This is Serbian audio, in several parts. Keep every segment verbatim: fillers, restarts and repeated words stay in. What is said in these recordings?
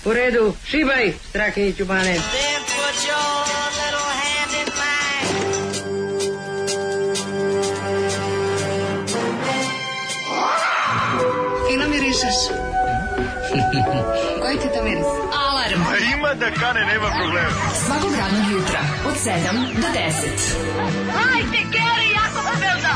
U redu, šibaj, Strahinjiću Bane. Fino mirišeš. Koji ti to miris? Alarm. A ima da kane, nema problema. Svakog radnog jutra od sedam do deset. Hajde, Geri, jako se velda.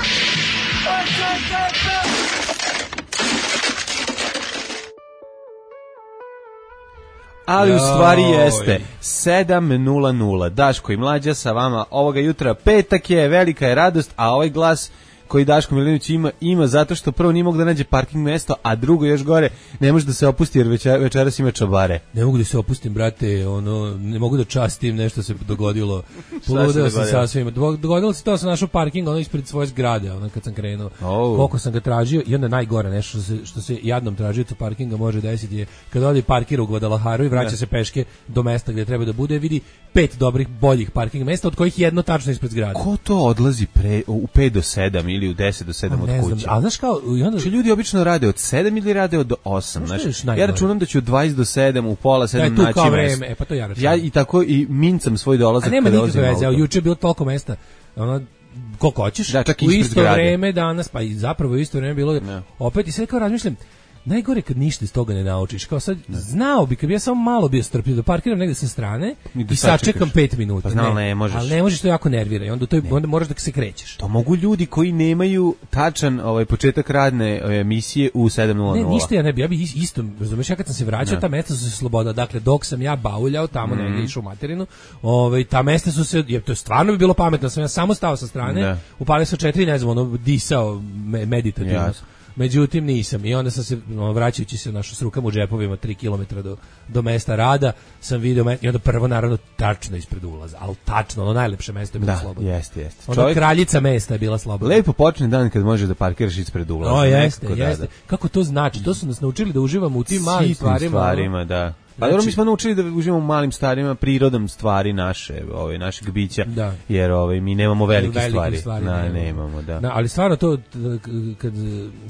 Ali u stvari jeste sedam nula nula. Daško i Mlađa sa vama ovoga jutra. Petak je, velika je radost, a ovaj glas koji Daško Milinović ima, ima zato što prvo nije mogu da nađe parking mesto, a drugo još gore ne može da se opusti jer večer, večeras ima čabare. Ne mogu da se opustim, brate, ono, ne mogu da častim, nešto se dogodilo. Poludeo sam sasvim. Dogodilo se to, sam našao parking ono ispred svoje zgrade, ono kad sam krenuo. Oh. Koliko sam ga tražio i onda najgore nešto što se, što se jadnom tražiocu parkinga može desiti je kad odi parkira u Guadalajaru i vraća ne. se peške do mesta gdje treba da bude, vidi pet dobrih, boljih parking mesta, od kojih jedno tačno ispred zgrade. Ko to odlazi pre, u pet do sedam ili u deset do sedam od kuće? A znaš kao, i onda... Če ljudi obično rade od sedam ili rade od osam, znaš? Ja računam da ću od dvadeset do sedam u pola sedam naći mjesto. E, pa to ja računam. Ja i tako i mincam svoj dolazak. A nema nikakve veze, juče je bilo toliko mesta, ono, koliko hoćeš, da, u isto zgrade. Vreme danas, pa i zapravo u isto vreme bilo, ne. Opet i sve kao razmišljam, najgore kad ništa iz toga ne naučiš. Kao sad, ne. Znao bi, kad bi ja samo malo bio strpljiv, da parkiram negde sa strane i, i sačekam pet minuta. Pa znao, ne, ne možeš. Ali ne možeš, to jako nervira i onda, to, onda moraš da se krećeš. To mogu ljudi koji nemaju tačan ovaj, početak radne emisije u sedam nula nula. Ne, ništa ja ne bi, ja bi isto, razumeš, ja kad sam se vraćao, ne. Ta mesta su se sloboda. Dakle, dok sam ja bauljao, tamo mm. negdje išao u materinu, ovaj, ta mesta su se, je, to je stvarno bi bilo pametno, sam ja samo stao sa strane, ne. Upalio sam četiri, ne znam, ono, disao me, meditativno. Ja. Međutim nisam i onda sam se vraćajući se našo s rukama u džepovima tri kilometra do, do mesta rada sam video i onda prvo naravno tačno ispred ulaza, ali tačno, ono najlepše mesto je bilo da, slobodno. Jeste, jeste. Onda Čovjek... kraljica mesta je bila slobodna. Lepo počne dan kad možeš da parkiraš ispred ulaza. O, jeste, jeste. Kako to znači? To su nas naučili da uživamo u tim malim stvarima. stvarima, da. Pa dobro, mi smo naučili da uživamo u malim stvarima, prirodom stvari naše, ovaj našeg bića, da. Jer ovaj mi nemamo velike, velike stvari, stvari na, nemamo. nemamo, da. da. Ali stvarno to kad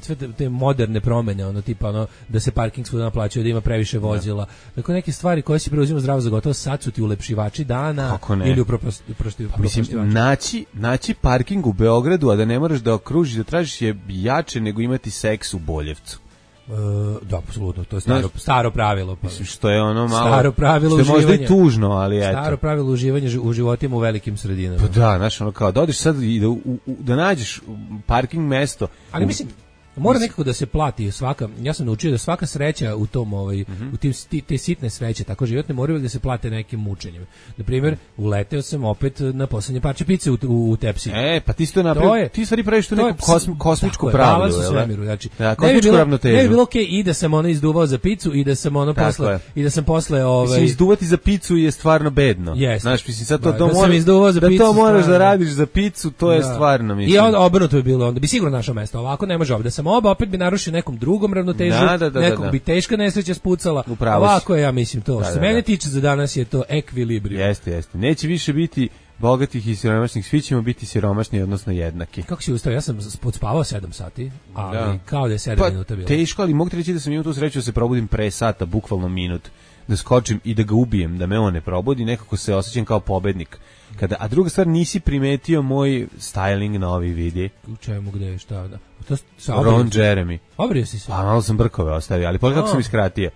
sve te, te moderne promene, ono tipa ono da se parking svuda naplaćuje, da ima previše vozila, dakle neke stvari koje si preuzimao zdravo za gotovo, sad su ti ulepšivači dana ili uprošti. Pa, mislim, naći, naći parking u Beogradu, a da ne moraš da okružiš, da tražiš je jače nego imati seks u Boljevcu. Uh, da, apsolutno, to je staro, staro pravilo. Pa. Mislim, što je ono malo... Staro pravilo uživanja. Što je možda i tužno, ali eto. Staro pravilo uživanja u životima u velikim sredinama. Pa da, znaš, ono kao, da odeš sad i da, u, u, da nađeš parking mesto... Ali mislim... Mora nekako da se plati svaka, ja sam naučio da svaka sreća u tom ovaj mm-hmm. u tim te sitne sreće tako životne moraju da se plate nekim mučenjem. Na primjer, uleteo sam opet na poslednje parče pice u, u, u tepsi. E, pa ti si to napravio, ti stvari praviš tu neku kosmi, kosmičku pravilo, je svemiru, znači. Da, kosmičku ravnotežu. Ne bi bilo okej okay, i da sam ono izduvao za picu i da sam ono tako posle je. I da sam posle ovaj mislim, izduvati za picu je stvarno bedno. Yes. Znaš, mislim sad to da, to da moraš za da picu, to moraš stvarno. Da radiš za picu, to je da. Stvarno mislim. I on obrnuto bi bilo, onda bi sigurno našao mesto. Ovako ne može, da sam oba opet bi narušio nekom drugom ravnotežu, da, da, da, nekog da, da. bi teška nesreća spucala. Ovako je, ja mislim to. Da, što se da, mene da. tiče za danas je to ekvilibrijum. Jeste, jeste. Neće više biti bogatih i siromašnih, svi ćemo biti siromašni, odnosno jednaki. Kako si ustao? Ja sam podspavao sedam sati, ali da. Kao da je sedam pa, minuta bilo. Teško, ali mogu ti reći da sam imao tu sreću da se probudim pre sata, bukvalno minut, da skočim i da ga ubijem, da me on ne probudi, nekako se osjećam kao pobednik. Kada, a druga stvar, nisi primetio moj styling na ovi vidi. U čemu, gde, šta? Da. To, Ron Jeremy. Obrio si se? A malo sam brkove ostavio, ali pogledaj kako sam iskratio.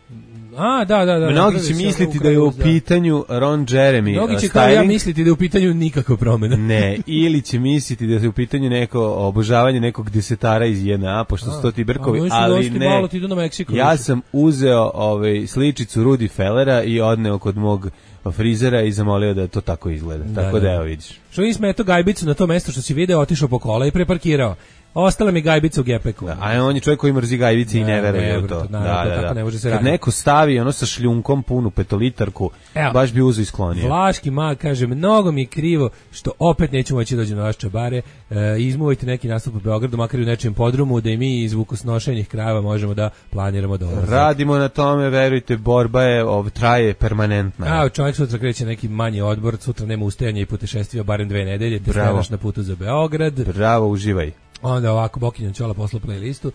A, da, da, da. Mnogi će misliti da je u pitanju Ron Jeremy. Mnogi će kao ja misliti da je u pitanju nikakva promjena. Ne, ili će misliti da je u pitanju neko obožavanje nekog desetara iz J N A, pošto su to ti brkovi, a, ali ne. Malo, ti idu na Meksiko, ja više. Sam uzeo ovaj, sličicu Rudi Fellera i odneo kod mog frizera i zamolio da to tako izgleda. Da, tako da, da evo vidiš. Što nisi meto gajbicu na to mesto što si video, otišao po kola i preparkirao. Ostala mi gajbica u gepeku. Da, a on je čovjek koji mrzi gajbice ne, i ne veruje u to. to. Naravno, da, to da, da. Ne može se kad neko stavi ono sa šljunkom punu petolitarku, evo, baš bi uzo isklonio. Vlaški mag kaže, mnogo mi je krivo što opet nećemo moći doći na vaš čabare. E, izmuvajte neki nastup u Beogradu, makar i u nečijem podrumu, da i mi iz vukosnošenih krajeva možemo da planiramo dolazak. Radimo na tome, verujte, borba je, ov, traje permanentna. A, čovjek sutra kreće neki manji odbor, sutra nema ustajanja i putešestvija barem dve nedelje, te staneš na putu za Beograd. Bravo, uživaj. Onda ovako Bokinjan Ćola poslao playlistu.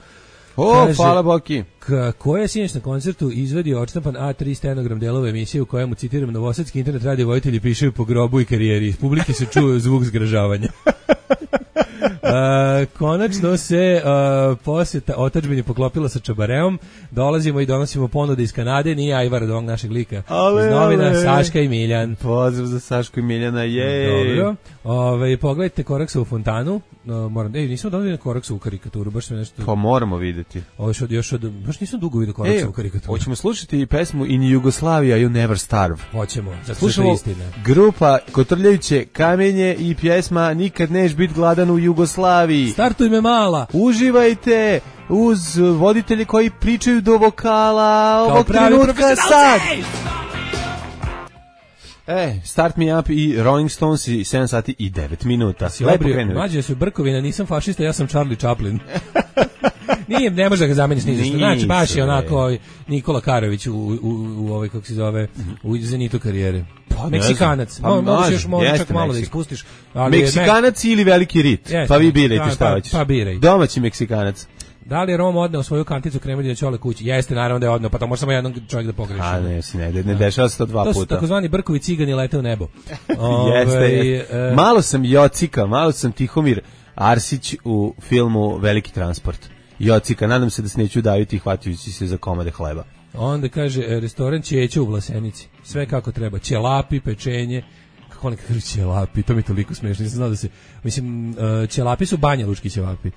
O, Kaže, hvala Boki. K- koja je sinoć na koncertu izvadio odštampan A tri stenogram delove emisije u kojemu, citiram, novosadski internet radio vojitelji pišaju po grobu i karijeri. Iz publike se čuje zvuk zgražavanja. Uh, konačno se uh, posjeta otadžbini poklopila sa Čabareom. Dolazimo i donosimo ponude iz Kanade. Nije Ajvar od ovog našeg lika. Ale, iz novina ale. Saška i Miljan. Pozdrav za Sašku i Miljana, jej. Dobro. Ove, pogledajte Koraksa u fontanu. No, moram, ej, nisam dobili na Koraksa u karikaturu, baš me nešto... Pa moramo vidjeti. Ovo još od, još od, baš nisam dugo vidio Koraksa u karikaturu. Hoćemo slušati pesmu In Yugoslavia You Never Starve. Hoćemo, za Slušamo grupa Kotrljajuće kamenje i pjesma Nikad neš bit gladan u Jugoslaviji. Startuj me mala. Uživajte uz voditelje koji pričaju do vokala kao ovog pravi trenutka sad. E, Start Me Up i Rolling Stones i sedam sati i devet minuta. Si Lepo obrio, krenuli. mlađe su Brkovina, nisam fašista, ja sam Charlie Chaplin. Nije, ne može da ga zameniš ni za što. Znači, baš je onako Nikola Karović u, u, u ovaj, kako se zove, u zenitu karijere. Pa, Meksikanac. Pa, Mo, možeš još možeš čak jeste malo da Meksik. ispustiš. Ali Meksikanac ili veliki rit? Jeste, Pa vi birajte pa, šta pa, hoćeš. pa biraj. Domaći Meksikanac. Da li je Roma odneo svoju kanticu Kremeljine Ćole kući? Jeste, naravno da je odneo, pa to može samo jedan čovjek da pogreši. A ne, si ne, ne dešava se to dva To su puta. takozvani Brkovi cigani lete u nebo. Jeste, Ove, jeste. e, Malo sam Jocika, malo sam Tihomir Arsić u filmu Veliki transport. Jocika, nadam se da se neću daviti hvatajući se za komade hleba. Onda kaže, e, restoran Ćeća u Vlasenici. Sve kako treba. Ćelapi, pečenje. Kako oni kažu ćelapi? To mi je toliko smiješno. Nisam znao da se... Mislim, uh, ćelapi su Banja Lučki ćelapi.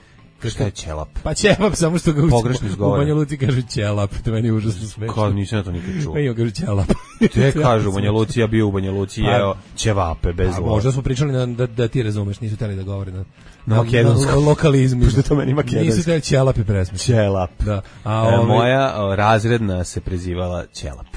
Šta je ćelap? Pa ćelap, samo što ga u, Pogrešno u izgovara. Banja Luci kažu ćelap. To meni je užasno smiješno. Kao nisam ja to nikad čuo. Meni kažu ćelap. Te kažu u Banja Luci, ja bio u Banja Luci, Pa- jeo ćevape bez A, voda. možda smo pričali na, da, da ti razumeš, nisu teli da govore na, Na makedonskom. na lokalizmu. Pošto to meni makedonski. Nisu teli ćelap i presmeš. Ćelap. Da. A, E, ovaj- moja o, razredna se prezivala Ćelap.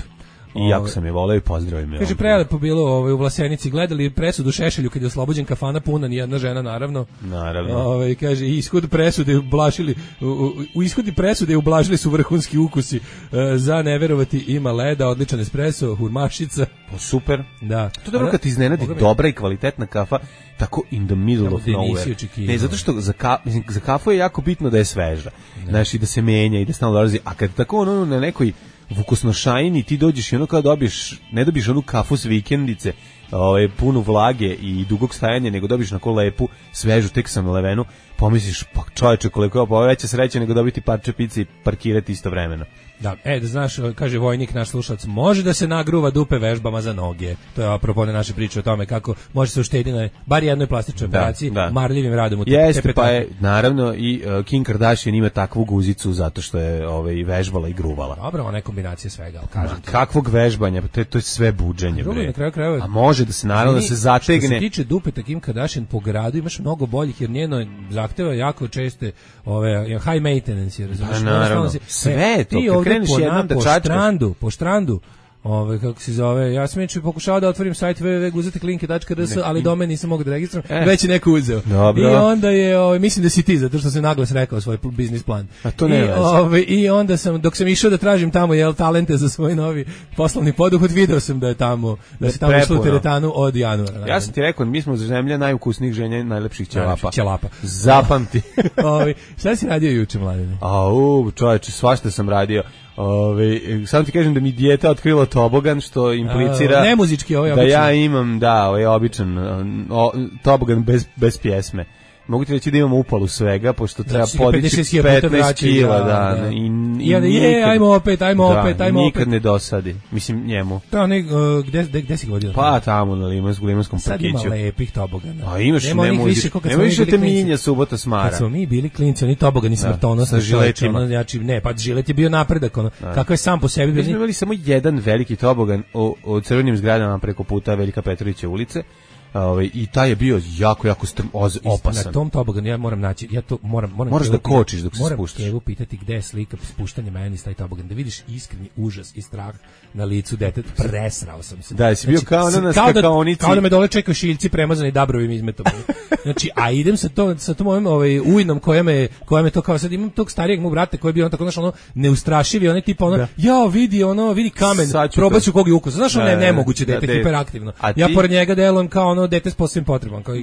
I jako sam je voleo i pozdravio me. Kaže, prelepo bilo ovaj, u Vlasenici, gledali presudu Šešelju kad je oslobođen kafana puna, nijedna žena naravno. Naravno. Ovaj, kaže, i ishod presude ublažili, u, u, u ishodi presude ublažili su vrhunski ukusi. E, za neverovati ima leda, odličan espresso, hurmašica. Pa super. Da. To je dobro kad ti iznenadi Boga mi- dobra i kvalitetna kafa tako in the middle Tamo of gde nisi nowhere. očekivao. Ne, zato što za, ka, mislim, za kafu je jako bitno da je sveža. Znaš, i da se menja i da stalno dolazi. A kad tako ono na nekoj vukosnošajni ti dođeš i ono kao dobiješ, ne dobiješ onu kafu s vikendice, ovaj, punu vlage i dugog stajanja, nego dobiješ na ko lepu, svežu, tek sam levenu, pomisliš, pa čoveče, koliko je ovo veća sreća nego dobiti parče pice i parkirati istovremeno. Da, e, da znaš, kaže vojnik, naš slušalac, može da se nagruva dupe vežbama za noge. To je apropo naše priče o tome kako može se uštediti na bar jednoj plastičnoj Da, operaciji, da. marljivim radom u te, Jeste, te pa petake. je, naravno, i uh, Kim Kardashian ima takvu guzicu zato što je ovaj, vežbala i gruvala. Dobro, ona je kombinacija svega, ali kažem ti. Kakvog vežbanja? Pa to je, to je sve buđenje, Drugo, bre. na kraju krajeva- A može da se, naravno, da se Što se zategne. tiče dupeta Kim Kardashian po gradu, imaš mnogo boljih, jer njeno zahteva jako česte ove, high maintenance, jer razumiješ. Pa, naravno. Jednostavno si- Sve e, je to, ti kad ovde kreneš po, jednom na- da po čačkaš. štrandu, po štrandu, ove, kako se zove, ja sam inače pokušao da otvorim sajt w w w tačka guzeteklinke tačka r s, ali domen nisam mogao da registrujem, E. već je neko uzeo. Dobro. I onda je, ove, mislim da si ti, zato što sam naglas rekao svoj pl- biznis plan. A to nema I, veze. ove, I onda sam, dok sam išao da tražim tamo, jel, talente za svoj novi poslovni poduhvat, video sam da je tamo, da se tamo išlo u Prepuno. teretanu od januara. Ja sam ti rekao, mi smo zemlja najukusnijih ženja, najlepših ćelapa. Najlepših ćelapa. Zapamti. Ovi, šta si radio juče, mladine? Au, čoveče, svašta sam radio. Ove, samo ti kažem da mi dijete otkrilo tobogan, što implicira A, ne muzički, ovaj da običan. ja imam, da, ovaj običan o, tobogan bez, bez pjesme. Mogu ti reći da imamo upalu svega, pošto treba Znači, ga podići pedeset hiljada puta petnaest vraćaju, kila, da, da, da. i, I onda, je, ajmo opet, ajmo da, opet, ajmo nikad opet. ne dosadi, mislim njemu. To je onaj, uh, gde, gde, gde si ga vodio? Pa tamo na Limansku, Limanskom Sad ima parkiću. lepih tobogana. A imaš, Nema ne onih može, više ko kad nema smo mi više bili te klinci. minja subota smara. Kad smo mi bili klinci, oni tobogani smrtonosni, sa žiletima. čoveče, ono, znači, ne, pa žilet je bio napredak, ono, kako je sam po sebi. Mi smo bio- imali samo jedan veliki tobogan u, u crvenim zgradama preko puta Velika Petrovića ulice. Ovaj, i taj je bio jako, jako strm, oz, opasan. Na tom toboganu ja moram naći, ja to moram, moram Moraš Kevu da pitati- kočiš dok se moram spuštaš. Kevu pitati gde je slika spuštanja meni s taj tobogan, da vidiš iskreni užas i strah na licu deteta. Presrao sam se. Da, jesi bio kao ono na kao da, skakaonici. kao da me dole čekaju šiljci premazani dabrovim izmetom. Znači, a idem sa to sa tom mojom ovaj ujnom koja me koja me to kao sad imam tog starijeg mog brata koji je bio on tako znaš ono neustrašivi, onaj tip ono Da. ja vidi ono vidi kamen, Sad ću probaću to. kog je ukus. Znaš ono Da, ne, da, nemoguće da, dete da. hiperaktivno. A Ja ti- pored njega delujem kao ono dete s posebnim potrebama, kao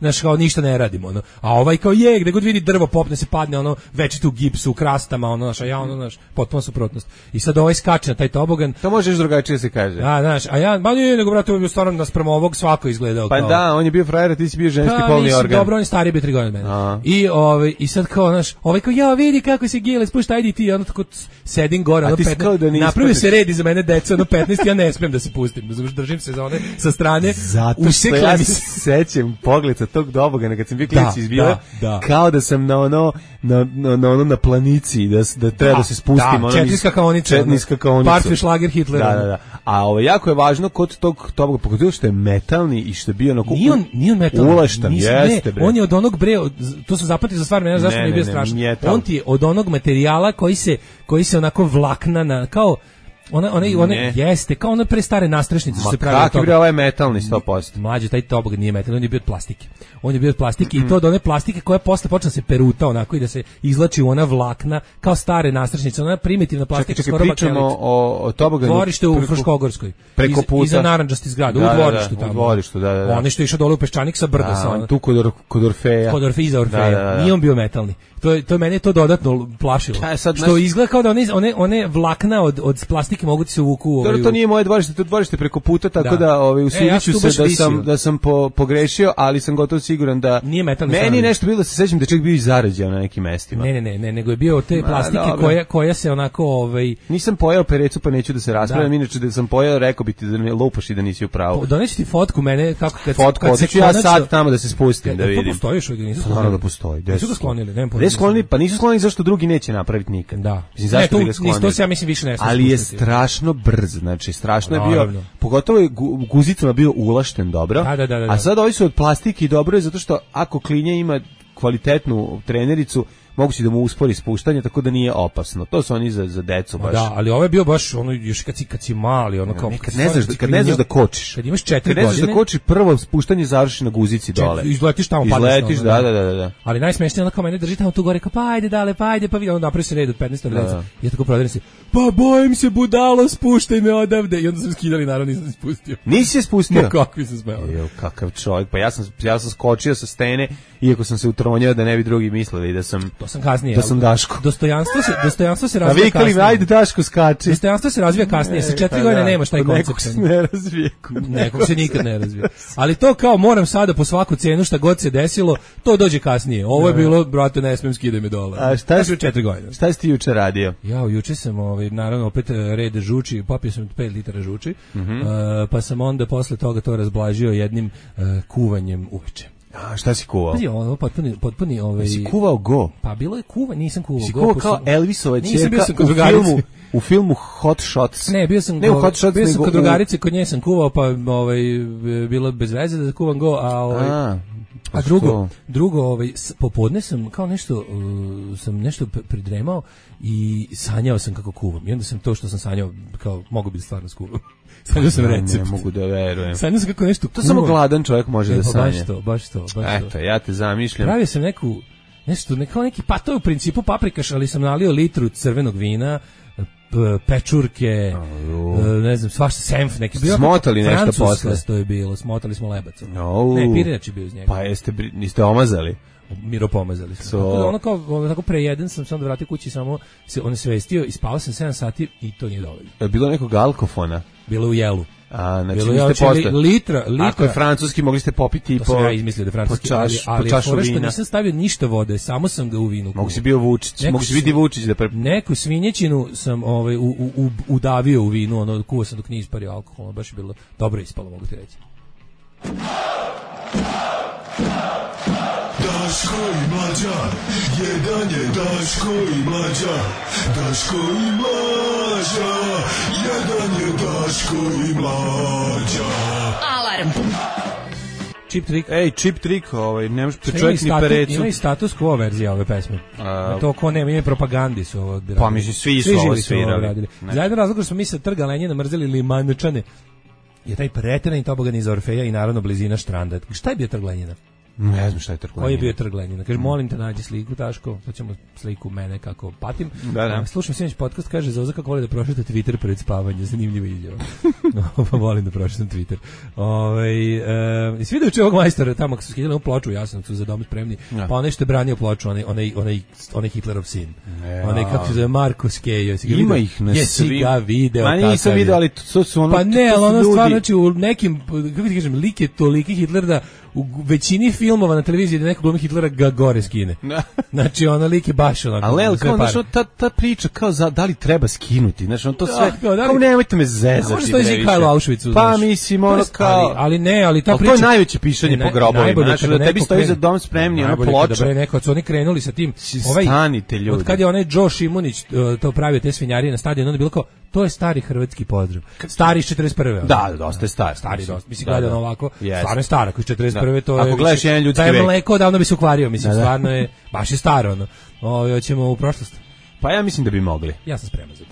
znaš, kao ništa ne radimo, ono. A ovaj kao je, gde god vidi drvo popne se padne, ono večito u gipsu, u krastama, ono, znaš, a ja ono, znaš, potpuno suprotnost. I sad ovaj skače na taj tobogan. To možeš drugačije se kaže. Da, znaš, a ja, ba nije, nego brate, ovo je bio stvarno naspram ovog svako izgledao pa kao. Pa da, on je bio frajer, a ti si bio ženski pa, polni mislim, organ. Dobro, on je stariji bio tri godine od mene. I ovaj i sad kao, znaš, ovaj kao ja vidi kako se gile, spušta ajde ti, ono tako sedim gore, ono petnaest. Da napravio se red iza mene deca, ono petnaest, ja ne smem da se pustim. Držim se za one sa strane. Zato što ja se sećam pogleda tog dobogana kad sam bio klinac izbio, da, da. Kao da sam na ono na na na ono na planici da da treba da, da se spustim, da, ono četniska kaonica, četniska kaonica. Parfi šlager Hitlera. Da, da, da. A ovo jako je važno kod tog toboga, pogotovo što je metalni i što je bio onako nije on, nije on metalni. Uleštan, jeste bre. On je od onog bre, to su zapamtili za stvar, mene zašto ne, ne bio strašno. On ti je od onog materijala koji se koji se onako vlakna na kao Ona ona ona jeste kao one prestare nastrešnice što se pravi od toga. Kako bre, ovaj metalni sto posto. Mlađe, taj tobog nije metalni, on je bio od plastike. On je bio od plastike mm. i to od one plastike koja posle počne se peruta onako i da se izvlači u ona vlakna kao stare nastrešnice, ona primitivna plastika. Čekaj, čekaj, pričamo o, o toboganu. Dvorište u Fruškogorskoj. Preko puta. Iza narandžasti zgrada, da, u dvorištu da, tamo. U dvorištu, da, da. Oni što je išao dole u Peščanik sa brda sa ona. Tu kod, kod Orfeja. Kod Orfeja, iza Orfeja. Da, da, da. Nije on bio metalni. To je to mene to dodatno plašilo. Ja, sad, što naš... izgleda kao da one one one vlakna od od plastike mogu ti se uvuku. Ovaj, to nije moje dvorište, to dvorište preko puta, tako da, da ovaj usudiću e, ja se da sam da sam po, pogrešio, ali sam gotovo siguran da nije metalni. Meni nešto bilo da se sećam da čak bio i zarađen na nekim mestima. Ne, ne, ne, ne, nego je bio od te plastike Ma, koja koja se onako ovaj nisam pojeo perecu, pa neću da se raspravljam, da. Inače da sam pojeo, rekao bi ti da me lupaš i da nisi u pravu. Doneći ti fotku mene kako kad fotku, kad se ja sad tamo da se spustim da vidim. To postoji što ga nisu sklonili. Da postoji. Gde su ga sklonili? Nema pojma. Sklonili, pa nisu sklonili zašto drugi neće napraviti nikad. Da. Mislim zašto bi ga sklonili? To se ja mislim više ne smije. Ali je strašno brz, znači strašno je bio, pogotovo je guzicama bio ulašten dobro. Da, da, da, da. A sad ovi su od plastike i dobro je zato što ako klinja ima kvalitetnu trenericu, moguće da mu uspori spuštanje, tako da nije opasno. To su oni za za decu baš. Da, ali ovo je bio baš ono još kad si kad si mali, ono kao ne, kad ne znaš da kad ne znaš da kočiš. Kad imaš četiri godine. Kad ne znaš da kočiš, prvo spuštanje završi na guzici dole. Izletiš tamo, padneš. Izletiš, da, da, da, da. Ali najsmešnije je ono kao mene drži tamo tu gore, kao pa ajde dale, pa ajde, pa vidi, onda napravi se red od petnaest deca. Ja tako prodajem se. Pa bojim se budalo, spuštaj me odavde. I onda sam skidali, naravno nisam se spustio. Nisi se spustio? No, kakvi sam smeo. Jo, kakav čovjek. Pa ja sam ja sam skočio sa stene, iako sam se utronjao da ne bi drugi mislili da sam to sam kasnije. Da sam Daško. Dostojanstvo se dostojanstvo se razvija kasnije. A vikali, ajde Daško skači. Dostojanstvo se razvija kasnije. Sa četiri godine da, nemaš taj koncept. Nekog se ne razvije. Nekog se nikad ne razvije. Ali to kao moram sada po svaku cenu šta god se desilo, to dođe kasnije. Ovo je bilo, brate, ne smem skidaj me dole. A šta si četiri godine? Šta si ti juče radio? Ja, juče sam ovaj naravno opet red žuči, popio sam pet litara žuči. Mm -hmm. uh, pa sam onda posle toga to razblažio jednim uh, kuvanjem uveče. A šta si kuvao? Pazi, ovo potpuni potpuni ovaj. Si kuvao go? Pa bilo je kuva, nisam kuvao si go. Si kuvao kao Elvisova ćerka u filmu, u filmu Hot Shots. Ne, bio sam ne u Hot Shots, bio sam kod drugarice, kod nje sam kuvao, pa ovaj bilo bez veze da kuvam go, a ovaj a, a drugo, drugo ovaj popodne sam kao nešto uh, sam nešto pridremao i sanjao sam kako kuvam. I onda sam to što sam sanjao kao mogu biti stvarno skuvam. Sanjao sam recept. Ne mogu da verujem. Sanjao sam kako nešto to samo gladan čovjek može e, da sanja. Baš to, baš to, baš Eto, to. Ja te zamišljam. Pravio sam neku, nešto, neko neki, pa to je u principu paprikaš, ali sam nalio litru crvenog vina, pečurke, oh, ne znam, svašta senf neki. Smotali nešto posle. To je bilo, smotali smo lebac. Oh. Ne, pirinač je bio iz njega. Pa jeste, niste omazali? Miro pomazali smo. So. Ono kao, ono tako pre jedan sam se onda vratio kući samo se on svestio i spavao sam sedam sati i to nije dovoljno. Je bilo nekog alkofona? Bilo u jelu. A, znači bilo niste posle. Litra, litra. Ako je francuski, mogli ste popiti i po... To sam ja izmislio da je francuski, po čaš, ali, ali po čašu vina. Nisam stavio ništa vode, samo sam ga u vinu. Mogu si bio Vučić, neku mogu si vidi Vučić da pre... Neku svinjećinu sam ovaj, u, u, u, udavio u vinu, ono, kuvao sam dok nije ispario alkohol, baš je bilo dobro ispalo, mogu ti reći. Daško i Mlađa, jedan je Daško i Mlađa, Daško i Mlađa, jedan je Daško i Mlađa. Alarm. Chip Trick. Ej, Chip Trick, ovaj, nemaš čovjek ni perecu. Ima i status quo verzija ove pesme. A, to ko nema, ima propagandi su ovo odbirali. Pa mislim, svi su ovo svirali. Za jedan razlog što smo mi sa Trga Lenjina mrzeli Limančane je taj preterani tobogan iz Orfeja i naravno blizina Štranda. Šta je bio Trg Lenjina? Ne znam šta je trglenina. Koji je bio trglenina? Kaže, molim te nađi sliku, Daško, to ćemo sliku mene kako patim. Da, da. Slušam sinoć podcast, kaže Zoza kako voli da prošeta Twitter pred spavanje, zanimljivo izjava. No, pa volim da prošetam Twitter. Ovaj e, svi da uče ovog majstora tamo kad su skidali ploču u Jasenovcu za dom spremni, ja. Pa onaj što je branio ploču, onaj onaj onaj onaj Hitlerov sin. Ja. Onaj kako se zove Marko Skejo, ima video? Ih na Jesi svim. Ga video, ma nisam video, ali to su ono. Pa ne, ali ono stvarno, znači u nekim, kako ti kažem, lik je toliki Hitler da u većini filmova na televiziji da neko glumi Hitlera ga gore skine. Znači, ono lik je baš onako. Ali, ali kao, znaš, ta, ta priča kao za, da li treba skinuti, znači, on to sve, da, kao, da li, kao nemojte me zezati. Možda stoji Zikajlo u Auschwitzu. Pa, mislim, ono kao. Ali, ali ne, ali ta ali priča. To je najveće pišanje ne, po grobovima, znači, da tebi stoji za dom spremni, ono ploča. Kada bre neko, su oni krenuli sa tim. Ovaj, stanite ljudi. Od kad je onaj Joe Šimunić to pravio te svinjarije na stadionu, onda je bilo kao, to je stari hrvatski pozdrav. Stari iz četrdeset prve. Da, dosta je star. Stari, dosta. Mislim, gledano ovako, stvarno je stara, koji iz četrdeset prve, to je. Ako gledaš jedan ljudski vek. Da je mleko, odavno bi se ukvario, mislim, da, da. Stvarno je, baš je staro, ono. Ovo, hoćemo u prošlost. Pa ja mislim da bi mogli. Ja sam spreman za to.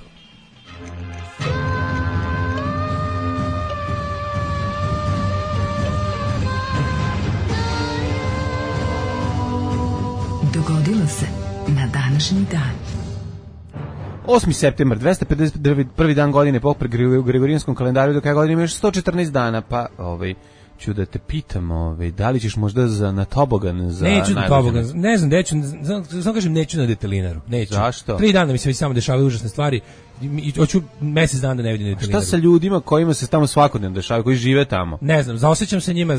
Dogodilo se na današnji dan. osmi septembar, dvesta pedeset prvi dan godine po Gregorijanskom kalendaru, do kraja godine ima još sto četrnaest dana, pa ovaj ću da te pitam, ovaj, da li ćeš možda za na tobogan za neću na tobogan, ne znam, neću, samo kažem neću na detelinaru, neću. Zašto? Tri dana mi se već samo dešavaju užasne stvari i hoću mesec dana da ne vidim detelinaru. Šta sa ljudima kojima se tamo svakodnevno dešavaju, koji žive tamo? Ne znam, zaosjećam se njima,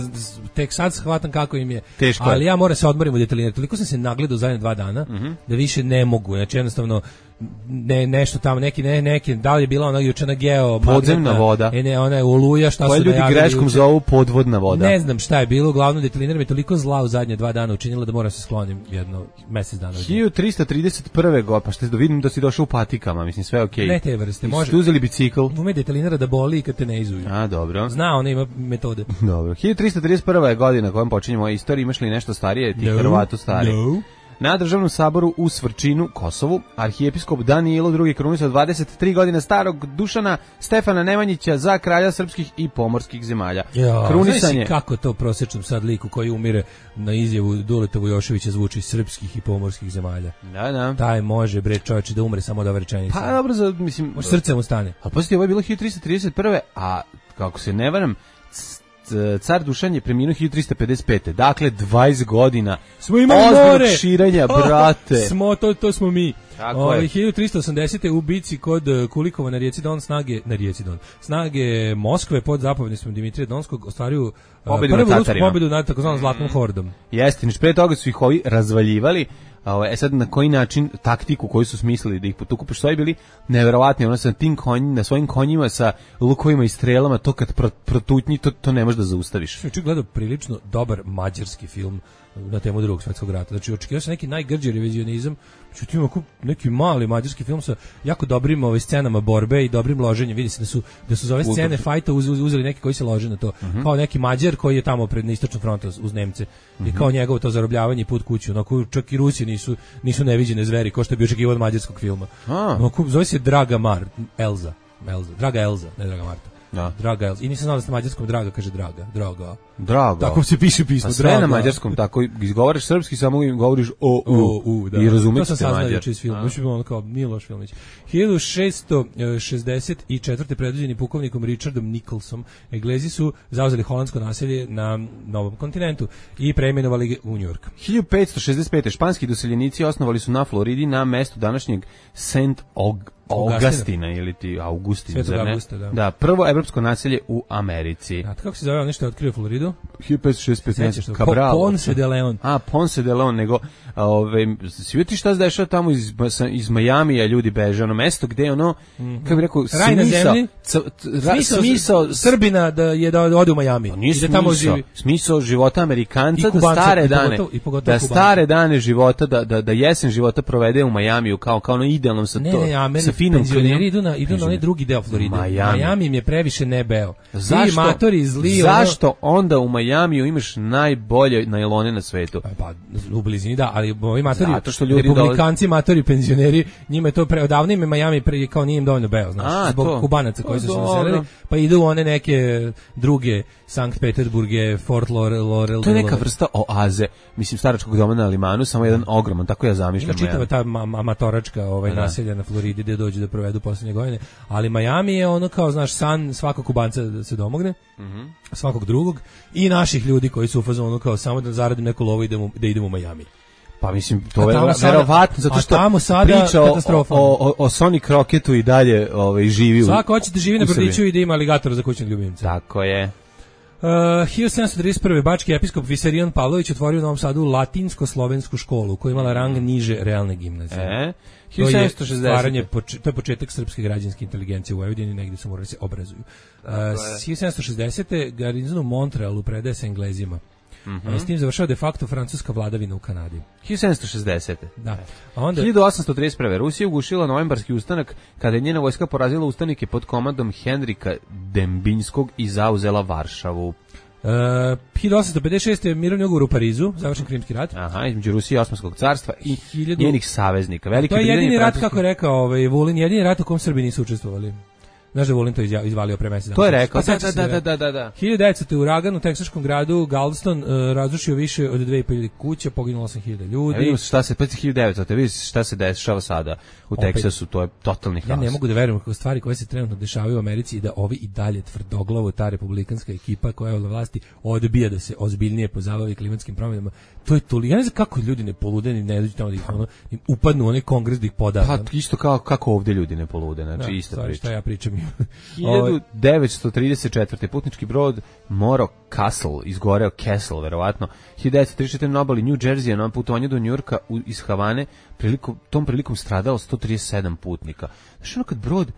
tek sad shvatam kako im je. Teško ali je. Ja moram se odmorim u detelinaru. Toliko sam se nagledao zadnje dva dana, uh-huh. da više ne mogu, znači jednostavno ne, nešto tamo, neki, ne, neki, da li je bila ona juče na geo podzemna voda, e ne, ona je oluja, šta koje su ljudi greškom juče. Zovu podvodna voda. Ne znam šta je bilo, uglavnom detelinara mi toliko zla u zadnje dva dana učinila da moram se sklonim jedno mesec dana. hiljadu trista trideset prve godine, pa što da vidim da si došao u patikama, mislim sve je okej. Okay. Ne te vrste, može. Ste uzeli bicikl? Ume detelinara da boli i kad te ne izuju. A, dobro. Zna, ona ima metode. Dobro. hiljadu trista trideset prva je godina kojom počinjemo istoriju, imaš li nešto starije, ti no, Hrvatu stari? No. Na državnom saboru u Svrčinu, Kosovu, arhijepiskop Danilo drugi krunisao dvadeset tri godine starog Dušana Stefana Nemanjića za kralja srpskih i pomorskih zemalja. Jo, krunisanje. Kako to prosječnom sad liku koji umire na izjavu Duleta Vujoševića zvuči srpskih i pomorskih zemalja. Da, da. Taj može bre čovječe da umre samo od ove rečenice. Pa dobro, za, mislim, može srce mu stane. Ali posjetite, ovo je bilo hiljadu trista trideset prve, a kako se ne varam, car Dušan je preminuo hiljadu trista pedeset pete. Dakle, dvadeset godina smo imali more širenja, brate. Smo, to, to smo mi. O, hiljadu trista osamdesete u bici kod Kulikova na rijeci Don snage, na rijeci Don, snage Moskve pod zapovjedništvom Dimitrija Donskog ostvaruju pobedu prvu na rusku pobedu nad takozvanom Zlatnom hordom. Jeste, niš pre toga su ih ovi razvaljivali. E sad na koji način taktiku koju su smislili da ih potuku, pošto su bili neverovatni, ono sa tim konjima, na svojim konjima sa lukovima i strelama, to kad protutnji, to, to ne možeš da zaustaviš. Znači, gledao prilično dobar mađarski film na temu Drugog svjetskog rata. Znači, očekivao sam neki najgrđi revizionizam, znači, ima neki mali mađarski film sa jako dobrim ove scenama borbe i dobrim loženjem. Vidi se da su, da su za ove scene fajta uz, uz, uzeli neki koji se lože na to. Uh-huh. Kao neki Mađar koji je tamo pred istočnom frontom uz Nemce. Uh-huh. I kao njegovo to zarobljavanje i put kuću. Onako, čak i Rusi nisu, nisu neviđene zveri, kao što je bio očekivao od mađarskog filma. Onako, zove se Draga Mar, Elza. Elza. Draga Elza, ne Draga Marta. Da. Draga Elza. I nisam znao da ste na mađarskom Draga kaže Draga. Draga. Draga. Tako se piše pismo. Pa sve Draga. Na mađarskom, tako izgovaraš srpski, samo govoriš o, u. O, u, da. I razumiješ se mađar. To sam saznao iz filma. Mislim, ono kao Miloš Filmić. hiljadu šessto šezdeset četvrte predvođeni pukovnikom Richardom Nicholsom, Englezi su zauzeli holandsko naselje na Novom kontinentu i preimenovali ga u Njujork. hiljadu petsto šezdeset pete. španski doseljenici osnovali su na Floridi na mestu današnjeg Saint Og Augustina ili ti Augustin, zar ne? Augusta, da. Da, prvo evropsko naselje u Americi. A kako se zove nešto je otkrio Floridu? hiljadu petsto šezdeset pete. Cabral. Ponce de Leon. A, Ponce de Leon, nego ove, si vidjeti šta se dešava tamo iz, iz Majamija, ljudi beže, ono mesto gde ono, mm-hmm. kako bi rekao, raj na zemlji, c, ra, smisao, smisao Srbina da je da ode u Majami. Pa nije da tamo živi. Smisao života Amerikanca da stare dane, i pogotovo, i da stare dane života, da, da, da jesen života provede u Majamiju, kao, kao ono idealnom sa, ne, to, ne, sa finom penzioneri idu na, idu na onaj drugi deo Floride. Miami. Miami im je previše nebeo. Zašto, matori zli, zašto ono... onda u Majamiju imaš najbolje najlone na svetu. Pa u blizini da, ali ovi matori, zato što ljudi republikanci, dolaze... matori, penzioneri, njima je to pre odavno ime Majami pre kao nije im dovoljno beo, znaš, A, zbog to. Kubanaca koji o, su se naselili, pa idu one neke druge Sankt Peterburge, Fort Lauderdale. To je neka vrsta oaze, mislim staračkog doma na Limanu, samo jedan ogroman, tako ja zamišljam. Ima čitava ta ma amatoračka ovaj, naselja na Floridi gde dođu da provedu poslednje godine, ali Miami je ono kao, znaš, san svakog Kubanca da se domogne, mm -hmm. svakog drugog i naših ljudi koji su u fazonu kao samo da zaradim neku lovu i da, da idemo u Miami. Pa mislim, to je verovatno, zato što tamo sada priča o, o, o, o Sonic Rocketu i dalje ovaj, živi u Svako hoće da živi na brdiću i da ima aligatora za kućnog ljubimca. Tako je. Uh, hiljadu sedamsto trideset prve. bački episkop Visarion Pavlović otvorio u Novom Sadu latinsko-slovensku školu koja je imala rang niže realne gimnazije. E, hiljadu sedamsto šezdeset. To je početak srpske građanske inteligencije u Vojvodini, negdje su morali se obrazuju. Uh, hiljadu sedamsto šezdesete. garnizon u Montrealu predaje se Englezima. Mm -hmm. S tim završava de facto francuska vladavina u Kanadi. hiljadu sedamsto šezdesete. Da. A onda hiljadu osamsto trideset prve. Rusija ugušila novembarski ustanak kada je njena vojska porazila ustanike pod komandom Henrika Dembinskog i zauzela Varšavu. Uh, hiljadu osamsto pedeset šeste. mirovni ugovor u Parizu, završen Krimski rat. Aha, između Rusije i Osmanskog carstva i hiljadu... njenih saveznika. Velike to je jedini rat, francuski... kako je rekao ovaj, Vulin, jedini rat u kom Srbi nisu učestvovali. Znaš da Vulin to izvalio pre mesec dana. To je rekao, pa, da, da, da, da, da, da. hiljadu devetsto. uragan u teksaškom gradu Galveston uh, razrušio više od dve i po hiljade kuća, poginulo osam hiljada ljudi. Ja vidimo šta se, pa hiljadu devetsto. Te vidiš šta se dešava sada u Opet, Teksasu, to je totalni haos. Ja ne mogu da verujem kako stvari koje se trenutno dešavaju u Americi i da ovi i dalje tvrdoglavo ta republikanska ekipa koja je od vlasti odbija da se ozbiljnije pozabavi klimatskim promjenama. To je toliko, ja ne znam kako ljudi ne polude, ni ne dođu tamo da ih ono, upadnu u onaj kongres da ih poda. Pa isto kao kako ovdje ljudi ne polude, znači da, ista stvari, priča. Šta ja pričam. hiljadu devetsto trideset četvrte. putnički brod Moro Castle, izgoreo Castle, verovatno. hiljadu devetsto trideset četvrte. na obali New Jersey na putovanju do Njujorka iz Havane, prilikom, tom prilikom stradalo sto trideset sedam putnika. Znaš ono kad brod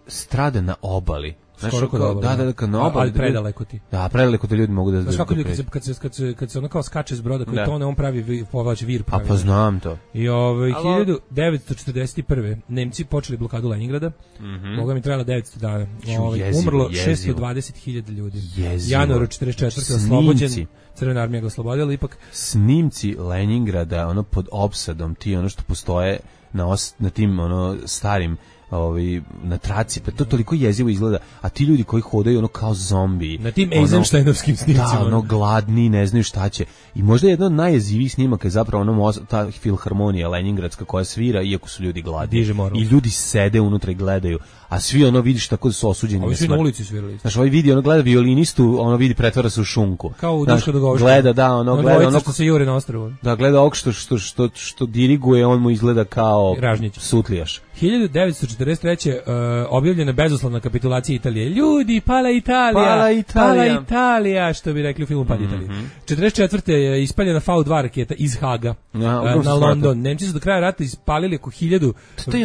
strada na obali, Znaš, skoro kod obale. Da, da, da, kad na obali. Ali predaleko ti. Da, predaleko ti ljudi mogu da... Znaš kako ljudi, kad se, kad se, kad se ono kao skače s broda, koji tone, on pravi, povlači vir. Pravi. A pa znam to. I ovaj, hiljadu devetsto četrdeset prve. Nemci počeli blokadu Leningrada. Mm -hmm. Boga mi trajala devetsto dana. Ovaj, jezivo, umrlo jezivo. šesto dvadeset hiljada ljudi. Jezivo. Januar četrdeset četvrte. oslobođen. Crvena armija ga oslobodila, ipak... Snimci Leningrada, ono pod opsadom, ti ono što postoje na, os, na tim ono starim ovi na traci, pa to toliko jezivo izgleda, a ti ljudi koji hodaju ono kao zombiji na tim Eisensteinovskim snimcima, da, ono gladni, ne znaju šta će. I možda jedan od najjezivijih snimaka je zapravo ono ta filharmonija leningradska koja svira iako su ljudi gladni i ljudi sede unutra i gledaju, a svi ono vidiš tako da su osuđeni na smrt. Na ulici svirali. Znaš, ovaj vidi, ono gleda violinistu, ono vidi pretvara se u šunku. Kao u Duška Dogovišta. Gleda, da, ono no, gleda ono što se jure na ostrvu. Da, gleda ovog što, što, što, što diriguje, on mu izgleda kao Ražnjić. Sutlijaš. hiljadu devetsto četrdeset treće. Uh, objavljena bezuslovna kapitulacija Italije. Ljudi, pala Italija. Pala Italija. Pala Italija, što bi rekli u filmu Pad Italije. Mm -hmm. četrdeset četvrte je ispaljena V dva raketa iz Haga ja, uh, na London. Nemci su do kraja rata ispalili oko hiljadu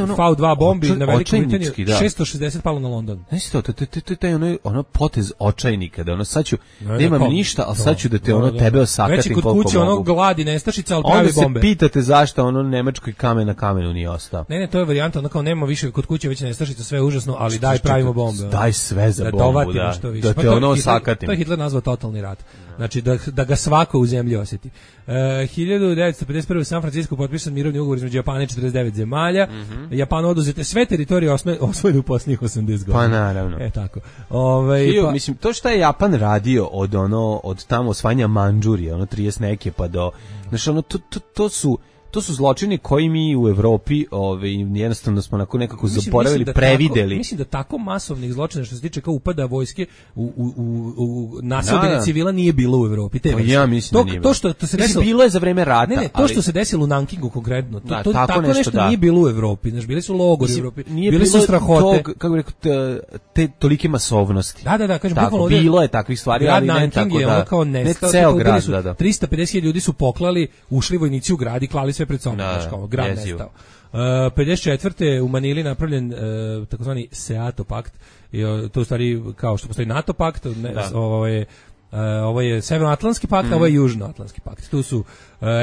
ono, V dva bombi na Veliku Britaniju. Da. šesto šezdeset palo na London. Znaš to, to, to, to, to je ono, ono potez očajnika, da ono sad ću, ne, nemam ne, ništa, ali sad ću da te no, ono da, tebe osakatim koliko mogu. Već kod kuće ono gladi nestašica, ali pravi bombe. Onda se pitate zašto ono nemačkoj kamen na kamenu nije ostao. Ne, ne, to je varijanta, ono kao nema više kod kuće već nestašica, sve je užasno, ali daj pravimo bombe. Daj sve za bombu, da. Što više. Da te ono osakatim. To je Hitler nazvao totalni rat. Znači da, da ga svako u zemlji osjeti. Uh, hiljadu devetsto pedeset prve. u San Francisco potpisan mirovni ugovor između Japana i četrdeset devet zemalja. Mm -hmm. Japanu oduzete sve teritorije osvojene u posljednjih osamdeset godina. Pa naravno. E tako. Ove, Hiju, pa... mislim, to što je Japan radio od ono od tamo osvajanja Mandžurije, ono trideset neke pa do... Znači, ono, to, to, to su... To su zločini koji mi u Evropi, ovaj jednostavno smo nakon nekako mislim, zaboravili, mislim da prevideli. Tako, mislim da tako masovnih zločina što se tiče kao upada vojske u u u, u nasilje civila nije bilo u Evropi. Te ja mislim to, da nije. To što to se desilo bilo je za vreme rata. Ne, ne, to ali... što se desilo u Nankingu konkretno. To, da, to tako, tako nešto, nešto da. nije bilo u Evropi. Znači bili su logori u Evropi. Bili su strahote. Tog, kako bih rekao, te, te tolike masovnosti. Da, da, da, kažem bukvalno bilo je takvih stvari, ali ne tako da. Kao ne ceo grad, da, da. trista pedeset hiljada ljudi su poklali, ušli vojnici u grad i klali sve pred sobom, znači kao grad nestao. Uh, pedeset četvrte. u Manili napravljen uh, takozvani SEATO pakt, i uh, to u stvari kao što postoji NATO pakt, ne, ovaj Uh, ovo je Severnoatlantski pakt, mm. a ovo je Južnoatlantski pakt. Tu su uh,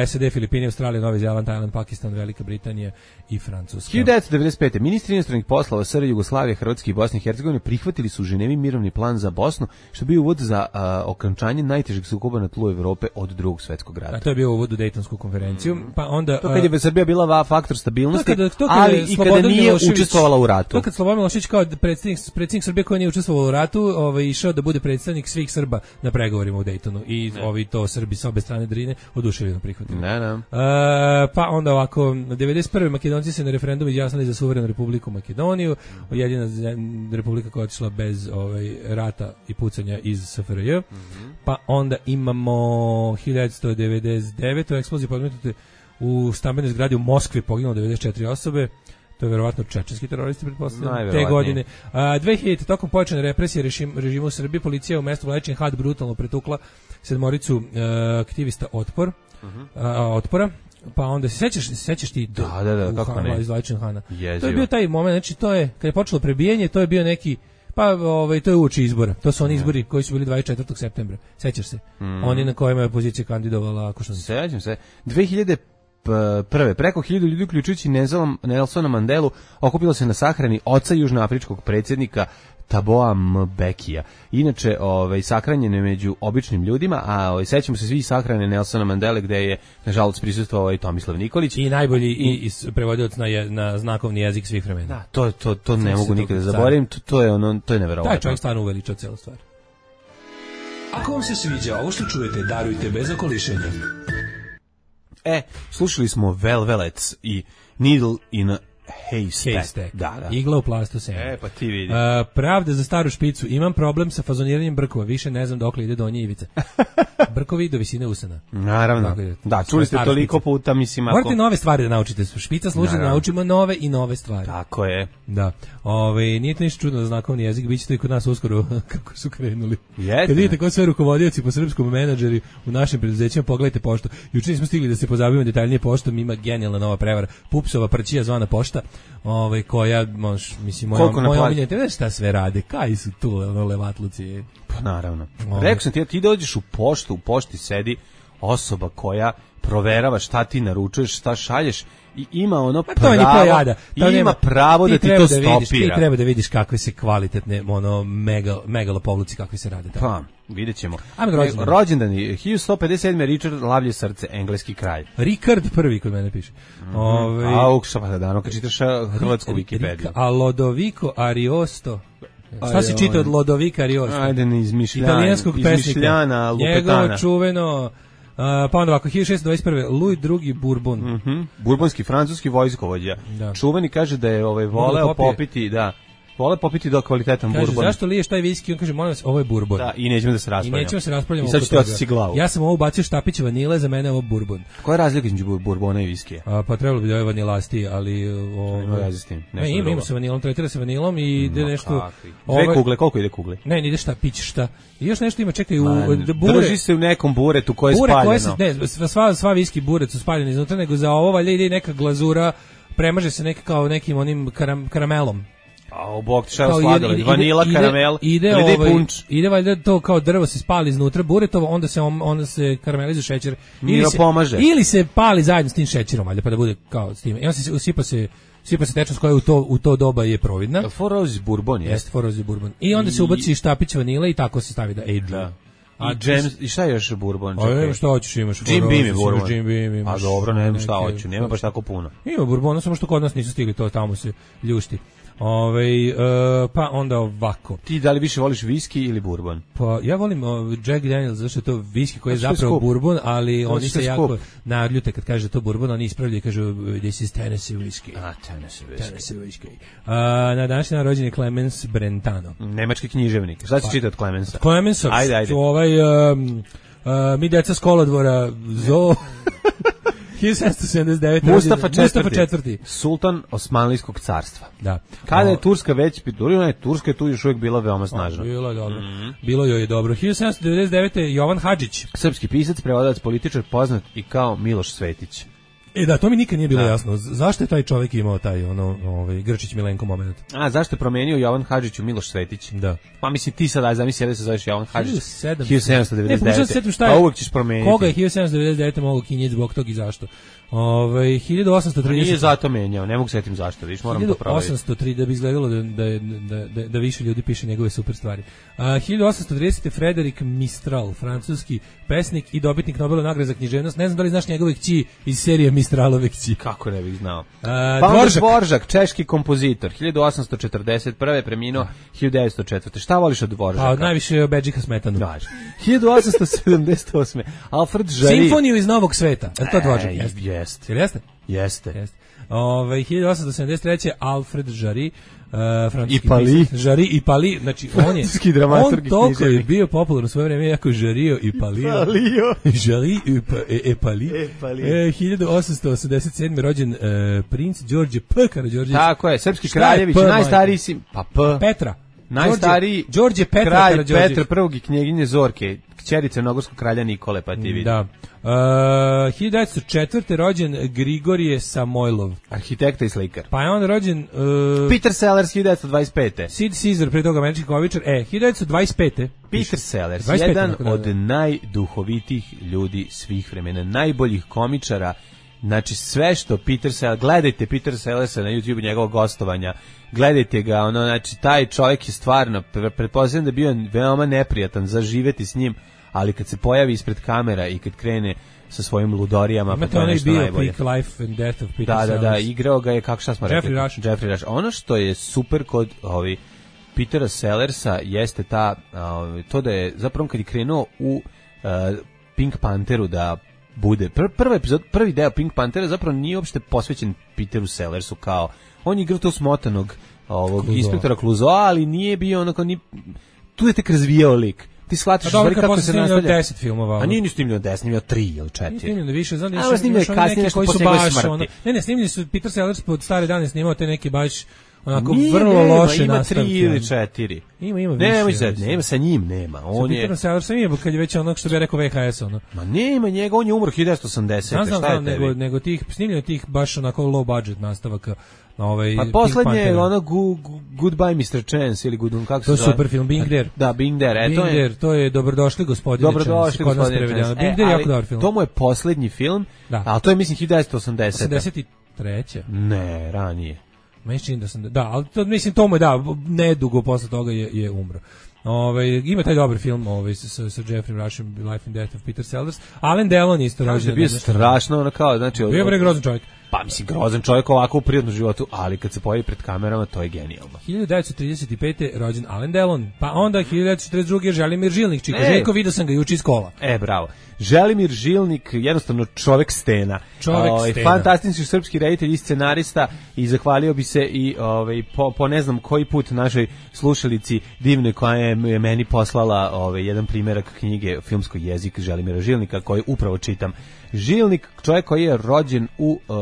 S A D, Filipini, Australija, Novi Zeland, Tajland, Pakistan, Velika Britanija i Francuska. hiljadu devetsto devedeset pete. Ministri inostranih poslova S R Jugoslavije, Hrvatske i Bosne i Hercegovine prihvatili su u Ženevi mirovni plan za Bosnu, što je bio uvod za uh, okončanje najtežeg sukoba na tlu Evrope od Drugog svetskog rata. A to je bio uvod u Dejtonsku konferenciju. Mm. Pa onda, to kad je Srbija bila faktor stabilnosti, to kada, to kada ali i kada nije učestvovala u ratu. To kad Slobodan Milošević kao predsjednik, predsjednik Srbije koji nije učestvovao u ratu, ovaj, išao da bude predstavnik svih Srba na pregovorima u Dejtonu i ne. Ovi to Srbi sa obe strane Drine oduševljeno prihvatili. Ne, ne. Uh, pa onda ovako, devedeset prve. Makedonci se na referendumu izjasnili za suverenu Republiku Makedoniju, jedina republika koja je otišla bez ovaj, rata i pucanja iz S F R J. Mm-hmm. Pa onda imamo hiljadu devetsto devedeset devete. eksplozije podmetnute u stambenoj zgradi u Moskvi, poginulo devedeset četiri osobe. To je verovatno čečenski teroristi, pretpostavljam, te godine. A, dve hiljadite. tokom pojačane represije režim, režimu u Srbiji, policija u mestu Vladičin Had brutalno pretukla sedmoricu uh, aktivista otpor, uh-huh. uh, otpora. Pa onda se sećaš, se sećaš ti da, da, da, kako ne. Iz Vladičin Hana. To je bio taj moment, znači to je, kad je počelo prebijanje, to je bio neki, pa ovaj, to je uoči izbora. To su oni izbori koji su bili dvadeset četvrtog septembra. Sećaš se? Mm. Oni na kojima je opozicija kandidovala, ako što se sećam se. dve hiljade prve. Preko hiljadu ljudi, uključujući Nelsona Mandelu, okupilo se na sahrani oca južnoafričkog predsjednika Taboa Mbekija. Inače, ovaj, sahranjen je među običnim ljudima, a ovaj, sećamo se svi sahrane Nelsona Mandele, gde je, nažalost, prisustvovao i Tomislav Nikolić. I najbolji i, i prevodilac na, je, na znakovni jezik svih vremena. Da, to, to, to ne mogu nikada da zaboravim, to, to je ono, to je neverovatno. Taj čovjek stvarno uveličao celu stvar. Ako vam se sviđa ovo što čujete, darujte bez okolišenja. E, slušali smo Velvelets i Needle in a Haystack. Haystack. Da, da. Igla u plastu sena. E, pa ti vidi. Uh, pravda za staru špicu. Imam problem sa fazoniranjem brkova. Više ne znam dokle ide donje ivice. Brkovi do visine usana. Naravno. Dakle, da, čuli ste toliko špice. Puta, mislim. Ako... Morate nove stvari da naučite. Špica služi da naučimo nove i nove stvari. Tako je. Da. Ove, nije to ništa čudno za znakovni jezik. Bićete i kod nas uskoro kako su krenuli. Jeste. Kad vidite ko sve rukovodioci po srpskom menadžeri u našim preduzećima, pogledajte poštu. Juče nismo stigli da se pozabavimo detaljnije poštom. Ima genijalna nova prevara. Pupsova prćija zvana pošta. Ove, koja, mož, mislim, moja, moja omiljena, znaš šta sve rade, kaj su tu, ono, levatluci. Pa naravno. Ove. Rekao sam ti, ti dođeš u poštu, u pošti sedi osoba koja proverava šta ti naručuješ, šta šalješ i ima ono pa pravo, jada. I ima nema, pravo da ti to da stopira. Vidiš, ti treba da vidiš kakve se kvalitetne, ono, megal, megalopovluci kakvi se rade. Tako. Pa, vidjet ćemo. Rođendan. Rođendani, hiljadu sto pedeset sedme. Richard Lavlje srce, engleski kralj. Richard prvi kod mene piše. Mm-hmm. Ove, A, ukša pa da dano, kad čitaš hrvatsku Wikipediju. A Lodovico Ariosto. Šta si čitao od Lodovika Ariosto? Ajde, ne izmišljana. Italijanskog izmišljana, pesnika. Njegovo čuveno... Uh, pa onda ovako, hiljadu šessto dvadeset prve. Louis drugi Bourbon. Mm-hmm. Burbonski, francuski vojskovođa. Da. Čuveni kaže da je ovaj, voleo popiti, da, vole popiti do kvalitetan kaže, bourbon. Zašto liješ taj viski? On kaže, molim vas, ovo je bourbon. Da, i nećemo da se raspravljamo. I nećemo se raspravljamo. I sad ću ti odsjeti glavu. Ja sam ovo ubacio štapić vanile, za mene je ovo bourbon. Koja je razlika između bourbona i viskija? A, pa trebalo bi da je vanilastiji, ali... O, ima veze s tim. Ne, ima, ima se vanilom, tretira se vanilom i ide nešto... Dve ove, kugle, koliko ide kugle? Ne, ne ide štapić, šta. I još nešto ima, čekaj, u Man, bure... Drži se u nekom buretu koje je bure spaljeno. Koje se, ne, sva, sva viski buret su spaljeni iznutra, nego za ovo valjda ide neka glazura, premaže se neka kao nekim onim karam, karamelom. A u bok šta je sladoled, vanila, ide, karamel, ide, ili ide, ovaj, punč. Ide valjda to kao drvo se spali iznutra buretovo, onda se on, onda se karamelizu šećer. Ili se pomaže. Ili se pali zajedno s tim šećerom, valjda pa da bude kao s tim. I on se usipa se sipa se tečnost koja u to u to doba je providna. Four Roses Bourbon je. Jeste Four Roses Bourbon. I onda I, se ubaci štapić vanile i tako se stavi da age. Da. A James, i šta je još Bourbon? A ne, šta hoćeš, imaš Jim Beam je Bourbon. Jim Beam imaš. A dobro, ne znam šta hoću, nema baš tako puno. Ima Bourbona, samo što kod nas nisu stigli, to tamo se ljušti. Ove, uh, pa onda ovako. Ti da li više voliš viski ili bourbon? Pa ja volim uh, Jack Daniels, zato što je to viski koji je zapravo bourbon, ali oni se jako naljute kad kaže to bourbon, oni ispravljaju i kažu this is Tennessee whiskey. A, Tennessee whiskey. Tennessee whiskey. Uh, na današnji dan rođen je Clemens Brentano. Nemački književnik. Šta si pa, čitao od Clemensa? Clemensa, ajde, ajde. Ovaj, um, uh, mi deca s kolodvora, Zoo... hiljadu sedamsto sedamdeset devete. Mustafa četvrti. Mustafa četvrti. Sultan Osmanlijskog carstva. Da. Kada je Turska već pitulina, je Turska je tu još uvijek bila veoma snažna. Bilo je dobro. Mm-hmm. Bilo joj je dobro. hiljadu sedamsto devedeset devete. Jovan Hadžić. Srpski pisac, prevodilac, političar, poznat i kao Miloš Svetić. E da, to mi nikad nije bilo da. jasno. Zašto je taj čovjek imao taj ono, ovaj Grčić Milenko moment? A zašto je promenio Jovan Hadžić u Miloš Svetić? Da. Pa mislim ti sad aj zamisli da se zoveš Jovan Hadžić. hiljadu sedamsto devedeset devete. Ne, šta je? Pa uvek ćeš promeniti. Koga je hiljadu sedamsto devedeset devete mogao kinjeti zbog tog i zašto? Ovaj hiljadu osamsto trideset Nije zato menjao, ne mogu se setim zašto, vidiš, moram to provjeriti. hiljadu osamsto tri da bi izgledalo da da da da, da više ljudi piše njegove super stvari. A hiljadu osamsto trideset Frederik Mistral, francuski pesnik i dobitnik Nobelove nagrade za književnost. Ne znam da li znaš njegove kći iz serije Mistralove kći. Kako ne bih znao. A, pa Dvoržak. Dvoržak, češki kompozitor, hiljadu osamsto četrdeset prve preminuo hiljadu devetsto četvrte. Šta voliš od Dvoržaka? Pa najviše Bedžika Smetanu. Daš. hiljadu osamsto sedamdeset osme Alfred Jarry. Simfoniju iz Novog sveta. Je to Dvoržak? Jeste. Jeste. Jeste? Jeste. Jeste. Ove, hiljadu osamsto sedamdeset treće Alfred Jarry, uh, francuski Ipali. pisac. Jarry Ipali, znači on je on toliko je bio popularan u svoje vreme jako Jarrio Ipalio. Ipalio. Jarry Ipali. E, hiljadu osamsto osamdeset sedme rođen uh, princ Đorđe P. Karađorđević. Tako je, srpski kraljević, najstariji si, pa P. Petra. Najstariji Đorđe Petra kralj Karađorđević. Petra prvog i knjeginje Zorke, kćerice Crnogorskog kralja Nikole, pa ti vidi. Da. Uh, hiljadu devetsto četvrte rođen Grigorije Samojlov. Arhitekta i slikar. Pa je on rođen... Uh, Peter Sellers, hiljadu devetsto dvadeset pete Sid Caesar, pre toga američki komičar. E, hiljadu devetsto dvadeset pete Peter Sellers, dvadeset pete jedan da, od da. najduhovitih ljudi svih vremena, najboljih komičara. Znači sve što Peter Sellers, gledajte Peter Sellersa na YouTube njegovog gostovanja, gledajte ga, ono, znači taj čovjek je stvarno, pretpostavljam da je bio veoma neprijatan za živeti s njim, ali kad se pojavi ispred kamera i kad krene sa svojim ludorijama, imate pa to je nešto bio najbolje. Peak Life and Death of Peter Da, da, Sellers. da, igrao ga je, kako šta smo rekli? Jeffrey Rush. Jeffrey Rush. Ono što je super kod ovi Petera Sellersa jeste ta, uh, to da je zapravo kad je krenuo u uh, Pink Pantheru da bude, pr prvi epizod, prvi deo Pink Panthera zapravo nije uopšte posvećen Peteru Sellersu kao, on je igrao to smotanog ovog Clouseau. inspektora Clouseau, ali nije bio onako, ni, tu je tek razvijao lik. Ti shvatiš stvari kako se nastavlja. deset filmova. A nije ni snimljeno deset, snimljeno tri ili četiri. Nije snimljeno više, znam da je snimljeno kasnije koji su baš ono. Ne, ne, snimljeni su Peter Sellers pod stare dane snimao te neke baš onako nije, vrlo nema, loše ima nastavke. tri ili četiri. Ima, ima više. Nema, sad, nema, sa njim nema. On sa je... Peterom Sellersom ima, kad je već onog što bi ja rekao V H S, ono. Ma nema njega, on je umro hiljadu devetsto osamdesete. Znam, šta znam, je tebi? nego, nego tih, snimljeno tih baš onako low budget nastavaka na ovaj Pa poslednje je ono gu, gu, Goodbye mister Chance ili Good, kako se to je zove? super film, Being There. Da, Being There, e, Being to je... There, to je Dobrodošli gospodine Chance. Dobrodošli gospodine Chance. Being There je jako dobar film. To mu je poslednji film, da. ali to je mislim hiljadu devetsto osamdesete. osamdeset treće Ne, ranije. Mislim da sam da, ali to mislim to mu je da nedugo posle toga je je umro. Ovaj ima taj dobar film ovaj sa sa Jeffrey Rushem Life and Death of Peter Sellers. Alain Delon isto rođen. Bio strašno ono kao, znači bio je grozan čovjek. Pa mislim grozan čovjek ovako u prirodnom životu, ali kad se pojavi pred kamerama to je genijalno. hiljadu devetsto trideset pete rođen Alain Delon, pa onda hiljadu devetsto četrdeset druge Želimir Žilnik, čika Željko, vidio sam ga juče iz kola. E, bravo. Želimir Žilnik, jednostavno čovjek stena. Čovjek ovaj, stena. Fantastični srpski reditelj i scenarista i zahvalio bi se i ovaj, po, po ne znam koji put našoj slušalici divne koja je meni poslala ovaj, jedan primjerak knjige Filmskog jezik Želimira Žilnika koji upravo čitam. Žilnik, čovjek koji je rođen u uh,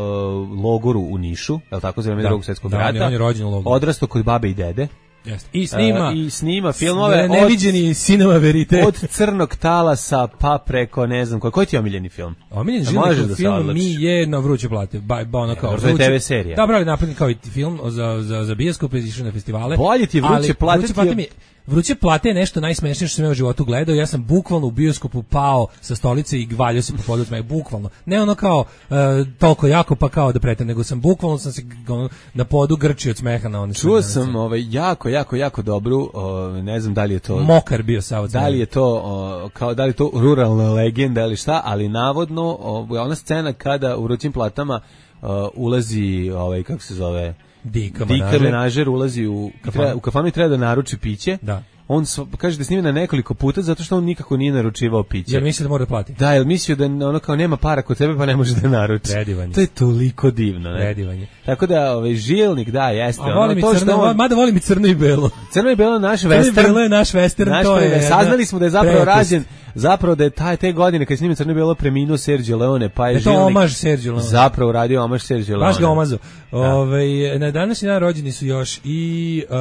logoru u Nišu, je li tako, za vreme Drugog svjetskog da, rata, on je rođen u logoru. odrastao kod babe i dede. Jeste. I snima, uh, i snima filmove neviđeni Cinema Verite. Od Crnog talasa pa preko ne znam koji. Koji ti je omiljeni film? Omiljeni Žilnikov da film mi je Na vruće plate. Ba, ba ono kao vruće, te ve serija. Da, bravo, napravljen kao i film za, za, za bioskop, išao na festivale. Bolje ti Vruće plate. Vruće plate mi Vruće plate je nešto najsmešnije što sam ja u životu gledao. Ja sam bukvalno u bioskopu pao sa stolice i gvaljao se po podu smeha, bukvalno. Ne ono kao uh, toliko jako pa kao da pretem, nego sam bukvalno sam se ono, na podu grčio od smeha na one. Čuo sam ovaj jako jako jako dobru, o, ne znam da li je to mokar bio sav. Da li je to o, kao da li je to ruralna legenda ili šta, ali navodno o, ona scena kada u Vrućim platama o, ulazi ovaj kako se zove Dika, Dika menažer ulazi u kafanu. u kafanu i treba da naruči piće. Da. On kaže da snima na nekoliko puta zato što on nikako nije naručivao piće. Jer misli da mora da plati. Da, jer mislio da ono kao nema para kod tebe pa ne može da naruči. Predivanje. To je toliko divno, ne? Predivanje. Tako da ovaj Žilnik da jeste. A volim ono, to crno, on... mada volim i crno i belo. Crno i belo naš crno western. Crno je naš western, naš to je. Saznali smo da je zapravo rađen, zapravo da je taj te godine kad snima Crno i belo preminuo Sergio Leone, pa je da Žilnik. To omaž Sergio Leone. Zapravo radio omaž Sergio Leone. Baš ga omazo. Ovaj na današnji dan rođeni su još i uh,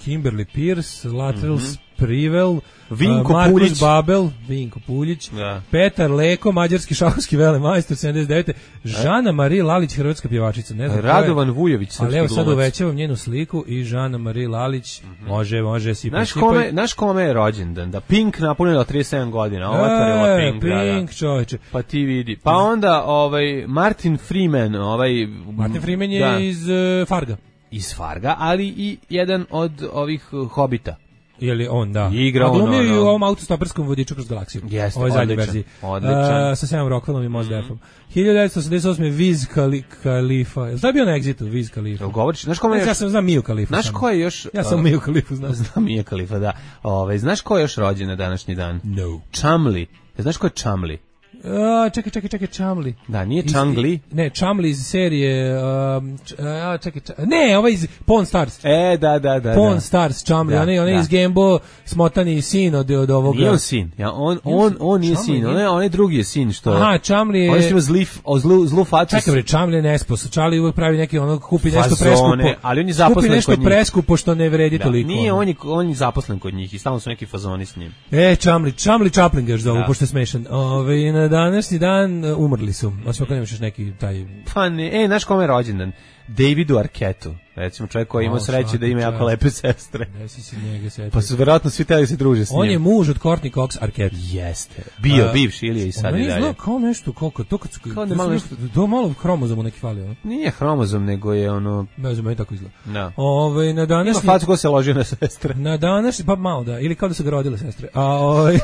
Kimberly Pierce, Latrell mm -hmm. Privel, Vinko Markus Puljić. Babel, Vinko Puljić, da. Petar Leko, mađarski šahovski velemajstor sedamdeset devete. Žana Marija Lalić, hrvatska pjevačica, ne znam. Radovan Vujović, srpski ali evo sad glumac. uvećavam njenu sliku i Žana Marija Lalić, mm-hmm. može, može, sipaj, Znaš sipaj. kome, znaš kome je rođendan? Da Pink napunila trideset sedam godina, otvorila E, Pink. Pink, da, čoveče. pa ti vidi. Pa onda ovaj Martin Freeman, ovaj Martin Freeman je da, iz uh, Farga. iz Farga, ali i jedan od ovih uh, Hobita. Je li on, da. I igra a glumio on, i u ono- ovom autostoperskom vodiču kroz galaksiju. Jeste, Ovo je zadnja odličan, verziji. odličan. Uh, sa Samom Rockwellom i Mos Defom. hiljadu devetsto osamdeset osme. Wiz Khali- Khalifa. Jel' to je bio na Exitu, Wiz Khalifa? Jel govoriš, znaš kome je Ja još, sam znam Miju Khalifa. znaš samo. ko je još, Ja sam uh, Miju Khalifa znam. znam Mija Khalifa, da. Ovaj, znaš ko je još rođen na današnji dan? No. Chumli. Znaš ko je Chumli? A, čekaj, čekaj, čekaj, Chumli. Da, nije Iz- Changli. Ne, Chumli iz serije... Um, č, a, čekaj, čekaj, ne, ovaj iz Pawn Stars. E, da, da, da. Pawn da. Stars, Chumli, Da, onaj, onaj da. iz Gamebo, smotani sin od, od ovoga. Nije on sin. Ja, on, on, on nije Chumli sin. nije? On je, on je drugi je sin što... Aha, Chumli je... On je ima zli, o zlu, zlu facu. Čekaj bre, Chumli je nesposob. Chumli uvek pravi neki ono, kupi nešto Fazone, preskupo. ali on je zaposlen Kupi nešto kod njih. preskupo što ne vredi Da, toliko. nije, on je, on je zaposlen kod njih i stalno su neki fazoni s njim. E, Chumli, Chumli Chaplin ga još zovu, Da. pošto je smešan. Ove, na današnji dan uh, umrli su. Osim ako nemaš još neki taj... Pa ne, e, znaš kome je rođendan? Davidu Arquettu. Recimo čovjek koji ima O, sreće da ima svaka jako čast. lepe sestre. Desi si njega setio. Pa su verovatno svi teli se druže s njim. On je muž od Courtney Cox Arquette. Jeste. Bio, A, bivši ili je i sad on i meni dalje. izgleda kao nešto, koliko, to kad su... Kao da to malo su nešto- To malo hromozomu neki fali, ono. Nije hromozom, nego je ono... Ne znam, meni tako izgleda. Da. Ove, na Ima današnji... facu ko se ložio na sestre. Na današnji, pa malo da, ili kao da su ga rodile sestre. A ovaj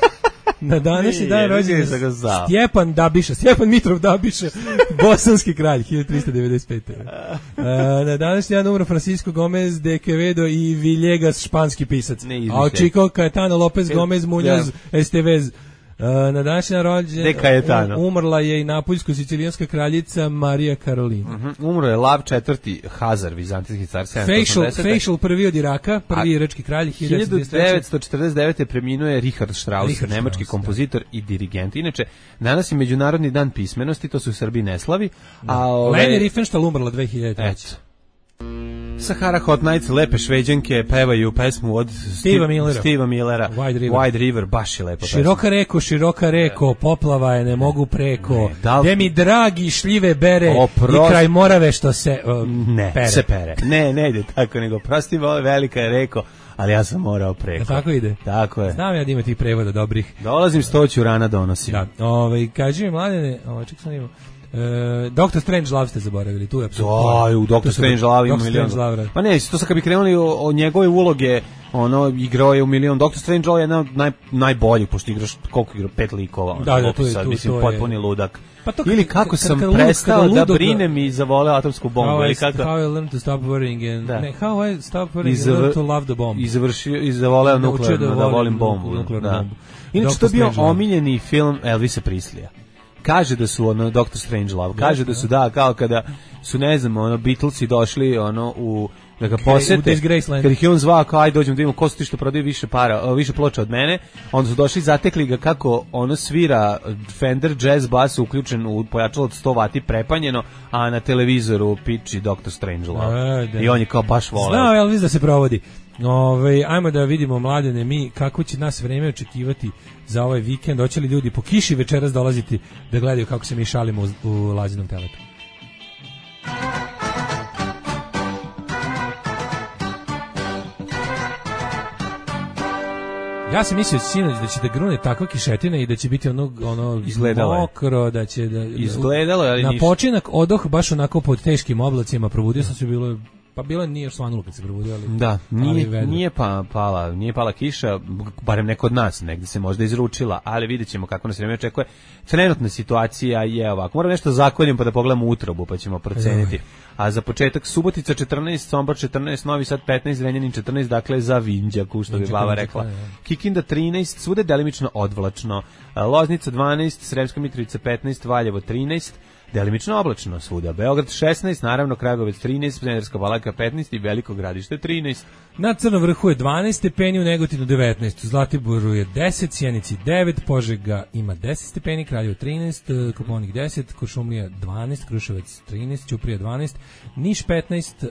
na današnji Nije, dan rođen nije da ga znao. Stjepan Dabiša, Stjepan Mitrov Dabiša, bosanski kralj, hiljadu trista devedeset pete. E, na današnji dan umro Francisco Gomez de Quevedo i Villegas, španski pisac. Ne izmišljaj. A Chico Caetano Lopez Gomez Muñoz Estevez. Uh, na današnji dan rođen De Cayetano. um- umrla je i napoljsko-sicilijanska kraljica Marija Karolina. Mhm, umro je Lav četvrti Hazar, vizantijski car sedamsto Facial, osamdesete. facial prvi od Iraka, prvi A- irački kralj, hiljadu devetsto četrdeset devete preminuo je Richard Strauss, Richard nemački Strauss, kompozitor i dirigent. Inače, danas je Međunarodni dan pismenosti, to su u Srbiji ne slavi. A ove, Leni Riefenstahl umrla dve hiljade treće. eto. Sahara Hot Nights, lepe šveđanke, pevaju pesmu od Steva Millera. Steva Millera. Wide River. Wide River, baš je lepa pesma. Široka reko, široka reko, poplava je, ne mogu preko. Ne, da li- Gde mi dragi šljive bere Oprost- i kraj Morave što se uh, Ne, pere. se pere. Ne, ne ide tako, nego prosti vole, velika je reko, ali ja sam morao preko. Jel tako ide? Tako je. Znam ja da ima tih prevoda dobrih. Dolazim stoću, rana donosim. Da, ovaj, kaži mi mladene, ovaj, ček sam imao, e, Doctor Strange Love ste zaboravili, tu je apsolutno. Aj, u Doktor Strange Love ima Doctor milion. Strange Love, Pa ne, to sad kad bi krenuli o, o njegove uloge, ono, igrao je u milion. Doktor Strange Love je jedan od naj, najboljih, pošto igraš, koliko igra, pet likova. ono, Da, da, koliko tu je- sad, tu- mislim, to je- potpuni ludak. Pa to kad- Ili kako kad- sam kad lud- prestao kada da ludog- brinem i zavoleo atomsku bombu, How ili I, kako? how I learned to stop worrying and, Da. ne, how I stop I, worrying and zavr, learned to love the bomb. i završio, i zavoleo Naučio nuklearno, da, da volim volim bombu. nuklearnu Da. bombu. Inače, Doctor to je bio Strange Love. omiljeni film Elvisa Prislija. Kaže da su ono Doctor Strange Love, kaže da su da kao kada su ne znam ono Beatlesi došli ono u da ga u posete. Disgraceland. Kad ih je on zvao kao aj dođemo da vidimo ko su ti što prodaju više para, o, više ploča od mene. Onda su došli zatekli ga kako ono svira Fender jazz bas uključen u pojačalo od sto vati prepanjeno, a na televizoru piči Doctor Strange Love. A, da. I on je kao baš voleo. Znao je Elvis da se provodi. Ove, ajmo da vidimo mladene mi kako će nas vreme očekivati za ovaj vikend. Hoće li ljudi po kiši večeras dolaziti da gledaju kako se mi šalimo u, u Lazinom teletu? Ja sam mislio sinoć da će da grune takva kišetina i da će biti ono, ono Izgledalo je. mokro, da će da... Izgledalo je, ali na ništa. počinak odoh baš onako pod teškim oblacima, probudio sam se, bilo je- pa bilo je nije još svanulo kad se probudio, ali... Da, ali nije, vedro. nije pa pala, nije pala kiša, barem neko od nas, negdje se možda izručila, ali vidjet ćemo kako nas vreme očekuje. Trenutna situacija je ovako, moram nešto zakoljem pa da pogledamo utrobu, pa ćemo proceniti. A za početak Subotica četrnaest, Sombor četrnaest, Novi Sad petnaest, Zrenjanin četrnaest, dakle za Vinđaku, što bi Vinđak, baba Vinđak, rekla. da, da. Kikinda trinaest, svude delimično odvlačno. Loznica dvanaest, Sremska Mitrovica petnaest, Valjevo trinaest, delimično oblačno svuda. Beograd šesnaest, naravno Kragujevac trinaest, Smederevska Palanka petnaest i Veliko Gradište trinaest. Na Crnom vrhu je dvanaest stepeni, u Negotinu devetnaest, u Zlatiboru je deset, Sjenici devet, Požega ima deset stepeni, Kraljevo trinaest, Koponik deset, Kuršumlija dvanaest, Kruševac trinaest, Ćuprija dvanaest, Niš petnaest, uh,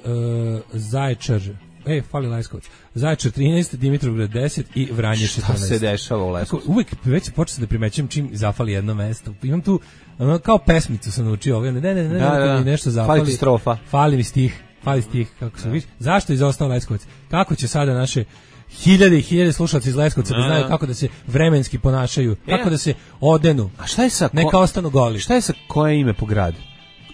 Zaječar E, fali Leskovac. Zaječar trinaest, Dimitrovgrad deset i Vranje četrnaest. Šta se dešava u Leskovcu? Uvek već počeo da primećujem čim zafali jedno mesto. Imam tu, ono, kao pesmicu sam naučio, ovaj, ne, ne, ne, ne, da, da, da. mi nešto zafali. Fali ti strofa. Fali mi stih, fali stih, kako se vidiš. Zašto je izostao Leskovac? Kako će sada naše hiljade i hiljade slušalci iz Leskovca da znaju kako da se vremenski ponašaju, kako da se odenu. A šta je sa... Neka ostanu goli. Šta je sa koje ime po gradu?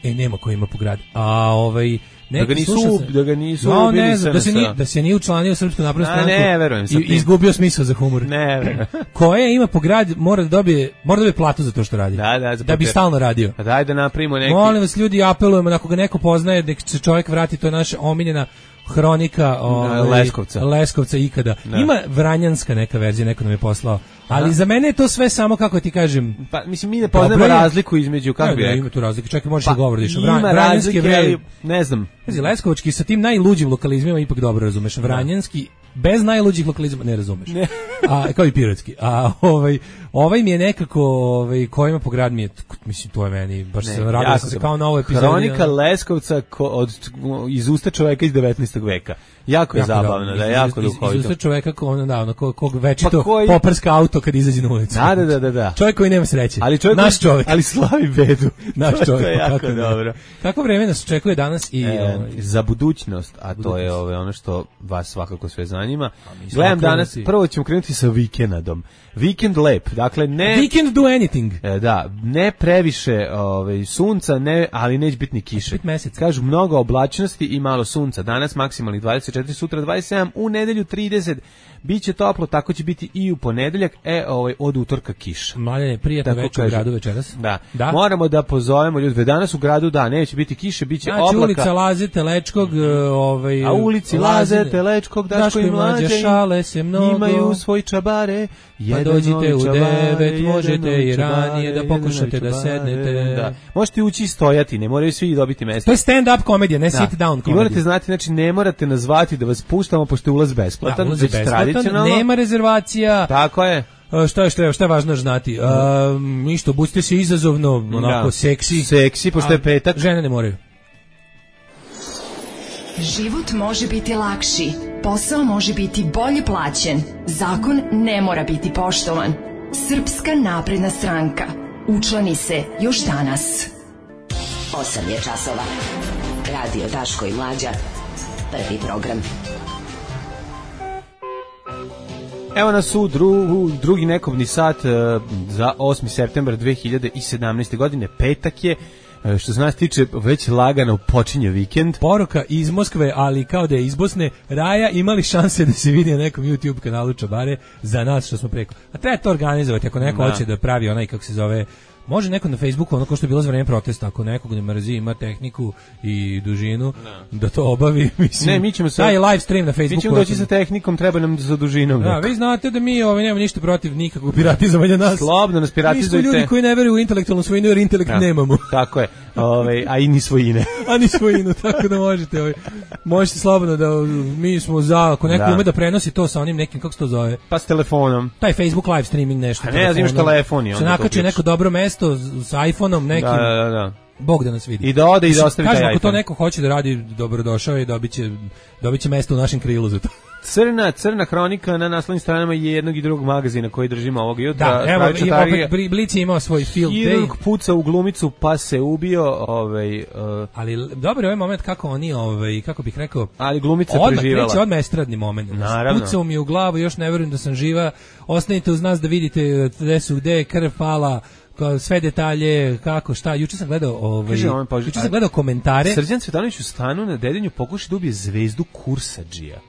E, nema ko ima po gradu. A ovaj... Da ga nisu, da ga nisu no, ubili ne znam, da se, ni, sa... da se nije učlanio u Srpsku naprednu stranku ne, verujem, i izgubio smisao za humor. Ne, verujem. Koje ima po grad mora da dobije, mora da dobije platu za to što radi. Da, da, da bi stalno radio. A daj da napravimo neki... Molim vas, ljudi, apelujemo, ako ga neko poznaje, da se čovjek vrati, to je naša omiljena hronika ovaj, Leskovca. Leskovca ikada. Da. Ima vranjanska neka verzija, neko nam je poslao. Ali Aha. za mene je to sve samo, kako ti kažem... Pa, mislim, mi ne poznamo razliku između, kako bi rekao. Ima tu razlike, čak i možeš pa, da govoriš. Ima Vran, razlike, vre... ali, ne znam. Pazi, Leskovački sa tim najluđim lokalizmima ipak dobro razumeš. Vranjanski, bez najluđih lokalizma ne razumeš. Ne. A, kao i pirotski. A ovaj, ovaj mi je nekako, ovaj, kojima po grad mi je, mislim, to je meni, baš ne, se radio sam se kao na ovoj epizodi. Hronika Leskovca ko, od, iz usta čoveka iz devetnaestog veka. Jako je jako zabavno, da je jako duhovito. Iz usta čoveka ko, ono, da, ono, ko, kog večito pa koji... poprska auto kad izađe na ulicu. Da, da, da, da, da. Čovjek koji nema sreće. Ali čovjek naš čovjek. Ali slavi bedu. Naš čovjek. To je jako kako dobro. Kako vreme nas očekuje danas i... E, ovaj, za budućnost, a budućnost. To je ove, ono što vas svakako sve zanima. Gledam danas, prvo ćemo krenuti sa vikendom. Vikend lep, dakle ne... Weekend do anything. E, da, ne previše ovaj, sunca, ne, ali neće biti ni kiše. Kažu mnogo oblačnosti i malo sunca. Danas maksimalni dvadeset četiri, sutra dvadeset sedam, u nedelju trideset. Biće toplo, tako će biti i u ponedeljak, e, ovaj, od utorka kiša. Mlaljane, prijatno večer u gradu večeras. Da. da, moramo da pozovemo ljudi. Danas u gradu, da, neće biti kiše, biće znači, oblaka. ulica Laze Telečkog, ovaj, a ulici Laze Telečkog, Daško i Mlađe, šale se mnogo, imaju svoj čabare. Pa dođite u devet, možete i ranije da pokušate da sednete. Da. Možete ući i stojati, ne moraju svi dobiti mesto. To je stand-up komedija, ne da. sit down komedija. I morate znati, znači ne morate nazvati da vas puštamo, pošto je ulaz besplatan, da, ulaz besplatan, nema rezervacija. Tako je. Šta je, šta je, šta je važno znati? Uh, ništa, budite se izazovno, onako da. seksi. Seksi, pošto je petak. Žene ne moraju. Život može biti lakši, posao može biti bolje plaćen, zakon ne mora biti poštovan. Srpska napredna stranka. Učlani se još danas. osam je časova. Radio Daško i Mlađa. Prvi program. Evo nas u dru, drugi nekobni sat uh, za osmi septembar dve hiljade sedamnaeste. godine. Petak je. Što se nas tiče, već lagano počinje vikend. Poruka iz Moskve, ali kao da je iz Bosne. Raja, imali šanse da se vidi na nekom YouTube kanalu Čabare za nas što smo preko. A treba to organizovati, ako neko da. hoće da pravi onaj, kako se zove, može neko na Facebooku, ono ko što je bilo za vreme protesta, ako nekog ne mrzi, ima tehniku i dužinu, da, da to obavi. Mislim, ne, mi ćemo sa, taj live stream na Facebooku. Mi ćemo doći sa tehnikom, treba nam za dužinom. Da, vi znate da mi ovaj, nemamo ništa protiv nikakvog piratizovanja nas. Slobodno nas piratizujte. Mi smo ljudi koji ne veruju u intelektualnu svojinu, jer intelekt ja, nemamo. Tako je, ovaj, a i ni svojine. a ni svojinu, tako da možete. Ovaj, možete slobodno da mi smo za, ako neko da. ume da prenosi to sa onim nekim, kako se to zove? Pa s telefonom. Taj Facebook live streaming nešto. A ne, ja znaš telefon. Se nakači neko dobro mesto sa iPhoneom nekim. Da, da, da. Bog da nas vidi. I da ode i da ostavi taj iPhone. Kažem, ako to iPhone. neko hoće da radi, dobrodošao i dobiće, dobiće mesto u našem krilu za to. Crna, crna hronika na naslovnim stranama je jednog i drugog magazina koji držimo ovog jutra. Da, evo, i opet Blic je imao svoj field day. Hirurg puca u glumicu pa se ubio. Ovaj, uh, ali dobro je ovaj moment kako oni, ovaj, kako bih rekao, ali glumica je preživala. Odmah, odmah estradni moment. Naravno. Pucao mi u glavu, još ne verujem da sam živa. Ostanite uz nas da vidite gde su, gde je krv pala, sve detalje, kako, šta. Juče sam gledao, ovaj, juče sam gledao komentare. Srđan Cvetanović u stanu na Dedinju pokuša da ubije zvezdu Kursadžija.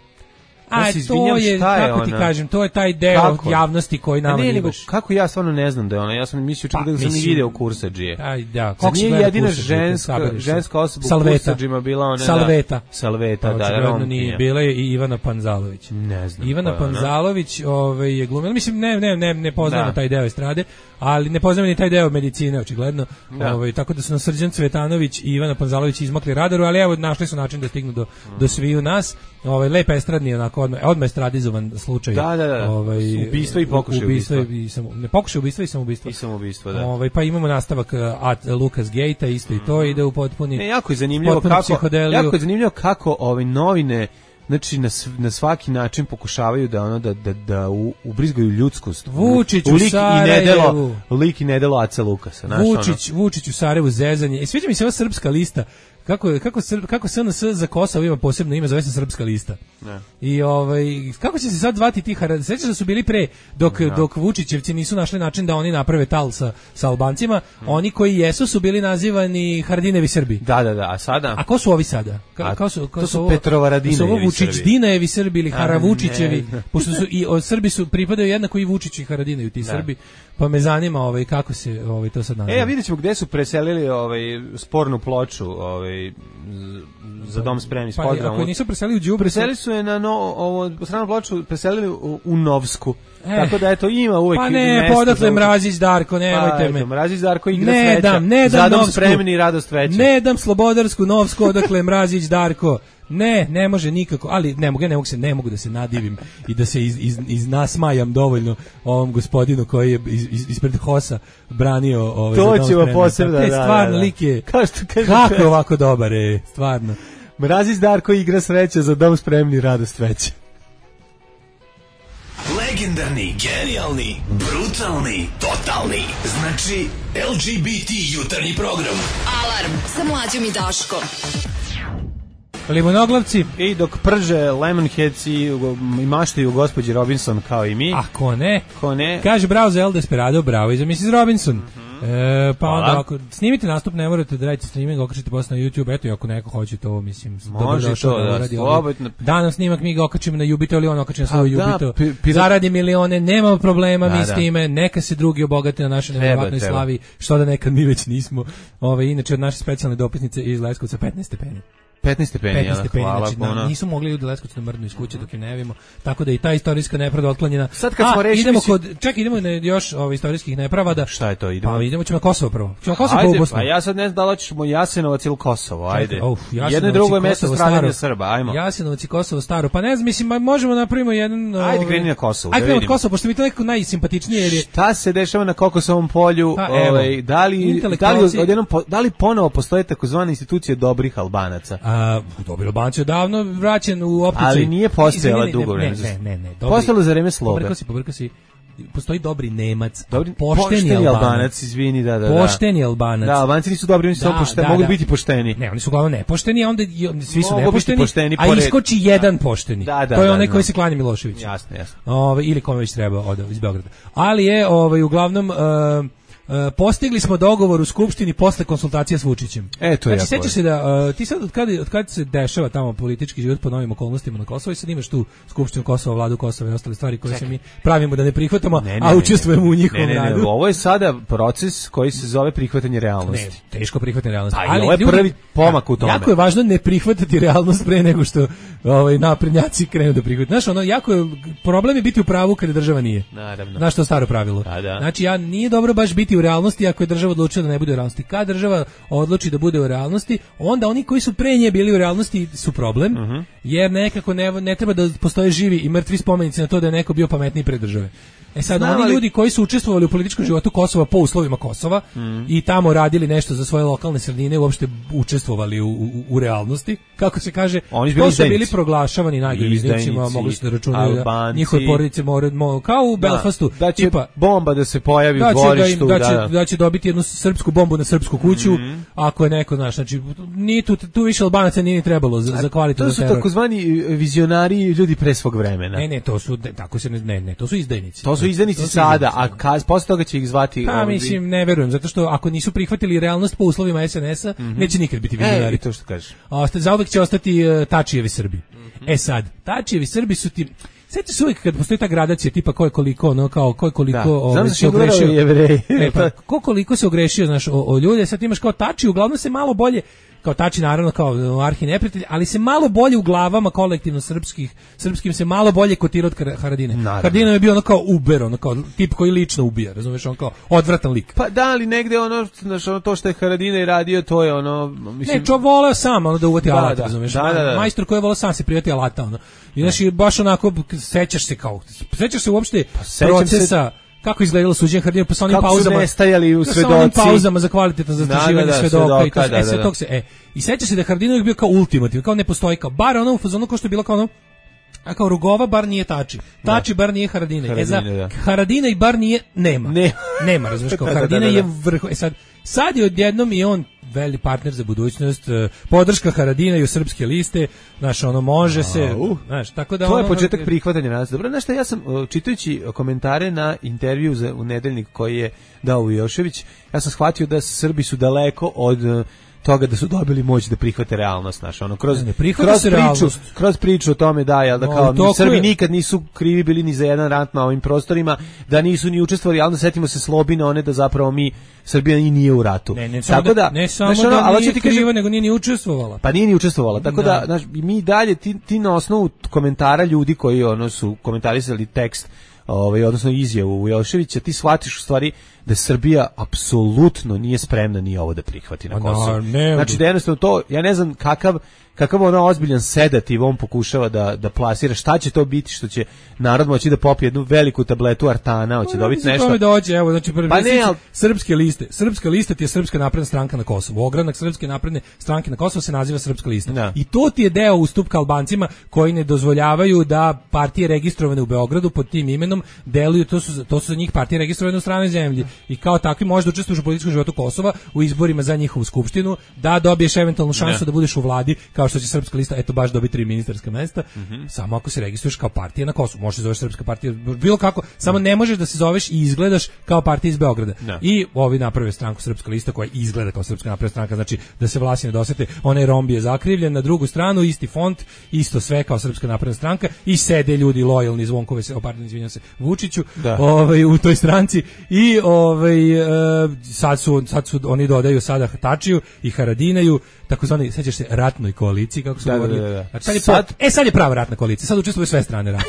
A ja to je, kako ona? Ti kažem, to je taj deo kako? javnosti koji nama ne, ne baš. Kako ja stvarno ne znam da je ona, ja sam mislio čak pa, da sam i video Kursadžije. Aj, da, kako nije jedina ženska, ženska osoba u Kursadžima bila ona. Salveta. Da, Salveta, pa, da, Romkinja. Nije, bila je i Ivana Panzalović. Ne znam. Ivana Panzalović ovaj, je glumila, mislim, ne, ne, ne, ne poznamo da. taj deo estrade, ali ne poznamo ni taj deo medicine, očigledno. Da. Ovaj, tako da su nas Srđan Cvetanović i Ivana Panzalović izmakli radaru, ali evo, našli su način da stignu do, mm. do sviju nas. Ovaj, lepa estradni, onako, odmah, odmah estradizovan slučaj. Da, da, da. Ovaj, ubistvo i pokušaj ubistva. I samo, ne, pokušaj ubistva i samoubistva. I samoubistva, da. Ovaj, pa imamo nastavak at Lucas Gate-a, isto mm. i to ide u potpuni. Ne, jako je zanimljivo kako, jako je zanimljivo kako ovaj novine znači na, na svaki način pokušavaju da ono da da da u, ubrizgaju ljudskost. Vučić u Sarajevu, lik i nedelo Aca Lukasa, znači Vučić, ono. Vučić u Sarajevu zezanje. I sviđa mi se ova srpska lista. Kako kako kako S N S za Kosovo ima posebno ime, zove se Srpska lista. Ne. I ovaj kako će se sad zvati ti Haradinac? Sećaš da su bili pre dok ne. dok Vučićevci nisu našli način da oni naprave tal sa sa Albancima, hmm. oni koji jesu su bili nazivani Haradinevi Srbi. Da, da, da, a sada? A ko su ovi sada? Ka, kao su, kao to su Petrovaradinevi Srbi. Su Vučić Dinajevi Srbi ili Haravučićevi, pošto su i od Srbi su pripadaju jednako i Vučić i Haradinevi ti Srbi. Pa me zanima ovaj kako se ovaj to sad naziva. E, a vidjećemo gde su preselili ovaj spornu ploču, ovaj za dom spremni s pa, pozdravom. Ako nisu preselili u Đubre, preselili su je na no, ovo stranu ploču, preselili u, u Novsku. E, tako da eto ima uvek pa ne, podatle Mrazić Darko, nemojte pa, me. Mrazić Darko igra ne sreća. Dam, ne dam, za dom Novsku, spremni i radost veća. Ne dam Slobodarsku Novsku, odakle Mrazić Darko. Ne, ne može nikako, ali ne mogu, ne mogu se, ne mogu da se nadivim i da se iz, iz, iz nasmajam dovoljno ovom gospodinu koji je iz, iz, ispred Hosa branio ovaj to ćemo posebno, da, stvarno da, da. lik je, kao što kaže, kako je ovako dobar je, stvarno. Mrazić Darko igra sreća za dom spremni radost veća. Legendarni, genijalni, brutalni, totalni. Znači L G B T jutarnji program. Alarm sa Mlađom i Daškom. Limonoglavci. I dok prže Lemonheads i, i maštaju gospođi Robinson kao i mi. A ko ne? Ko ne? Kaže bravo za El Desperado, bravo i za missus Robinson. Mm-hmm. e, pa onda ako snimite nastup, ne morate da radite streaming, okačite posle na YouTube, eto i ako neko hoće to, mislim, može to da, da slobodno. Danas snimak mi ga okačimo na Jubito ili on okači na svoj Jubito. Da, pi, zaradi milione, nema problema da, mi s da. time, neka se drugi obogate na našoj nevjerovatnoj slavi, što da nekad mi već nismo. Ove, inače od naše specijalne dopisnice iz Leskovca petnaest stepeni. petnaest stepeni, petnaest stepeni, hvala, znači, na, nisu mogli ljudi Leskovcu da mrdnu iz kuće dok im ne vidimo, tako da i ta istorijska nepravda otklanjena. Sad kad smo A, rešili idemo si... kod, ček, idemo na još ovih istorijskih nepravda. Šta je to, idemo? Pa, idemo ćemo na Kosovo prvo. Ćemo Kosovo ajde, po Bosnu. pa ja sad ne znam da li hoćemo Jasenovac ili Kosovo, ajde. Uf, jedno i drugo je mesto stradanja Srba, ajmo. Jasenovac i Kosovo staro, pa ne znam, mislim, možemo napravimo jedan... Ajde, kreni na Kosovo, ajde, da vidimo. Kosovo, pošto mi to nekako najsimpatičnije. Jer je... Šta se dešava na Kokosovom polju? Pa, ovaj, da li, da li, odjednom, da li ponovo postoje takozvane institucije dobrih Albanaca? A, dobri Albanac je davno vraćen u optici. Ali nije postojala dugo vreme. Ne, ne, ne, ne. Postojala za vreme sloga. Pobrkao si, pobrkao si. Postoji dobri Nemac, dobri, pošteni, pošteni Albanac. Albanac, izvini, da, da, da. Pošteni Albanac. Da, Albanci nisu dobri, oni su da, pošteni, da, mogu da. biti pošteni. Ne, oni su uglavnom nepošteni, a onda svi su mogu nepošteni, pošteni a iskoči da. jedan pošteni. Da, da, to je da, onaj da, koji se klanja Miloševiću. Jasno, jasno. Ove, ili kome već treba od iz Beograda. Ali je ovaj uglavnom uh, Uh, postigli smo dogovor u skupštini posle konsultacija s Vučićem. E, to je znači, sećaš se da uh, ti sad od kada od kad se dešava tamo politički život po novim okolnostima na Kosovu i sad imaš tu skupštinu Kosova, vladu Kosova i ostale stvari koje Čekaj. se mi pravimo da ne prihvatamo, ne, ne, a učestvujemo ne, ne. u njihovom ne, ne, ne, radu. Ovo je sada proces koji se zove prihvatanje realnosti. Ne, teško prihvatanje realnosti. Ali, ali ovo je ljudi, prvi pomak u tome. Jako je važno ne prihvatati realnost pre nego što ovaj naprednjaci krenu da prihvate. Znaš, ono jako je problem je biti u pravu kada država nije. Naravno. Znaš, to staro pravilo. Da, da. Znači, ja nije dobro baš biti u realnosti ako je država odlučila da ne bude u realnosti. Kad država odluči da bude u realnosti, onda oni koji su pre nje bili u realnosti su problem, uh -huh. jer nekako ne, ne treba da postoje živi i mrtvi spomenici na to da je neko bio pametniji pre države. E sad, Znam, oni ali... ljudi koji su učestvovali u političkom životu Kosova po uslovima Kosova mm. i tamo radili nešto za svoje lokalne sredine, uopšte učestvovali u, u, u realnosti, kako se kaže, oni to su bili proglašavani najgorim izdajnicima, mogli su da računaju da njihove porodice moraju, mo, kao u Belfastu, da, da će tipa, bomba da se pojavi da u dvorištu, da, da, će, da, da će dobiti jednu srpsku bombu na srpsku kuću, mm. ako je neko, znaš, znači, nije tu, tu više Albanaca nije ni trebalo za, za kvalitetan teror. To su takozvani vizionari ljudi pre svog vremena. Ne, ne, to su, tako se ne, ne, to su izdajnici. To su izdajnici sada, a kaz, posle toga će ih zvati... Pa, ovdje. Mislim, ne verujem, zato što ako nisu prihvatili realnost po uslovima S N S-a, mm -hmm. neće nikad biti vizionari. E, to što kažeš. Zauvek će ostati uh, Tačijevi Srbi. Mm -hmm. E sad, Tačijevi Srbi su ti... Sjećaš se uvijek kad postoji ta gradacija tipa ko je koliko, ono, kao ko je koliko da. Ovaj, se ogrešio. Jevreji. E, pa, ko koliko se ogrešio, znaš, o, o ljude, sad imaš kao Tači, uglavnom se malo bolje, kao Tači naravno kao arhi neprijatelj, ali se malo bolje u glavama kolektivno srpskih, srpskim se malo bolje kotira od Haradine. Haradine je bio ono kao uber, ono kao tip koji lično ubija, razumeš, on kao odvratan lik. Pa da, ali negde ono, znaš, ono to što je Haradine radio, to je ono, mislim... Ne, čo voleo sam, ono da uvati da, alat, da, razumeš, da, da, da. majstor koji je voleo sam se prijati alata, ono. I znaš, i baš onako, sećaš se kao, sećaš se uopšte pa, procesa... Se... Kako izgledalo suđenje Haradine pa sa onim kako pauzama? Kako su nestajali u svedoci? Sa onim pauzama za kvalitetno zastrašivanje da, da, da, svedoka i to da, da, e, sve da. tog se, e, i seća se da Haradinović bio kao ultimativ, kao ne postoji, kao bar ono u fazonu kao što je bilo kao ono, A kao Rugova bar nije Tači. Tači bar nije Haradinaj. Haradinaj, e za da. Haradinaj bar nije nema. Ne. Nema, razumiješ, kao Haradinaj da, da, da. je vrh. E sad, sad je odjednom i on veli partner za budućnost, podrška Haradinaju srpske liste, znaš, ono može A, se, uh, znaš, tako da... To ono, je početak ono, prihvatanja nas. Dobro, znaš šta, ja sam, čitajući komentare na intervju za, u nedeljnik koji je dao Ujošević, ja sam shvatio da Srbi su daleko od toga da su dobili moć da prihvate realnost, znaš, ono, kroz, ne, kroz, priču, realnost. kroz priču o tome da, jel, da kao no, Srbi je... nikad nisu krivi bili ni za jedan rat na ovim prostorima, da nisu ni učestvovali, ali onda setimo se Slobine, one da zapravo mi, Srbija i nije u ratu. Ne, ne, tako da, ne samo znaš, ono, da nije kriva, kažem, nego nije ni učestvovala. Pa nije ni učestvovala, tako da, da znaš, mi dalje, ti, ti na osnovu komentara ljudi koji ono su komentarisali tekst, ovaj, odnosno izjavu Ujoševića, ti shvatiš u stvari da Srbija apsolutno nije spremna ni ovo da prihvati na Kosovo. No, znači da jednostavno to, ja ne znam kakav kakav ono ozbiljan sedativ on pokušava da, da plasira, šta će to biti što će narod moći da popije jednu veliku tabletu artana, hoće no, dobiti nešto. Tome dođe, evo, znači prvi pa ne, al... srpske liste. Srpska lista ti je Srpska napredna stranka na Kosovu. Ogranak Srpske napredne stranke na Kosovu se naziva Srpska lista. Da. I to ti je deo ustupka Albancima koji ne dozvoljavaju da partije registrovane u Beogradu pod tim imenom deluju, to su to su za njih partije registrovane u stranoj zemlji. I kao takvi možeš da učestvuješ u političkom životu Kosova u izborima za njihovu skupštinu, da dobiješ eventualnu šansu ne. da budeš u vladi, kao što će Srpska lista eto baš dobiti tri ministarska mesta, mm-hmm. samo ako se registruješ kao partija na Kosovu. Možeš se zoveš Srpska partija, bilo kako, samo ne možeš da se zoveš i izgledaš kao partija iz Beograda. Ne. I ovi naprave stranku Srpska lista koja izgleda kao Srpska napredna stranka, znači da se Vlasi ne dosete, onaj romb je zakrivljen, na drugu stranu isti font, isto sve kao Srpska napredna stranka i sede ljudi lojalni Zvonkove se, pardon, izvinjavam se, Vučiću, ovaj u toj stranci i ovaj e, sad su sad su oni dodaju sada Tačiju i Haradinaju, takozvani, sećaš se, ratnoj koaliciji kako su da, govorili. Da, da, da. Znači, sad je sad... Po, e sad je prava ratna koalicija. Sad učestvuju sve strane rata.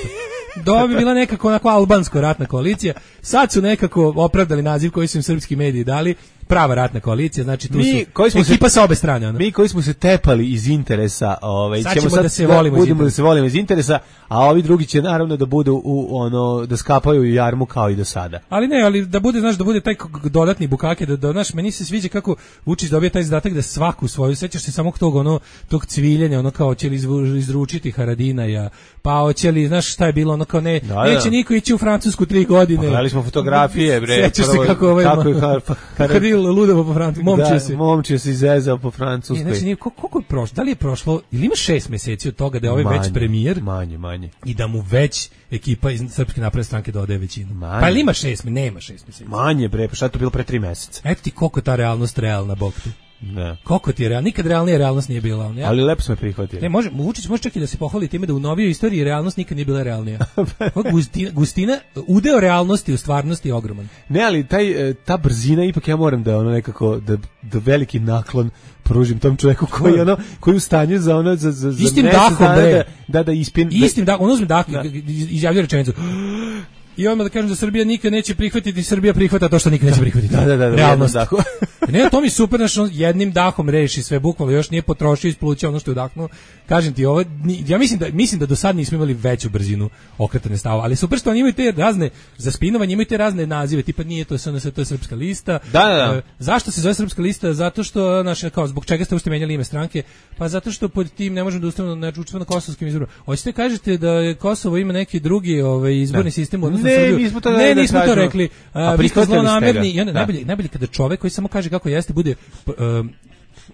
Do bi bila nekako onako albansko ratna koalicija. Sad su nekako opravdali naziv koji su im srpski mediji dali. Prava ratna koalicija, znači tu mi, su smo ekipa se, sa obe strane. Ono. Mi koji smo se tepali iz interesa, ovaj, sad ćemo sad da se volimo, da, budemo da se volimo iz interesa, a ovi drugi će naravno da budu u ono da skapaju u jarmu kao i do sada. Ali ne, ali da bude, znaš, da bude taj dodatni bukake, da, da znaš, meni se sviđa kako Vučić dobija taj zadatak da svaku svoju, sećaš se samo tog ono tog cviljenja, ono kao će li izručiti Haradinaja, pa hoće li, znaš šta je bilo, ono kao ne, da, neće da. niko ići u Francusku tri godine. Pogledali smo fotografije, bre. Sećaš se kako ovaj kako je ludovo po Francusku, momčio se. Momčio se izezao po Francuskoj. E, znači, koliko je prošlo? Da li je prošlo, ili ima šest meseci od toga da je ovaj manje, već premijer? Manje, manje. I da mu već ekipa iz Srpske napredne stranke dodaje većinu. Manje. Pa ili ima šest, nema šest meseci. Manje, bre, pa šta je to bilo pre tri meseca? Eto ti koliko ta realnost realna, bog ti. Ne. Koliko ti je realno? Nikad realnija realnost nije bila. On, ja? Ali lepo smo je prihvatili. Ne, može, Vučić može čak i da se pohvali time da u novijoj istoriji realnost nikad nije bila realnija. Gustina, gustina, udeo realnosti u stvarnosti je ogroman. Ne, ali taj, ta brzina, ipak ja moram da ono nekako, da, da veliki naklon pružim tom čovjeku koji ono koji u stanju za ono za za za istim dahom da da da ispin istim dahom, on uzme dah, izjavljuje rečenicu. I odmah da kažem da Srbija nikad neće prihvatiti, Srbija prihvata to što nikad neće prihvatiti. Da, da, da, realnost. Ne, to mi super, znači jednim dahom reši sve, bukvalno još nije potrošio, isplućao ono što je udahnuo. Kažem ti, ovo, ja mislim da mislim da do sad nismo imali veću brzinu okretanja stavova, ali super što oni imaju te razne za spinovanje, imaju te razne nazive, tipa nije to S N S, to je Srpska lista. Da, da, da. E, zašto se zove Srpska lista? Zato što naše kao zbog čega ste uopšte menjali ime stranke? Pa zato što pod tim ne možemo da ustavimo na učestvovanje na kosovskim izborima. Hoćete kažete da Kosovo ima neki drugi ovaj izborni sistem odnosno ne, nismo to, ne, da nismo to rekli. A vi ste zlonamerni i onda najbolje, najbolje kada čovjek koji samo kaže kako jeste bude uh,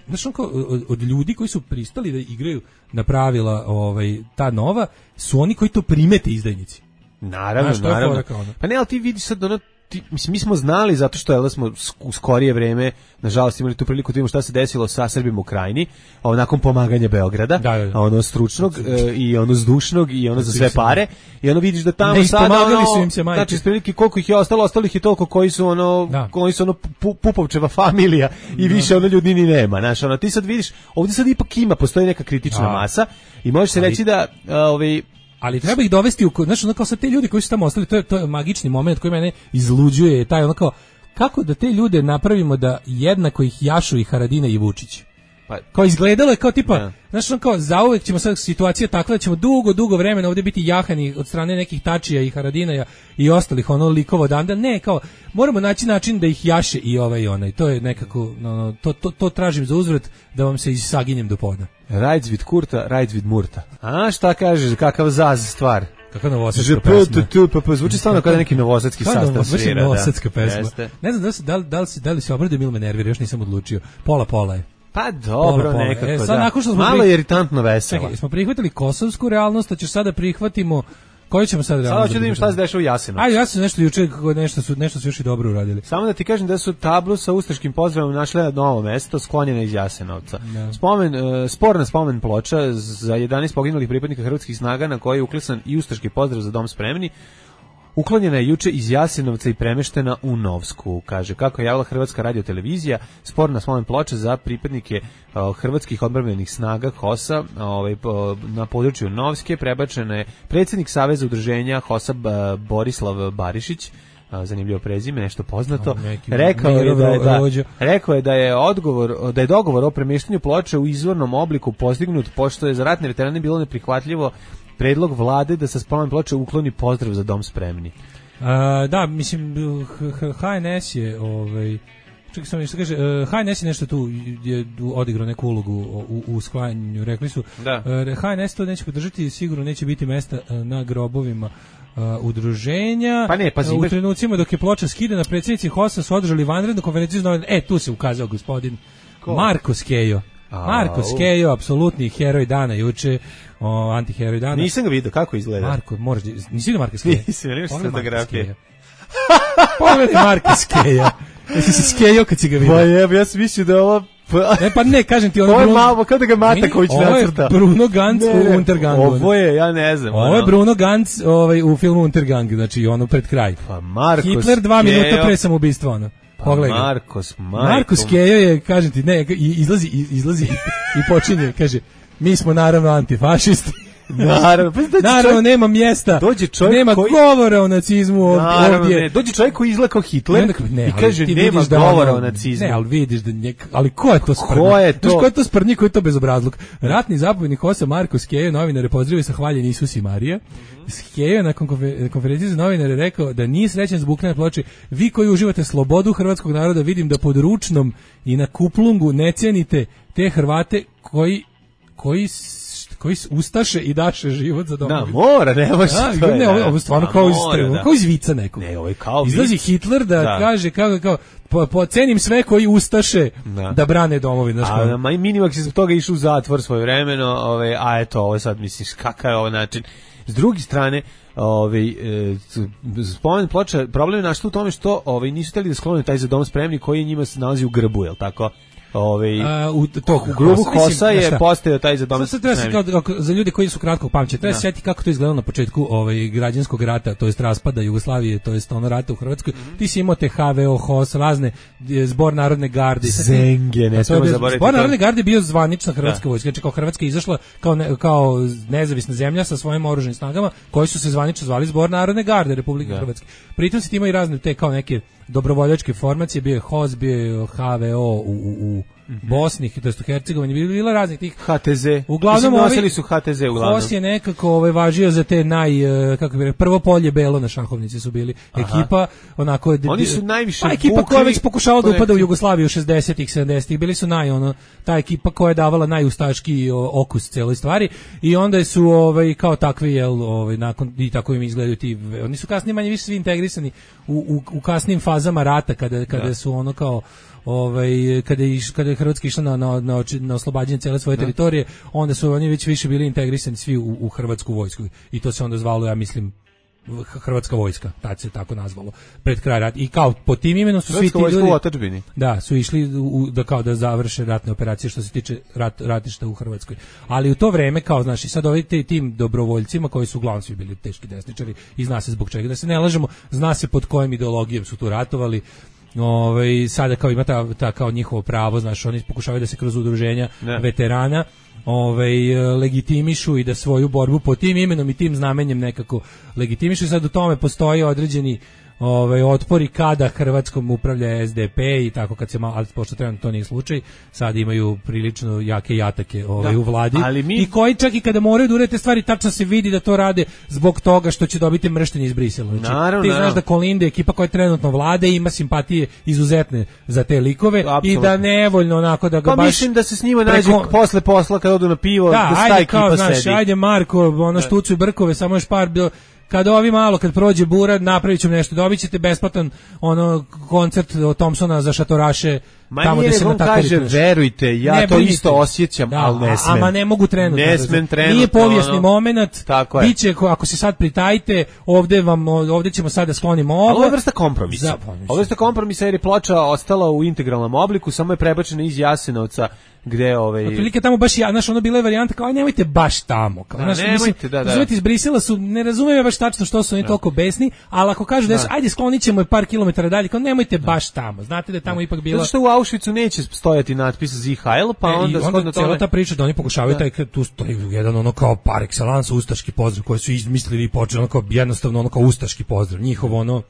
znaš on kao od, od ljudi koji su pristali da igraju na pravila ovaj, ta nova, su oni koji to primete izdajnici. Naravno, znaš, naravno. Pa ne, ali ti vidiš sad ono, ti, mislim, mi smo znali zato što je da smo u skorije vreme nažalost imali tu priliku da vidimo šta se desilo sa Srbima u Krajini, a nakon pomaganja Beograda, da, da, da. ono stručnog e, i ono zdušnog i ono za sve pare i ono vidiš da tamo ne sada ono, su im se majke. Znači prilike koliko ih je ostalo, ostalo ih je toliko koji su ono da. koji su ono pu, Pupovčeva familija i da. više ono ljudi ni nema, znaš, ono ti sad vidiš, ovdje sad ipak ima, postoji neka kritična da. masa i može se ali, reći da ovaj ali treba ih dovesti u, znači ono kao sa te ljudi koji su tamo ostali, to je to je magični moment koji mene izluđuje, taj ono kao kako da te ljude napravimo da jednako ih jašu i Haradina i Vučić. Pa, kao izgledalo je kao tipa, da. znaš, on kao zauvek ćemo sad situacija takva da ćemo dugo, dugo vremena ovdje biti jahani od strane nekih Tačija i Haradinaja i ostalih ono likova odanda. Ne, kao moramo naći način da ih jaše i ovaj i onaj. To je nekako, no, no, to, to, to tražim za uzvrat da vam se isaginjem do poda. Rajc vid kurta, rajc vid murta. A šta kažeš, kakav zaz stvar? Kakva novosadska pesma. Pa, pa zvuči stvarno kao neki novosadski sastav svira. Novosadska pesma. Jeste. Ne znam da li, da li, da li, da li se obradio ili me nervira, još nisam odlučio. Pola, pola je. Pa dobro, pola, pola. Nekako, e, sad, da. Nakon što smo malo pri... je iritantno veselo. Čekaj, smo prihvatili kosovsku realnost, a ćeš sada prihvatimo... Koju ćemo sad realnost? Sada ću da vidim šta se dešava u Jasenovcu. Ajde, ja sam nešto juče, nešto su, nešto su još i dobro uradili. Samo da ti kažem da su tablu sa ustaškim pozdravom našli na novo mesto, sklonjena iz Jasenovca. No. Spomen, uh, sporna spomen ploča za jedanaest poginulih pripadnika hrvatskih snaga na kojoj je uklisan i ustaški pozdrav za dom spremni. Uklonjena je juče iz Jasenovca i premeštena u Novsku, kaže. Kako je javila Hrvatska radiotelevizija, sporna spomen ploča za pripadnike uh, hrvatskih odbrambenih snaga HOS-a ovaj, po, na području Novske prebačena je predsjednik Saveza udruženja HOS-a Borislav Barišić, zanimljivo prezime, nešto poznato. Rekao je da je, da, rekao je da je odgovor, da je dogovor o premještanju ploče u izvornom obliku postignut, pošto je za ratne veterane bilo neprihvatljivo predlog vlade da sa spomen ploče ukloni pozdrav za dom spremni. A, da, mislim, H N S je ovaj čekaj samo što kaže, H N S je nešto tu je odigrao neku ulogu u, u sklanjanju, rekli su da. H N S to neće podržati, sigurno neće biti mesta na grobovima Uh, udruženja. Pa ne, pa uh, u trenucima dok je ploča skidana, predsjednici HOS-a su održali vanrednu konferenciju. E, tu se ukazao gospodin Ko? Marko Skejo. A, Marko Skejo, apsolutni heroj dana juče, o, antiheroj dana. Nisam ga vidio, kako izgleda? Marko, možeš, nisi vidio Marko Skejo? Nisam, nemaš fotografije. Pogledaj Marko Skejo. Jesi si Skejo kad si ga vidio? Pa jeb, ja sam mislio da je ovo... Ne, pa ne, kažem ti, ono ovo je Bruno... malo, kada ga Mataković nacrta. Ovo je Bruno Ganz ne, u Untergangu. Ovo je, ja ne znam. Ovo je Bruno Ganz ovaj, u filmu Untergang, znači ono pred kraj. Pa Markos Hitler dva Skejo. Minuta pre samoubistva, ono. Pa Markos, Marko. Markos Skejo je, kažem ti, ne, izlazi, izlazi i počinje, kaže, mi smo naravno antifašisti. Naravno, pa naravno čovjek, nema mjesta, dođe čovjek nema koji, govora o nacizmu naravno, ovdje. Ne, dođe čovjek koji izgleda kao Hitler ne, ne, i kaže nema da govora ono, o nacizmu. Ne, ali vidiš da njek, ali ko je to sprdnjak? Ko je to? Znaš ko je to sprdnjak, ko je to bezobrazluk? Ratni zapovjednik HOS-a Marko Skejo novinare pozdravio sa hvaljen Isus i Marija. Mm-hmm. Skejo na konferenciji za novinare rekao da nije srećan zbog na ploči. Vi koji uživate slobodu hrvatskog naroda, vidim da pod ručnom i na kuplungu ne cenite te Hrvate koji koji koji ustaše i daše život za domovinu. Da, mora, ne može da, to je. Ne, ovo je stvarno da, kao iz da. Kao iz vica neko. Ne, ovo je kao izlazi vic. Hitler da, da. kaže kako kao po, po cenim sve koji ustaše da, da brane domovinu. A ma Minimax je zbog toga išao u zatvor svoje vremeno, ove, a eto, ovo sad misliš kakav je ovo način. S druge strane, ovaj e, spomen ploča, problem je našto u tome što ovaj nisu hteli da sklone taj za dom spremni koji njima se nalazi u grbu, je l' tako? Ove, a, u, to, u grubu HOS-a je postao taj za dom spremni. Za ljudi koji su kratkog pamćenja, treba se sjetiti kako to izgledalo na početku ovaj, građanskog rata, to jest raspada Jugoslavije, to jest ono rata u Hrvatskoj. Mm-hmm. Ti si imao te H V O, HOS, razne, zbor Narodne garde. Zenge, ne smemo zaboraviti. Zbor Narodne garde je bio zvanična hrvatska vojska, znači kao Hrvatska izašla kao, ne, kao nezavisna zemlja sa svojim oružanim snagama, koji su se zvanično zvali Zbor Narodne garde Republike da. Hrvatske. Pritom se ti imaju razne te kao neke dobrovoljačke formacije, bio je HOS, bio je H V O u, u, u Bosni, to jest u Hercegovini, bilo raznih tih H T Z. Uglavnom nosili su H T Z uglavnom. HOS je nekako ovaj važio za te naj kako bi rekao, prvo polje belo na šahovnici su bili. Aha. Ekipa onako oni su najviše pa, ekipa koja već pokušavala da upada u Jugoslaviju šezdesetih sedamdesetih bili su naj ono ta ekipa koja je davala najustaški okus celoj stvari i onda su ovaj kao takvi jel ovaj nakon i tako im izgledaju ti oni su kasnije manje više svi integrisani u, u, u kasnim fazama rata kada kada da. su ono kao ovaj kada je kada je Hrvatska išla na na na, na oslobađanje cele svoje da. teritorije, onda su oni već više bili integrisani svi u, u hrvatsku vojsku i to se onda zvalo, ja mislim, Hrvatska vojska, tad se tako nazvalo pred kraj rata i kao pod tim imenom su svi ti ljudi da su išli u, da kao da završe ratne operacije što se tiče rat, ratišta u Hrvatskoj, ali u to vreme kao znaš i sad ovi tim dobrovoljcima koji su uglavnom svi bili teški desničari i zna se zbog čega, da se ne lažemo, zna se pod kojim ideologijom su tu ratovali. Ovaj sada kao ima ta, ta kao njihovo pravo, znaš, oni pokušavaju da se kroz udruženja ne. veterana ovaj legitimišu i da svoju borbu pod tim imenom i tim znamenjem nekako legitimišu. Sad u tome postoji određeni ovaj otpori kada Hrvatskom upravlja S D P i tako kad se malo, ali pošto trenutno to nije slučaj, sad imaju prilično jake jatake ovaj da, u vladi mi... i koji čak i kada moraju da urede stvari tačno se vidi da to rade zbog toga što će dobiti mrštenje iz Brisela. Znači, naravno, ti znaš naravno. Da Kolinde, ekipa koja trenutno vlade, ima simpatije izuzetne za te likove. Apsolutno. I da nevoljno onako da ga pa baš... Pa mislim da se s njima nađe preko... posle posla kad odu na pivo, da, da staje ekipa znaš, sedi. Ajde Marko, ono štucuju brkove, samo još par bilo... Kad ovi malo, kad prođe bura, napravit ćemo nešto, dobit ćete besplatan ono, koncert od Thompsona za šatoraše. Ma tamo nije, on kaže, verujte, ja ne, to brinite. Isto osjećam, da, ali ne smem. Ama ne mogu trenutno. Ne smem trenutno. Nije povijesni ono, moment, tako biće, ako se sad pritajite, ovde, vam, ovde ćemo sad da sklonimo ovo. Ali ovo je vrsta kompromisa. Za, ovo je vrsta kompromisa jer je ploča ostala u integralnom obliku, samo je prebačena iz Jasenovca, gde ovaj otprilike tamo baš ja znaš ono bila je varijanta kao aj nemojte baš tamo kao da, znaš mislim da, da. Zoveti iz Brisela su ne razumeju baš tačno što su oni da. Toliko besni, ali ako kažu da, da ajde sklonićemo je par kilometara dalje kao nemojte da. Baš tamo, znate da je tamo da. Ipak bilo zato što u Auschwitzu neće stojati natpis Z H L pa e, onda shodno tome ta priča da oni pokušavaju da. Taj tu stoji jedan ono kao par excellence ustaški pozdrav koji su izmislili i počeli ono kao jednostavno ono kao ustaški pozdrav njihovo ono.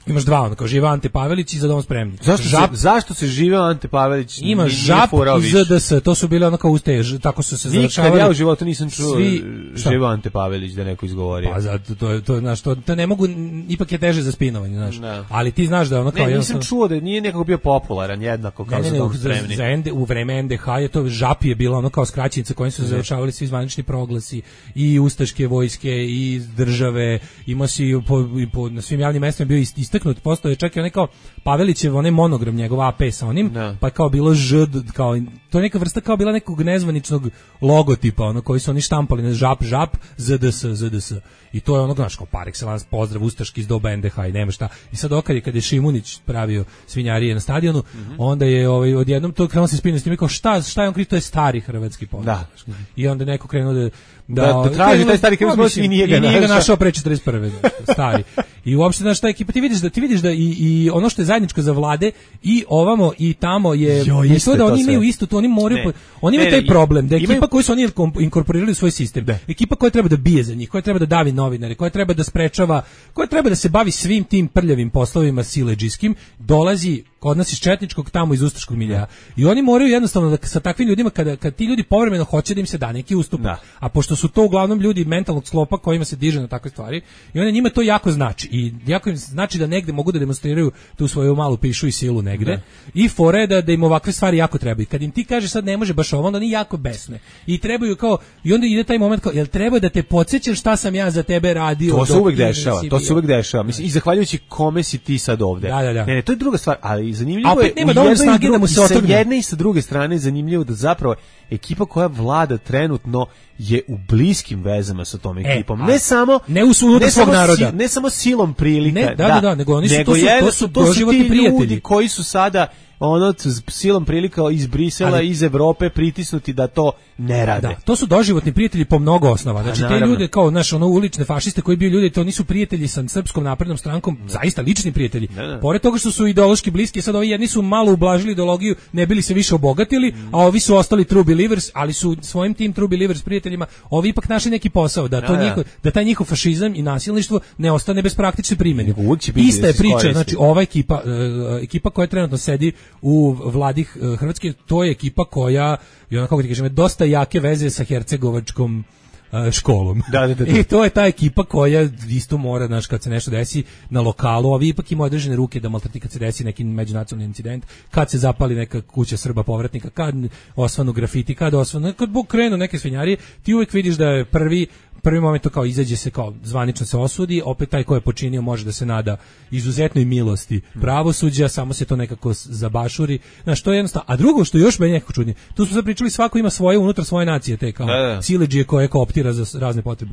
Imaš dva, ono kao živa Ante Pavelić i Za dom spremni. Zašto, žap, se, zašto se živeo Ante Pavelić? Ima žap i Z D S, to su bile ono kao uste, tako su se završavali. Nikad ja u životu nisam čuo svi, živeo Ante Pavelić da neko izgovorio. Pa zato, to, to, znaš, to, to ne mogu, ipak je teže za spinovanje, znaš. Ne. Ali ti znaš da ono kao... Ne, nisam čuo da nije nekako bio popularan jednako kao ne, ne, Za dom spremni. Za, za ende, u vreme N D H je to žap je bila ono kao skraćenica kojim su se završavali svi zvanični proglasi i ustaške vojske i države, ima si po, po, na svim javnim mestima bio istaknut, postoje čak i onaj kao Pavelićev, onaj monogram njegov A P sa onim, no. Pa kao bilo Ž, kao, to je neka vrsta kao bila nekog nezvaničnog logotipa, ono koji su oni štampali na žap, žap, Z D S, Z D S. I to je ono, znaš, kao par excellence pozdrav ustaški iz doba N D H i nema šta. I sad okad je, kad je Šimunić pravio svinjarije na stadionu, mm-hmm. onda je ovaj, odjednom to krenuo se spinati s tim, kao šta, šta je on krivo, to je stari hrvatski pozdrav. Da. I onda neko krenuo da da, da, da traži taj stari hrvatski i nije ga, i nije ga našao pre četrdeset prve stari. I uopšte znaš šta ekipa, ti vidiš da ti vidiš da i, i ono što je zajedničko za vlade i ovamo i tamo je, jo, je to da oni imaju isto, to oni moraju, ne, oni imaju taj ne, problem, da ekipa imaju... koju su oni inkorporirali u svoj sistem, da. Ekipa koja treba da bije za njih, koja treba da davi novinare, koja treba da sprečava, koja treba da se bavi svim tim prljavim poslovima siledžijskim, dolazi kod nas iz četničkog, tamo iz ustaškog milja. I oni moraju jednostavno da sa takvim ljudima, kada, kada ti ljudi povremeno hoće da im se da neki ustup, da. A pošto su to uglavnom ljudi mentalnog sklopa kojima se diže na takve stvari, i onda njima to jako znači. I jako im znači da negde mogu da demonstriraju tu svoju malu pišu i silu negde. Da. I fore da, da im ovakve stvari jako trebaju. Kad im ti kaže sad ne može baš ovo, onda oni jako besne. I trebaju kao, i onda ide taj moment kao, jel treba da te podsjećam šta sam ja za tebe radio? To se uvek dešava, to se uvek dešava. Mislim, i zahvaljujući kome si ti sad ovde. Da, da, da. Ne, ne, to je druga stvar, ali zanimljivo je, nema dovoljno snage da mu se otrgne. Sa jedne i sa druge strane zanimljivo da zapravo ekipa koja vlada trenutno je u bliskim vezama sa tom ekipom. E, ne samo ne u unutar svog naroda. Si, ne samo silom prilika. Ne, da, da, da, nego oni su nego to su, to su, to su ti prijatelji ljudi koji su sada ono silom prilika iz Brisela, ali, iz Evrope pritisnuti da to ne rade. Da, to su doživotni prijatelji po mnogo osnova. Znači a, te ljude kao naš ono ulične fašiste koji bio ljudi, to nisu prijatelji sa Srpskom naprednom strankom, da. Zaista lični prijatelji. Da, da. Pored toga što su ideološki bliski, sad ovi jedni su malo ublažili ideologiju, ne bili se više obogatili, mm. a ovi su ostali true believers, ali su svojim tim true believers prijateljima ovi ipak našli neki posao da to da, njihov, da taj njihov fašizam i nasilništvo ne ostane bez praktične primjene. Ista je priča, znači ova ekipa, uh, ekipa koja trenutno sedi u vladi Hrvatske, to je ekipa koja je onako, kako ti kažem, dosta jake veze sa hercegovačkom uh, školom. Da, da, da, da. I to je ta ekipa koja isto mora, znaš, kad se nešto desi na lokalu, ovi ipak imaju određene ruke da maltreti kad se desi neki međunacionalni incident, kad se zapali neka kuća Srba povratnika, kad osvanu grafiti, kad osvanu, kad krenu neke svinjarije, ti uvijek vidiš da je prvi prvi moment to kao izađe se kao zvanično se osudi, opet taj ko je počinio može da se nada izuzetnoj milosti pravosuđa, samo se to nekako zabašuri. Znaš, to je jednostavno. A drugo što još meni nekako čudnije, tu smo sad pričali, svako ima svoje unutar svoje nacije, te kao siledžije koje kooptira za razne potrebe.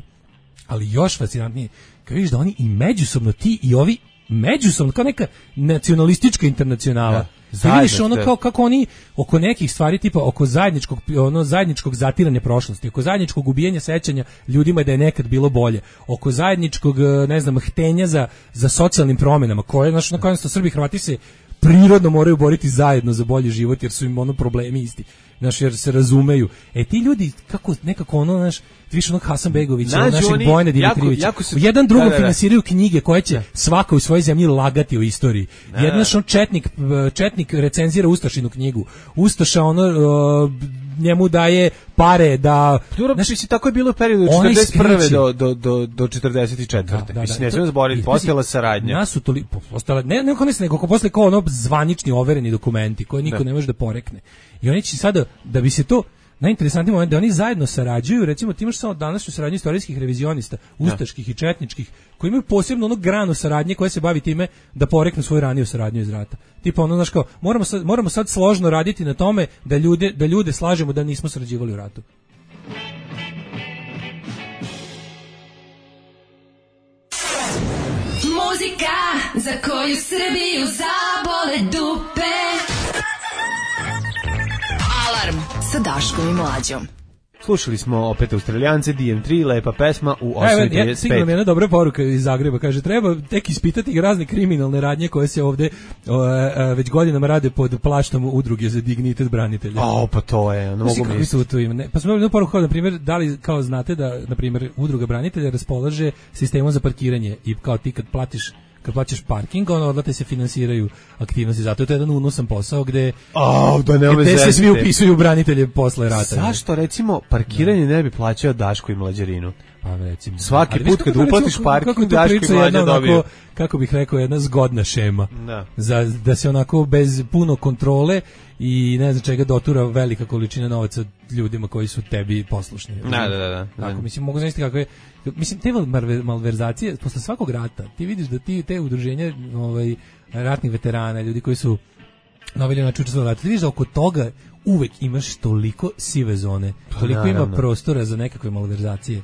Ali još fascinantnije, kad vidiš da oni i međusobno, ti i ovi međusobno, kao neka nacionalistička internacionala. Da. Zajedno, vidiš ono kao kako oni oko nekih stvari tipa oko zajedničkog ono zajedničkog zatiranja prošlosti, oko zajedničkog ubijanja sećanja ljudima da je nekad bilo bolje, oko zajedničkog ne znam htenja za za socijalnim promenama koje znači na kojem su Srbi i Hrvati se prirodno moraju boriti zajedno za bolji život jer su im ono problemi isti. znaš, jer se razumeju. E ti ljudi, kako nekako ono, znaš, više onog Hasanbegovića, Nađu našeg oni Bojana jako- Dimitrijevića, jako se- u jedan drugom da, da, da. finansiraju knjige koje će svaka u svojoj zemlji lagati o istoriji. Da, Jedan da. što on četnik, četnik recenzira Ustašinu knjigu. Ustaša ono, o, njemu daje pare da... Dobro, znaš, mislim, tako je bilo u periodu od onaj četrdeset prve skreće. do, do, do, do četrdeset četvrte. Da, da, Mislim, da. ne smijemo zaboraviti, I, postojala pazi, saradnja. Nas su toli, po- postala, ne, ne kao nego ako posle kao ono zvanični overeni dokumenti koje niko Da. ne može da porekne. I oni će sada, da bi se to, najinteresantniji moment da oni zajedno sarađuju, recimo ti imaš samo današnju saradnju istorijskih revizionista, ustaških i četničkih, koji imaju posebno onu granu saradnje koja se bavi time da poreknu svoju raniju saradnju iz rata. Tipa ono, znaš kao, moramo sad, moramo sad složno raditi na tome da ljude, da ljude slažemo da nismo sarađivali u ratu. Muzika za koju Srbiju zabole dupe. Alarm sa Daškom i Mlađom. Slušali smo opet Australijance, D M tri, lepa pesma u Evo, osam ja, trideset stigla mi pet. jedna dobra poruka iz Zagreba, kaže, treba tek ispitati razne kriminalne radnje koje se ovde o, a, već godinama rade pod plaštom udruge za dignitet branitelja. O, pa to je, ne Znaš mogu ti kakvi misliti. su to ima? Ne, pa smo imali jednu poruku kao, na primjer, da li kao znate da, na primjer, udruga branitelja raspolaže sistemom za parkiranje i kao ti kad platiš kad plaćaš parking, ono odlate se finansiraju aktivnosti, zato je to jedan unosan posao gde, O, da ne gde se zezite. svi upisuju u branitelje posle rata. Zašto, recimo, parkiranje ne bi plaćao Daško i Mlađarinu? Pa recimo. Svaki Ali viš put kako kad to, recimo, uplatiš parking, kako je to Daško i priča Mlađa jedna onako, dobiju. kako bih rekao, jedna zgodna šema. Da. Za, da se onako bez puno kontrole i ne znam čega dotura velika količina novaca ljudima koji su tebi poslušni. Da, da, da, da. Tako, Da. mislim, mogu znaći kako je, mislim, te malver- malverzacije, posle svakog rata, ti vidiš da ti, te udruženja ovaj, ratnih veterana, ljudi koji su na ovaj način učestvovali u ratu, ti vidiš da oko toga uvek imaš toliko sive zone, toliko ima naravno. prostora za nekakve malverzacije,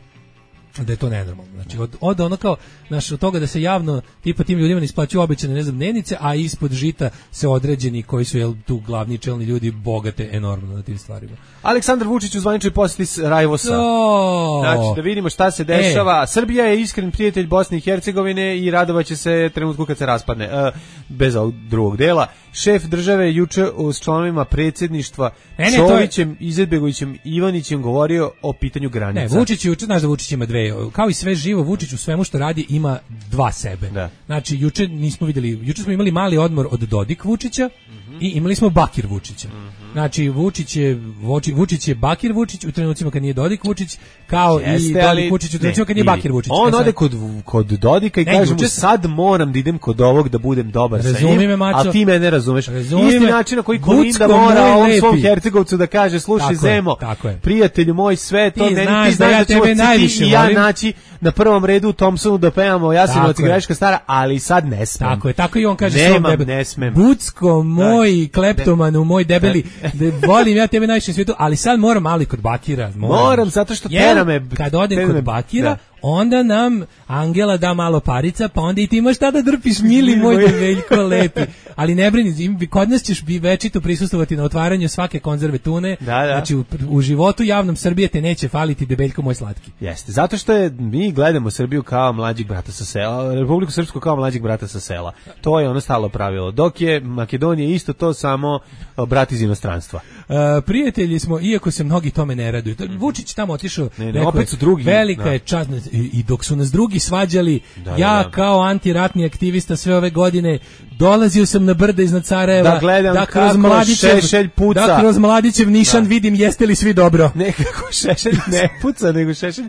da je to nenormalno. Znači, od, od ono kao, znaš, od toga da se javno, tipa tim ljudima ne isplaćuju obećane, ne znam, dnevnice, a ispod žita se određeni koji su, jel, tu glavni čelni ljudi bogate enormno na tim stvarima. Aleksandar Vučić u zvaničnoj posjeti s Rajvosa. O! Znači, da vidimo šta se dešava. Srbija je iskren prijatelj Bosne i Hercegovine i radovaće se trenutku kad se raspadne. E, bez ovog drugog dela. Šef države juče s članovima predsjedništva Ne, ne, to je- Čovićem, Izetbegovićem, Ivanićem govorio o pitanju Ne, granica. Vučić juče, znaš da Vučić ima dve, kao i sve živo, Vučić u svemu što radi ima dva sebe. Da. Znači, juče nismo vidjeli, juče smo imali mali odmor od Dodik Vučića i imali smo Bakir Vučića. Znači, Vučić je, Vučić, Vučić je Bakir Vučić u trenucima kad nije Dodik Vučić, kao i Jeste, ali- Dodik Vučić u ne, trenucima kad nije i Bakir Vučić. On E sad- ode kod, kod Dodika i Ne, kaže mu juče- sad moram da idem kod ovog da budem dobar sa Razumi njim, me, maco. a ti me ne razumeš. Razumi Isti me. način na koji Gucko Kolinda mora moj on lepi. svom Hercegovcu da kaže, slušaj Tako je, Zemo, tako je. prijatelju moj, sve to, Ti ne, znaš ti znaš da ja da ćemo tebe ti najviše i ja volim. naći na prvom redu u Thompsonu da pevamo Jasenovac Tako i je. Greška stara, ali sad ne smem. Tako je, tako i on kaže Nemam, svom debe- ne smem. Bucko, moj kleptomanu, moj debeli, da volim ja tebe najviše na svijetu, ali sad moram ali kod Bakira. Moram, Moram, zato što Jer tera me- kad odem tera kod me- Bakira, da. onda nam Angela da malo parica, pa onda i ti imaš šta da drpiš, mili Mili moj moj. develjko lepi. Ali ne brini, im- kod nas ćeš bi večito prisustvovati na otvaranju svake konzerve tune. Da, da. Znači, u, u životu javnom Srbije te neće faliti debeljko moj slatki. Jeste, zato što je, mi gledamo Srbiju kao mlađeg brata sa sela, Republiku Srpsku kao mlađeg brata sa sela. To je ono stalo pravilo. Dok je Makedonija isto to, samo o, brat iz inostranstva. Uh, prijatelji smo, iako se mnogi tome ne raduju. To- Vučić tamo otišao, Ne, ne, rekao opet je, su drugi, velika da. je čast, i, i dok su nas drugi svađali, Da, ja da, da. kao antiratni aktivista sve ove godine dolazio sam na brda iznad Sarajeva, Da gledam kroz kako Mladićev, Šešelj puca. da kroz Mladićev nišan Da. vidim jeste li svi dobro. Nekako Šešelj ne puca, nego Šešelj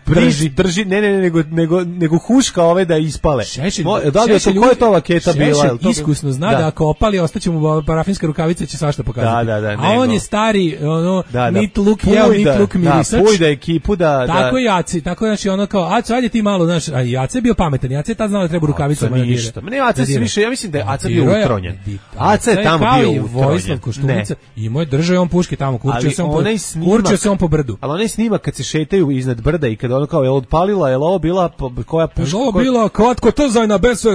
Drži. drži, drži, ne, ne, ne, nego, nego, nego huška ove da ispale. Šešelj, Mo, da li je to, Šešelj koja je to vaketa Šešelj bila? Jel to- iskusno zna da, ako opali ostaće mu parafinska rukavica, će svašta pokazati. Da, da, da, A on nego. je stari, ono, Da, da. nit luk jeo, nit Pujda, luk mirisač. Da, pujda ekipu da... Tako da, je Jaci, tako je, znači ono kao, Aco, ajde ti malo, znaš, a i Aca je bio pametan, Aca je tad znao da treba rukavicu Aca ništa. Ma ne, Aca se više, ja mislim da je Aca bio utronjen. Aca je tamo bio utronjen. Vojislav utronjen. Koštunica, imao je držao je on puške tamo, kurčio Ali se on po, onaj snimak- kurčio se on po brdu. Ali onaj snimak kad se šetaju iznad brda i kad ono kao, je li odpalila, je li ovo bila po- koja puška? Što ovo koja- bila kratko trzajna bez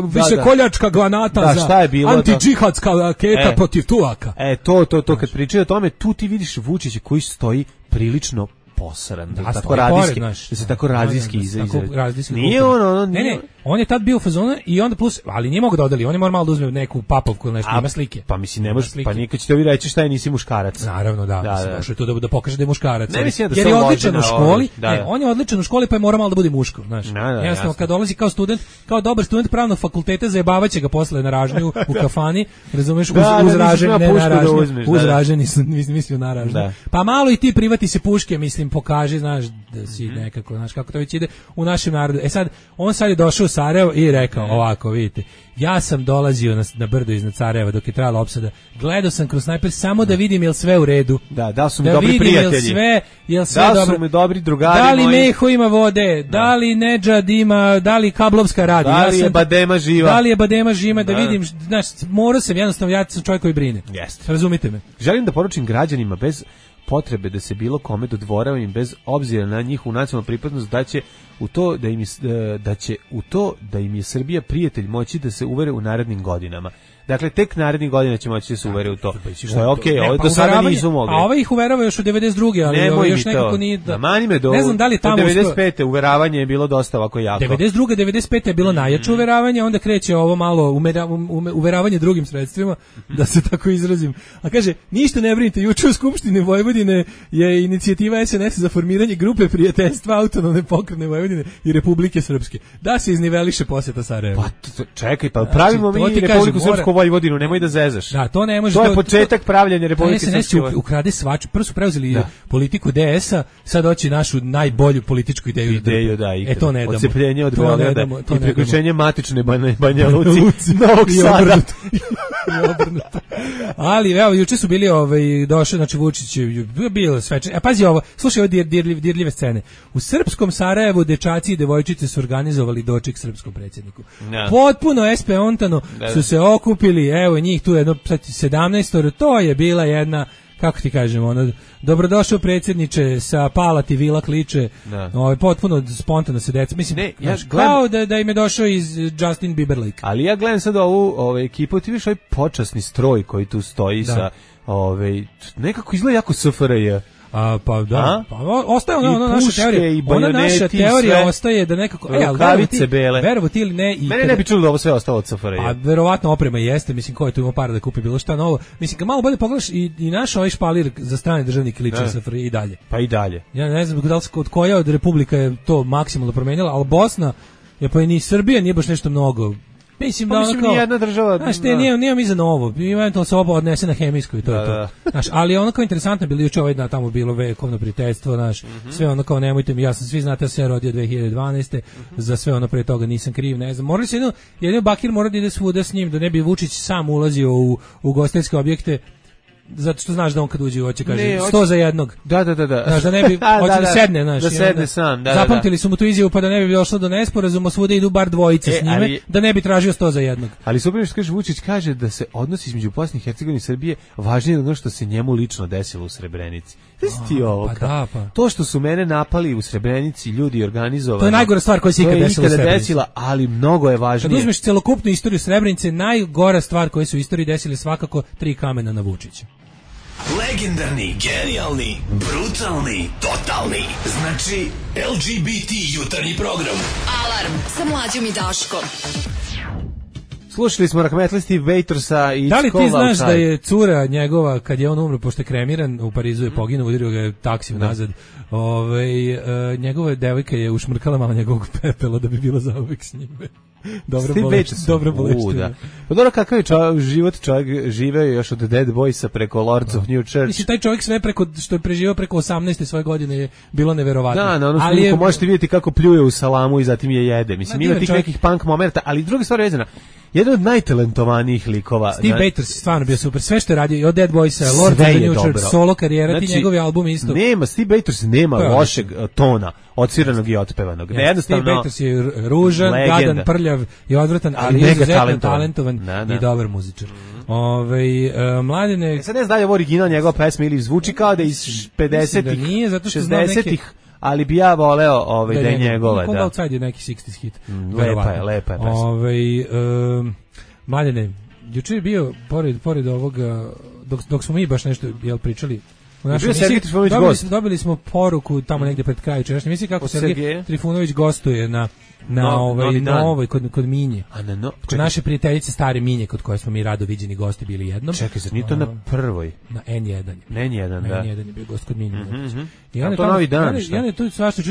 više koljačka granata Da, za šta je bilo, antidžihadska raketa E. protiv Turaka. E, to, to, to, kad pričaju o tome, tu ti vidiš Vučića koji stoji prilično posran, da, Da, tako stoji radijski, pored, znaš. da se tako Da, da, radijski da, izrazi. tako radijski Nije kulturno. ono, ono Ne, nije... ne, on je tad bio u fazonu i onda plus, ali nije mogu da odeli, on je mora malo da uzme neku papovku ili nešto, A, ima slike. Pa mislim, ne Ima može, slike. pa nikad ćete vi reći šta je, nisi muškarac. Naravno, da, Da, mislim, da. došao je tu da, da pokaže da je muškarac. Ne ali- mislim da jer se je on odličan loži u na školi, ovaj, da, ne, da. on je odličan u školi pa je mora malo da bude muško, znaš. Da, da, Jednostavno, jasno. kad dolazi kao student, kao dobar student pravnog fakulteta, zajebavaće ga posle na ražnju u kafani, razumeš, uz, Da, da, uz nisi ražnju, smeo ne pušku na da ražnju, uzmeš, da, uz da. ražnju, nisam, nisam mislio na ražnju. Da. Pa malo i ti privati se puške, mislim, pokaži, znaš, da si nekako, znaš, kako to već ide u našem narodu. E sad, on sad je došao u Sarajevo i rekao ovako, vidite, ja sam dolazio na, na brdo iznad Sarajeva dok je trajala opsada, gledao sam kroz snajper samo da vidim jel sve u redu. Da, da su mi Da dobri vidim jel prijatelji. sve, jel sve Da dobro. su mi dobri drugari Da li moji. Meho ima vode, da, Da. li Nedžad ima, da li Kablovska radi. Da li ja je sam, Badema živa? Da li je Badema živa, da, Da. vidim, znaš, morao sam jednostavno, ja sam čovjek koji brine. Jeste. Razumite me. Želim da poručim građanima bez potrebe da se bilo kome dodvoravam bez obzira na njihovu nacionalnu pripadnost da će u to da im je, da će u to da im je Srbija prijatelj moći da se uvere u narednim godinama. Dakle, tek narednih godina će moći da se uvere u to. Što je okej, Ne, ovo pa do sada uveravanje- nisu mogli. A ovaj ih uverava još u devedeset druge, ali Nemoj ovaj mi još to. nekako nije... Da, Namani me do, ne znam da li je tamo do uspeo- devedeset pete uveravanje je bilo dosta ovako jako. devedeset druge devedeset pete je bilo najjače uveravanje, onda kreće ovo malo umera, um, uveravanje drugim sredstvima, da se tako izrazim. A kaže, ništa ne brinite, juče u Skupštini Vojvodine je inicijativa es en es za formiranje grupe prijateljstva autonomne pokrajine Vojvodine i Republike Srpske. Da se izniveliše posjeta Sarajevo. Pa t- čekaj, pa pravimo Znači, to mi ti Republiku kažem, mora- Srpsku Vojvodinu, nemoj da zezaš. Da, to ne može. To je početak pravljenja Republike es en es će Srpske. u- ukrade svač, prvo su preuzeli Da. politiku de esa, sad hoće našu najbolju političku ideju. Ideju, da, E to ne damo. Odcepljenje od To ne Beograda damo, to i ne priključenje matične Banja, Banja damo. Luci, Luci. Novog I Sada. obrnuto. I obrnuto. Ali evo juče su bili ovaj došao znači Vučić je bilo sveče. A pazi ovo, slušaj ove dir, dirljive, dirljive scene. U srpskom Sarajevu dečaci i devojčice su organizovali doček srpskom predsjedniku. Da. Potpuno espeontano Da, da. su se okupili, evo njih tu jedno sedamnaest, to je bila jedna kako ti kažemo, ono, dobrodošao predsjedniče sa Palati Vila kliče, Da. ovaj, potpuno spontano se deca, mislim, Ne, ja znaš, gledam- kao da, da im je došao iz Justin Bieberlike. Ali ja gledam sad ovu ovaj, ekipu, ti vidiš ovaj počasni stroj koji tu stoji Da. sa, ovaj, nekako izgleda jako S F R J. A, pa da, A? pa o- ostaje ona, I ona naša puške, teorija, i ona naša bajoneti, i teorija sve. ostaje da nekako, e, ali Rukavice verovo ti, bele. verovo ti ili ne, i Mene kada- ne bi čulo da ovo sve ostalo od S F R J. a verovatno oprema jeste, mislim, ko je tu imao para da kupi bilo šta novo, mislim, kad malo bolje pogledaš i, i naš ovaj špalir za strane državnike liči Da. na S F R J i dalje. Pa i dalje. Ja ne znam da li se- od koja od republika je to maksimalno promenila, ali Bosna, je pa i ni Srbija nije baš nešto mnogo. Mislim Pa da mislim, ono kao, nijedna država- znaš, te da. nije, nije mi za novo, eventualno se oba odnese na hemijsku i to Da, je to. da. Znaš, ali ono kao interesantno je bilo juče ovaj dan tamo bilo vekovno prijateljstvo, znaš, Mhm. sve ono kao nemojte mi, ja sam svi znate da se ja rodio dve hiljade dvanaeste. Mhm. Za sve ono pre toga nisam kriv, ne znam. Morali se jedno, jedno Bakir mora da ide svuda s njim, da ne bi Vučić sam ulazio u, u ugostiteljske objekte, zato što znaš da on kad uđe hoće kaže Ne, hoće- sto za jednog. Da, da, da, da. Znaš, da ne bi, A, hoće da, da, da. sedne, znaš. Da i sedne onda sam, da, da, Zapamtili da. su mu tu izjavu pa da ne bi došlo do nesporazuma, svuda idu bar dvojice E, s njime, ali- da ne bi tražio sto za jednog. Ali super što kaže Vučić kaže da se odnosi između Bosne i Hercegovine i Srbije važnije od ono što se njemu lično desilo u Srebrenici. Znaš ti ovo? pa kao- da, pa. To što su mene napali u Srebrenici, ljudi organizovani. To je najgora stvar koja se to je ikad desila u ikada Srebrenici. desila, ali mnogo je Kad važnije. uzmeš celokupnu istoriju Srebrenice, najgora stvar koja se u istoriji desila je svakako tri kamena na Vučića. Legendarni, genijalni, brutalni, totalni. Znači, L G B T jutarnji program. Alarm sa mlađom i Daškom. Slušali smo Rahmetlisti Vejtorsa i Da li ti Cold znaš Outside. da je cura njegova, kad je on umro, pošto je kremiran, u Parizu je poginuo, udario ga je taksi nazad, ovaj, e, njegova devojka je ušmrkala malo njegovog pepela da bi bila zauvek s njime. Dobro Steve boleština. Vejtors. Dobro U, boleština. da. Pa dobro, kakav je čo, život čovjek živeo još od Dead Boysa preko Lords of New Church. Mislim, taj čovjek sve preko, što je preživao preko osamnaeste svoje godine je bilo neverovatno. Da, na onom Ali snimku je- možete vidjeti kako pljuje u salamu i zatim je jede. Mislim, Ma, ima divan tih čovjek. nekih punk momenta, ali druga stvar je vezana. Jedan od najtalentovanijih likova. Steve na- Bators je stvarno bio super. Sve što je radio, i od Dead Boysa, Lord of Sve the je New dobro. Church, solo karijera, ti Znači, njegovi albumi isto. Nema, Steve Bators nema To je lošeg uh, tona, odsviranog i otpevanog. Ne, jednostavno, Steve Bators je r- ružan, legenda. gadan, prljav i odvratan, ali, Ali je mega izuzetno talentovan. talentovan, Da, da. i dobar muzičar. Ove, uh, mladine, E sad ne znam da li je ovo original njegova pesma ili zvuči kao da je iz Mislim pedesetih, da nije, zato što znam šezdesetih, ali bi ja voleo ovaj, da je njegova. Cold Da. Outside je neki šezdeset hit. Mm, verovatno. lepa je, lepa je pesma. Ovaj, um, mladine, juče je bio, pored, pored ovoga, dok, dok smo mi baš nešto jel, pričali, U našoj emisiji dobili, dobili smo poruku tamo negde pred kraju čerašnje emisije kako Sergej Trifunović gostuje na na no, ovaj na ovoj kod kod Minje. A na no, kod naše prijateljice stare Minje kod koje smo mi rado viđeni gosti bili jednom. Čekaj, zar nije to na prvoj? Na N jedan. Na N jedan, da. N jedan je bio gost kod Minje. Mm -hmm. I onda to novi dan. I onda je tu svašta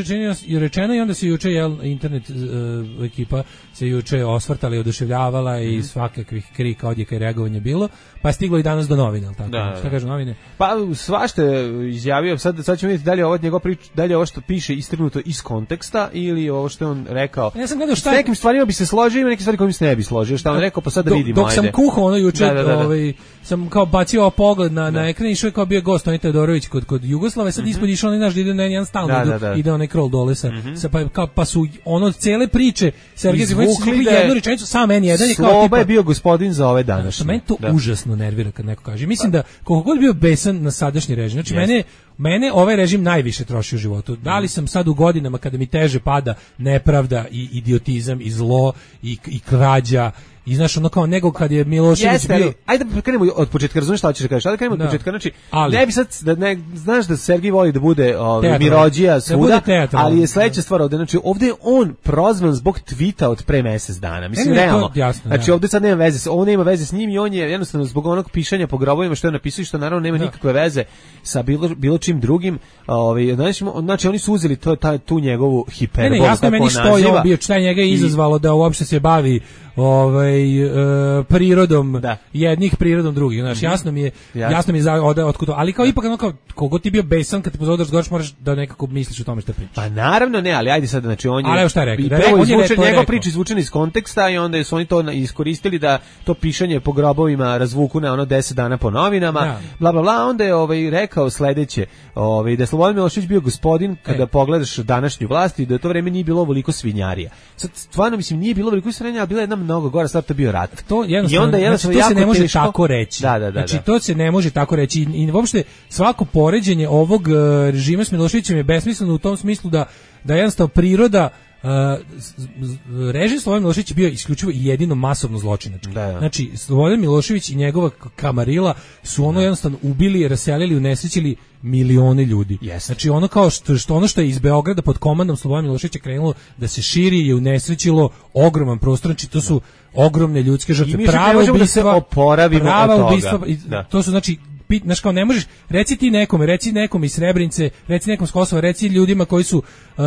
i rečeno i onda se juče jel internet uh, ekipa se juče osvrtala i oduševljavala mm -hmm. i svakakvih krika, odjeka i reagovanja bilo, pa je stiglo i danas do novina, tako. Da, šta kažu novine? Pa svašta izjavio, sad sad ćemo vidjeti da li ovo njegov prič, da li ovo što piše istrgnuto iz konteksta ili ovo što je on rekao. Ja sam gledao šta s nekim stvarima bi se složio, ima neke stvari kojim se ne bi složio. Šta on rekao, pa sad da vidimo. Dok ajde. sam kuhao ono juče, da, da, da, da. ovaj sam kao bacio pogled na da. na ekran i što je kao bio gost Tonita Todorović kod kod Jugoslave, sad mm -hmm. ispod išao onaj naš ide na jedan stalno da, da, da. ide onaj krol dole sa, mm -hmm. sa pa, kao, pa su ono cele priče Sergej Trifunović da jednu rečenicu sam N jedan je kao tipa Sloba je bio gospodin za ove današnje. Mene to da. užasno nervira kad neko kaže. Mislim da koliko god bio besan na sadašnji režim, znači yes. mene mene ovaj režim najviše troši u životu. Da li sam sad u godinama kada mi teže pada nepravda i idiotizam i zlo i, i krađa i znaš ono kao nego kad je Milošević Jeste, bio... Ajde da krenemo od početka, razumiješ šta hoćeš da kažeš, ajde krenemo od da. početka, znači ali, ne bi sad, da ne, znaš da Sergej voli da bude ovaj, mirođija svuda, da ali je sledeća stvar ovde, znači ovde je on prozvan zbog tvita od pre mesec dana, mislim ne, realno, jasno, znači ja. ovde sad nema veze, ovo nema veze s njim i on je jednostavno zbog onog pišanja po grobovima što je napisao i što naravno nema da. nikakve veze sa bilo, bilo čim drugim, ovaj, znači, znači oni su uzeli to, ta, tu njegovu hiperbolu, ne, ne, jasno meni što je on bio, šta njega je izazvalo da uopšte se bavi ovaj e, prirodom da. jednih prirodom drugih, znači jasno mi je jasno, jasno mi je za od otkud, ali kao ipak ono kao kogo ti bio besan kad te pozove da razgovaraš moraš da nekako misliš o tome šta pričaš. Pa naravno ne, ali ajde sad znači on je ali šta je rekao, da je izvučen njegov priča izvučena iz konteksta i onda su oni to iskoristili da to pišanje po grobovima razvuku na ono deset dana po novinama, da. bla bla bla, onda je ovaj rekao sledeće, ovaj da je Slobodan Milošević bio gospodin kada e. pogledaš današnju vlast i da to vreme nije bilo ovoliko svinjarija. Sad stvarno mislim nije bilo ovoliko svinjarija, bila je jedna mnogo gora stvar, to bio rat. To jednostavno, onda jednostavno znači, to se ne može teško. tako reći. Da, da, da, znači da. to se ne može tako reći i, i uopšte svako poređenje ovog uh, režima s Miloševićem je besmisleno u tom smislu da da jednostavno priroda Uh, režim Slobodan Milošević je bio isključivo i jedino masovno zločinački. Da, da. Znači, Slobodan Milošević i njegova kamarila su ono jednostavno ubili, raselili, unesrećili milione ljudi. Yes. Znači, ono kao što, što ono što je iz Beograda pod komandom Slobodana Miloševića krenulo da se širi i unesrećilo ogroman prostor, znači to su ogromne ljudske žrtve, prava ubistva, da prava ubistva, to su znači znaš kao ne možeš, reci ti nekome, reci nekom iz Srebrenice, reci nekom s Kosova, reci ljudima koji su uh,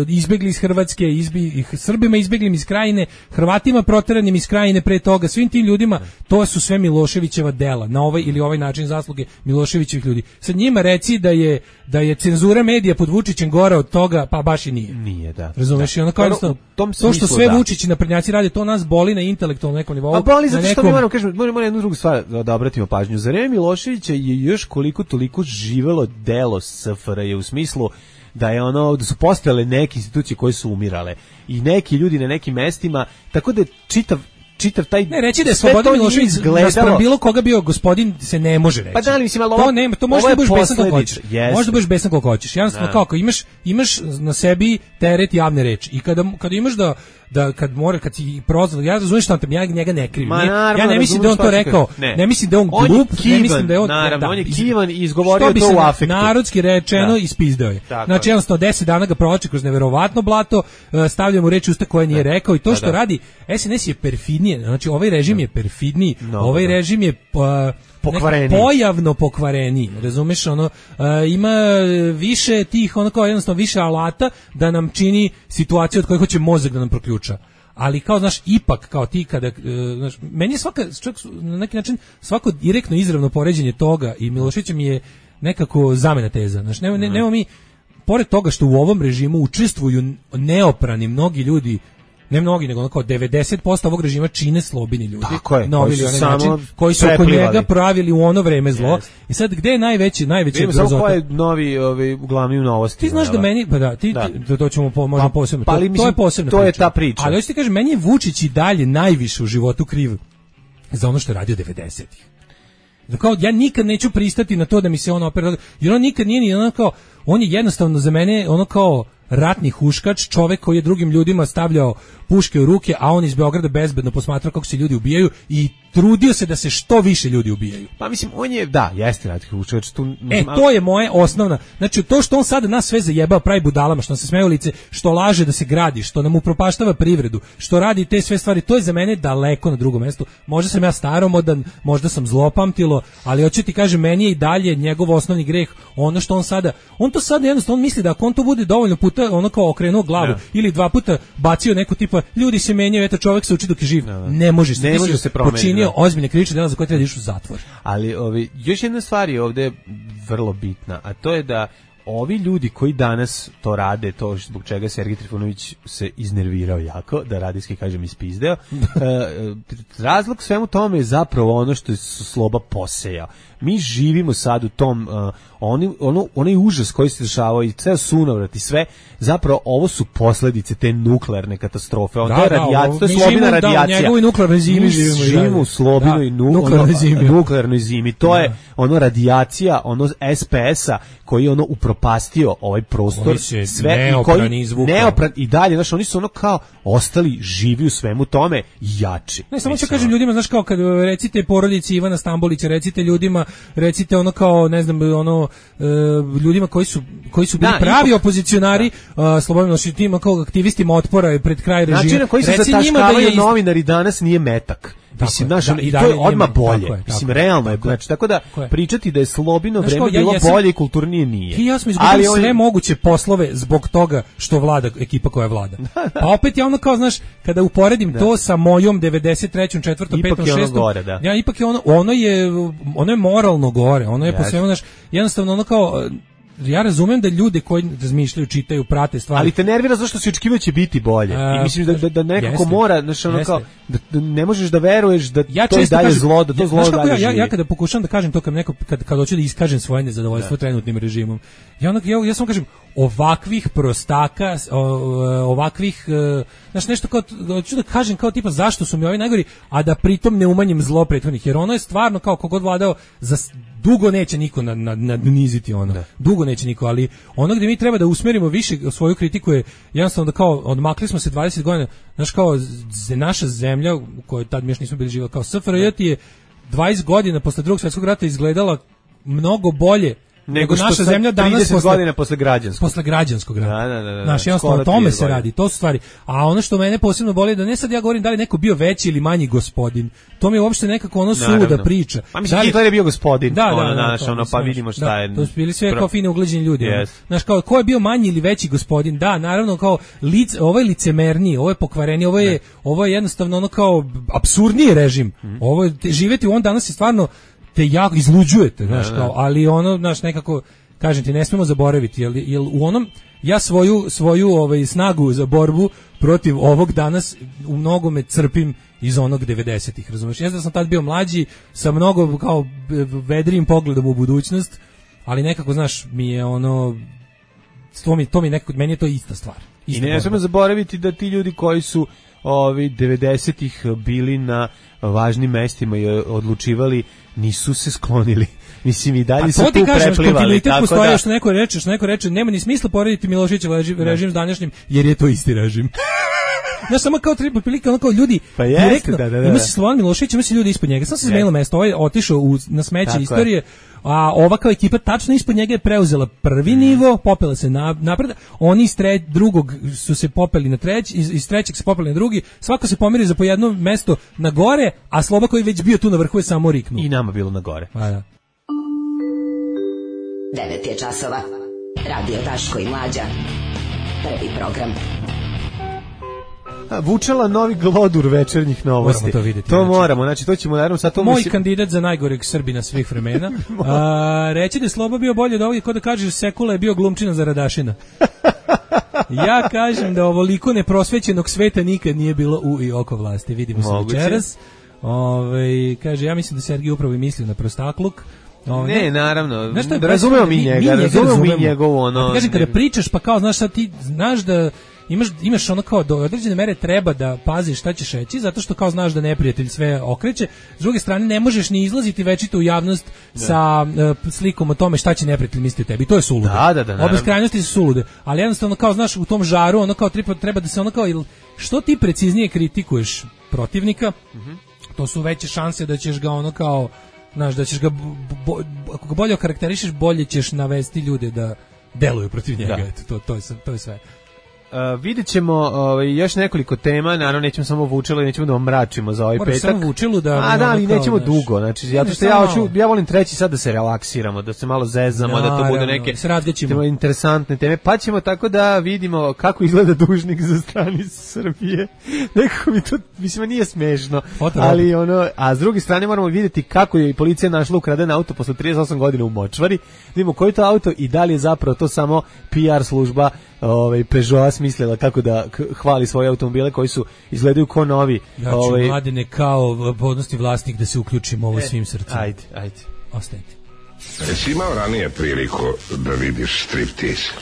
izbegli iz Hrvatske, izbi, Srbima izbeglim iz Krajine, Hrvatima proteranim iz Krajine pre toga, svim tim ljudima, to su sve Miloševićeva dela, na ovaj ili ovaj način zasluge Miloševićevih ljudi. Sad njima reci da je da je cenzura medija pod Vučićem gora od toga, pa baš i nije. Nije, da. Razumeš, da. i ono kao to, to što sve da. Vučić i naprednjaci rade, to nas boli na intelektualnom nekom nivou. A boli zato što nekom... mi moramo, kažemo, moramo jednu drugu stvar da obratimo pažnju. Za vreme Miloševića je još koliko toliko živelo delo S F R J u smislu da je ono da su postojale neke institucije koje su umirale i neki ljudi na nekim mestima, tako da čitav čitav taj ne reći da je Slobodan Milošević naspram bilo koga bio gospodin se ne može reći. Pa da li mislim ali to nema, to možeš da budeš besan kako hoćeš. Možda budeš besan kako hoćeš. Jednostavno kako imaš imaš na sebi teret javne reči i kada kada imaš da da kad mora kad ti prozvan ja razumem šta te ja njega ne krivim. Ja ne mislim da on to rekao, ne. ne mislim da on glup, ne mislim da je on naravno on je kivan i izgovorio to u afektu. Narodski rečeno ispizdao je. Znači jednostavno deset dana ga provlači kroz neverovatno blato, stavlja mu reči usta koje nije rekao i to što radi S N S je perfidnije. Znači ovaj režim je perfidniji, ovaj režim je pokvareniji. Pojavno pokvareniji, razumeš, ono uh, ima više tih, ono kao jednostavno više alata da nam čini situaciju od koje hoće mozak da nam proključa. Ali kao, znaš, ipak kao ti kada, uh, znaš, meni je svaka, čak, na neki način, svako direktno izravno poređenje toga i Miloševića mi je nekako zamena teza. Znaš, nema, ne, nema mi, pored toga što u ovom režimu učestvuju neoprani mnogi ljudi, ne mnogi, nego kao devedeset posto ovog režima čine slobini ljudi. Tako je, na koji su, način, koji su oko njega pravili u ono vreme zlo. Yes. I sad, gde je najveći, najveći grozota? Samo ko je novi, ovi, glavni u novosti. Ti znaš da meni, pa da, ti, da. to, to ćemo po, možemo posebno. Pa, ali, to, mislim, to je posebna to priča. je ta priča. Ali hoćete kažem, meni je Vučić i dalje najviše u životu kriv za ono što je radio devedesetih. Kao, ja nikad neću pristati na to da mi se on opera, jer on nikad nije ni ono kao, on je jednostavno za mene ono kao ratni huškač, čovek koji je drugim ljudima stavljao puške u ruke, a on iz Beograda bezbedno posmatrao kako se ljudi ubijaju i trudio se da se što više ljudi ubijaju. Pa mislim, on je, da, jeste ratni huškač. Tu, e, to je moje osnovna, znači to što on sada nas sve zajebao, pravi budalama, što nam se smeje u lice, što laže da se gradi, što nam upropaštava privredu, što radi te sve stvari, to je za mene daleko na drugom mestu. Možda sam ja staromodan, možda sam zlopamtilo, ali hoću ti kažem, meni je i dalje njegov osnovni greh ono što on sada, on to sada jednostavno on misli da ako on to bude dovoljno puta ono kao okrenuo glavu ja. ili dva puta bacio neku tipa ljudi se menjaju, eto čovjek se uči dok je živ. Ja, ja. Ne može se, ne može se promeniti. Počinio ozbiljne krivične dela za koje treba da ideš u zatvor. Ali ovi, još jedna stvar je ovde vrlo bitna, a to je da ovi ljudi koji danas to rade, to zbog čega Sergej Trifunović se iznervirao jako, da radijski kažem ispizdeo, e, razlog svemu tome je zapravo ono što je Sloba posejao. Mi živimo sad u tom, uh, oni, ono, onaj užas koji se dešavao i ceo sunovrat i sve, zapravo ovo su posledice te nuklearne katastrofe. On, da, to je radijacija, to je Slobina radijacija. Da, njegovoj nuklearnoj zimi živimo. Živimo u Slobinoj nu, nuklearnoj, ono, zimi. nuklearnoj zimi. To da. je ono radijacija, ono S P S-a koji je ono upropastio ovaj prostor. Sve, i koji neopran i dalje, znaš, oni su ono kao ostali živi u svemu tome jači. Ne, samo ću kažem ljudima, znaš, kao kad recite porodici Ivana Stambolića, recite ljudima, recite ono kao, ne znam, ono, e, ljudima koji su, koji su bili da, pravi ipak, opozicionari, da. Slobodno tim kao aktivistima otpora pred kraj režima. Način na koji se zataškavaju da je novinari danas nije metak. Mislim, naš, da, i to je odmah bolje. Tako je, tako mislim, realno je. Znači, tako da tako pričati da je Slobino vreme kao, ja, bilo ja sam, bolje i kulturnije nije. I ja sam izgubili sve on... moguće poslove zbog toga što vlada ekipa koja vlada. Pa opet ja ono kao, znaš, kada uporedim da. to sa mojom devedeset trećom, četvrtom, petom, šestom, gore, da. ja ipak je ono, ono je, ono je moralno gore, ono je yes. po svemu, znaš, jednostavno ono kao, ja razumem da ljude koji razmišljaju, čitaju, prate stvari. Ali te nervira zašto se očekivao će biti bolje. A, I mislim da, da, da nekako jeste, mora, znači ono kao, da, da ne možeš da veruješ da ja to je dalje kažem, zlo, da to ja, zlo dalje ja, živi. Ja, ja kada pokušam da kažem to kad neko, kad, kad hoću da iskažem svoje nezadovoljstvo trenutnim režimom, ja, ono, ja, ja samo kažem, ovakvih prostaka, ovakvih, znači nešto kao, hoću da kažem kao tipa zašto su mi ovi najgori, a da pritom ne umanjim zlo prethodnih, jer ono je stvarno kao kogod vladao, za dugo neće niko nadniziti ono, da. dugo neće niko, ali ono gdje mi treba da usmerimo više svoju kritiku je jednostavno da kao odmakli smo se dvadeset godina, znaš kao naša zemlja u kojoj tad mi još nismo bili živjeli, kao S F R J je dvadeset godina posle drugog svjetskog rata izgledala mnogo bolje nego naša zemlja danas trideset posle, godina posle građanskog. Posle građanskog rata. Da, da, da, da. Znaš, jednostavno o tome se radi, to su stvari. A ono što mene posebno boli da ne sad ja govorim da li neko bio veći ili manji gospodin. To mi je uopšte nekako ono suluda priča. Pa mislim, Hitler je bio gospodin. Da, ono, da, naš, ono, pa vidimo šta da, je. To su bili sve kao fine ugleđeni ljudi. Yes. Znaš, kao, ko je bio manji ili veći gospodin? Da, naravno, kao, lic, ovo je licemerniji, ovo je pokvareniji, ovo je, ne. ovo je jednostavno ono kao apsurdniji režim. Mm. Ovo je, živeti u on danas je stvarno te jako izluđujete, znaš, kao, ali ono, znaš, nekako, kažem ti, ne smemo zaboraviti, jel, jel u onom, ja svoju, svoju ovaj, snagu za borbu protiv ovog danas u mnogome crpim iz onog devedesetih, razumiješ? Ja da sam tad bio mlađi, sa mnogo kao vedrijim pogledom u budućnost, ali nekako, znaš, mi je ono, to mi, to mi nekako, meni je to ista stvar. Ista I ne smemo zaboraviti da ti ljudi koji su ovi devedesetih bili na važnim mestima i odlučivali, nisu se sklonili. Mislim, i dalje su tu preplivali. Tako postoje, da. Što neko reče, što neko reče, nema ni smisla porediti Miloševićev režim s današnjim, jer je to isti režim. Znaš, samo kao tri prilike, ono kao ljudi, pa jeste, direktno, da, da, da. Ima se Slobodan Milošević, ima se ljudi ispod njega. Sam se izmenilo mesto, ovaj otišao u, na smeće tako istorije, je. A ova kao ekipa tačno ispod njega je preuzela prvi mm. nivo, popela se na, napred, oni iz tre, drugog su se popeli na treći, iz, iz trećeg se popeli na drugi, svako se pomeri za po jedno mesto na gore, a Sloba koji već bio tu na vrhu je samo riknuo. I nama bilo na gore. Pa da. devet je časova. Radio Daško i Mlađa. Prvi program. Vučela novi glodur večernjih novosti. Moramo to vidjeti. To znači. moramo, znači to ćemo naravno sad to moj mislim... kandidat za najgoreg Srbina svih vremena. A, reći da je Sloba bio bolje od ovog, kod da kažeš Sekula je bio glumčina za Radašina. Ja kažem da ovoliko neprosvećenog sveta nikad nije bilo u i oko vlasti. Vidimo se večeras. Ove, kaže, ja mislim da Sergij upravo i mislio na prostakluk. Ovdje. Ne, naravno, razumemo mi njega, razumemo mi njegovo ono... Kažem, kada pričaš, pa kao, znaš, sad ti znaš da imaš, imaš ono kao do određene mere treba da paziš šta ćeš reći, zato što kao znaš da neprijatelj sve okreće, s druge strane ne možeš ni izlaziti večito u javnost da. sa uh, slikom o tome šta će neprijatelj misliti o tebi, to je suludo. Da, da, da, obe krajnosti su sulude, ali jednostavno kao znaš u tom žaru, ono kao treba, treba da se ono kao, što ti preciznije kritikuješ protivnika, mm-hmm. to su veće šanse da ćeš ga ono kao, znaš, da ćeš ga, bo, ako ga bolje okarakterišeš, bolje ćeš navesti ljude da deluju protiv njega, eto, to, to, je, to je sve. Uh, vidjet ćemo uh, još nekoliko tema, naravno nećemo samo Vučelo i nećemo da vam mračimo za ovaj Moram petak. Samo Vučelu da... A da, ali nećemo naš... dugo, znači, zato što ja, hoću, ja volim treći sad da se relaksiramo, da se malo zezamo, da, da to bude neke temo interesantne teme, pa ćemo tako da vidimo kako izgleda dužnik za strani Srbije. Nekako mi to, mislim, nije smešno, ali ono, a s druge strane moramo vidjeti kako je policija našla ukraden auto posle trideset osam godina u Močvari, da vidimo koji to auto i da li je zapravo to samo P R služba ovaj Peugeot smislila kako da hvali svoje automobile koji su izgledaju kao novi. Ja ću ovaj Mladene kao podnosti vlasnik da se uključimo ovo e, svim srcem. Ajde, ajde. Ostanite. Jesi imao ranije priliku da vidiš striptease?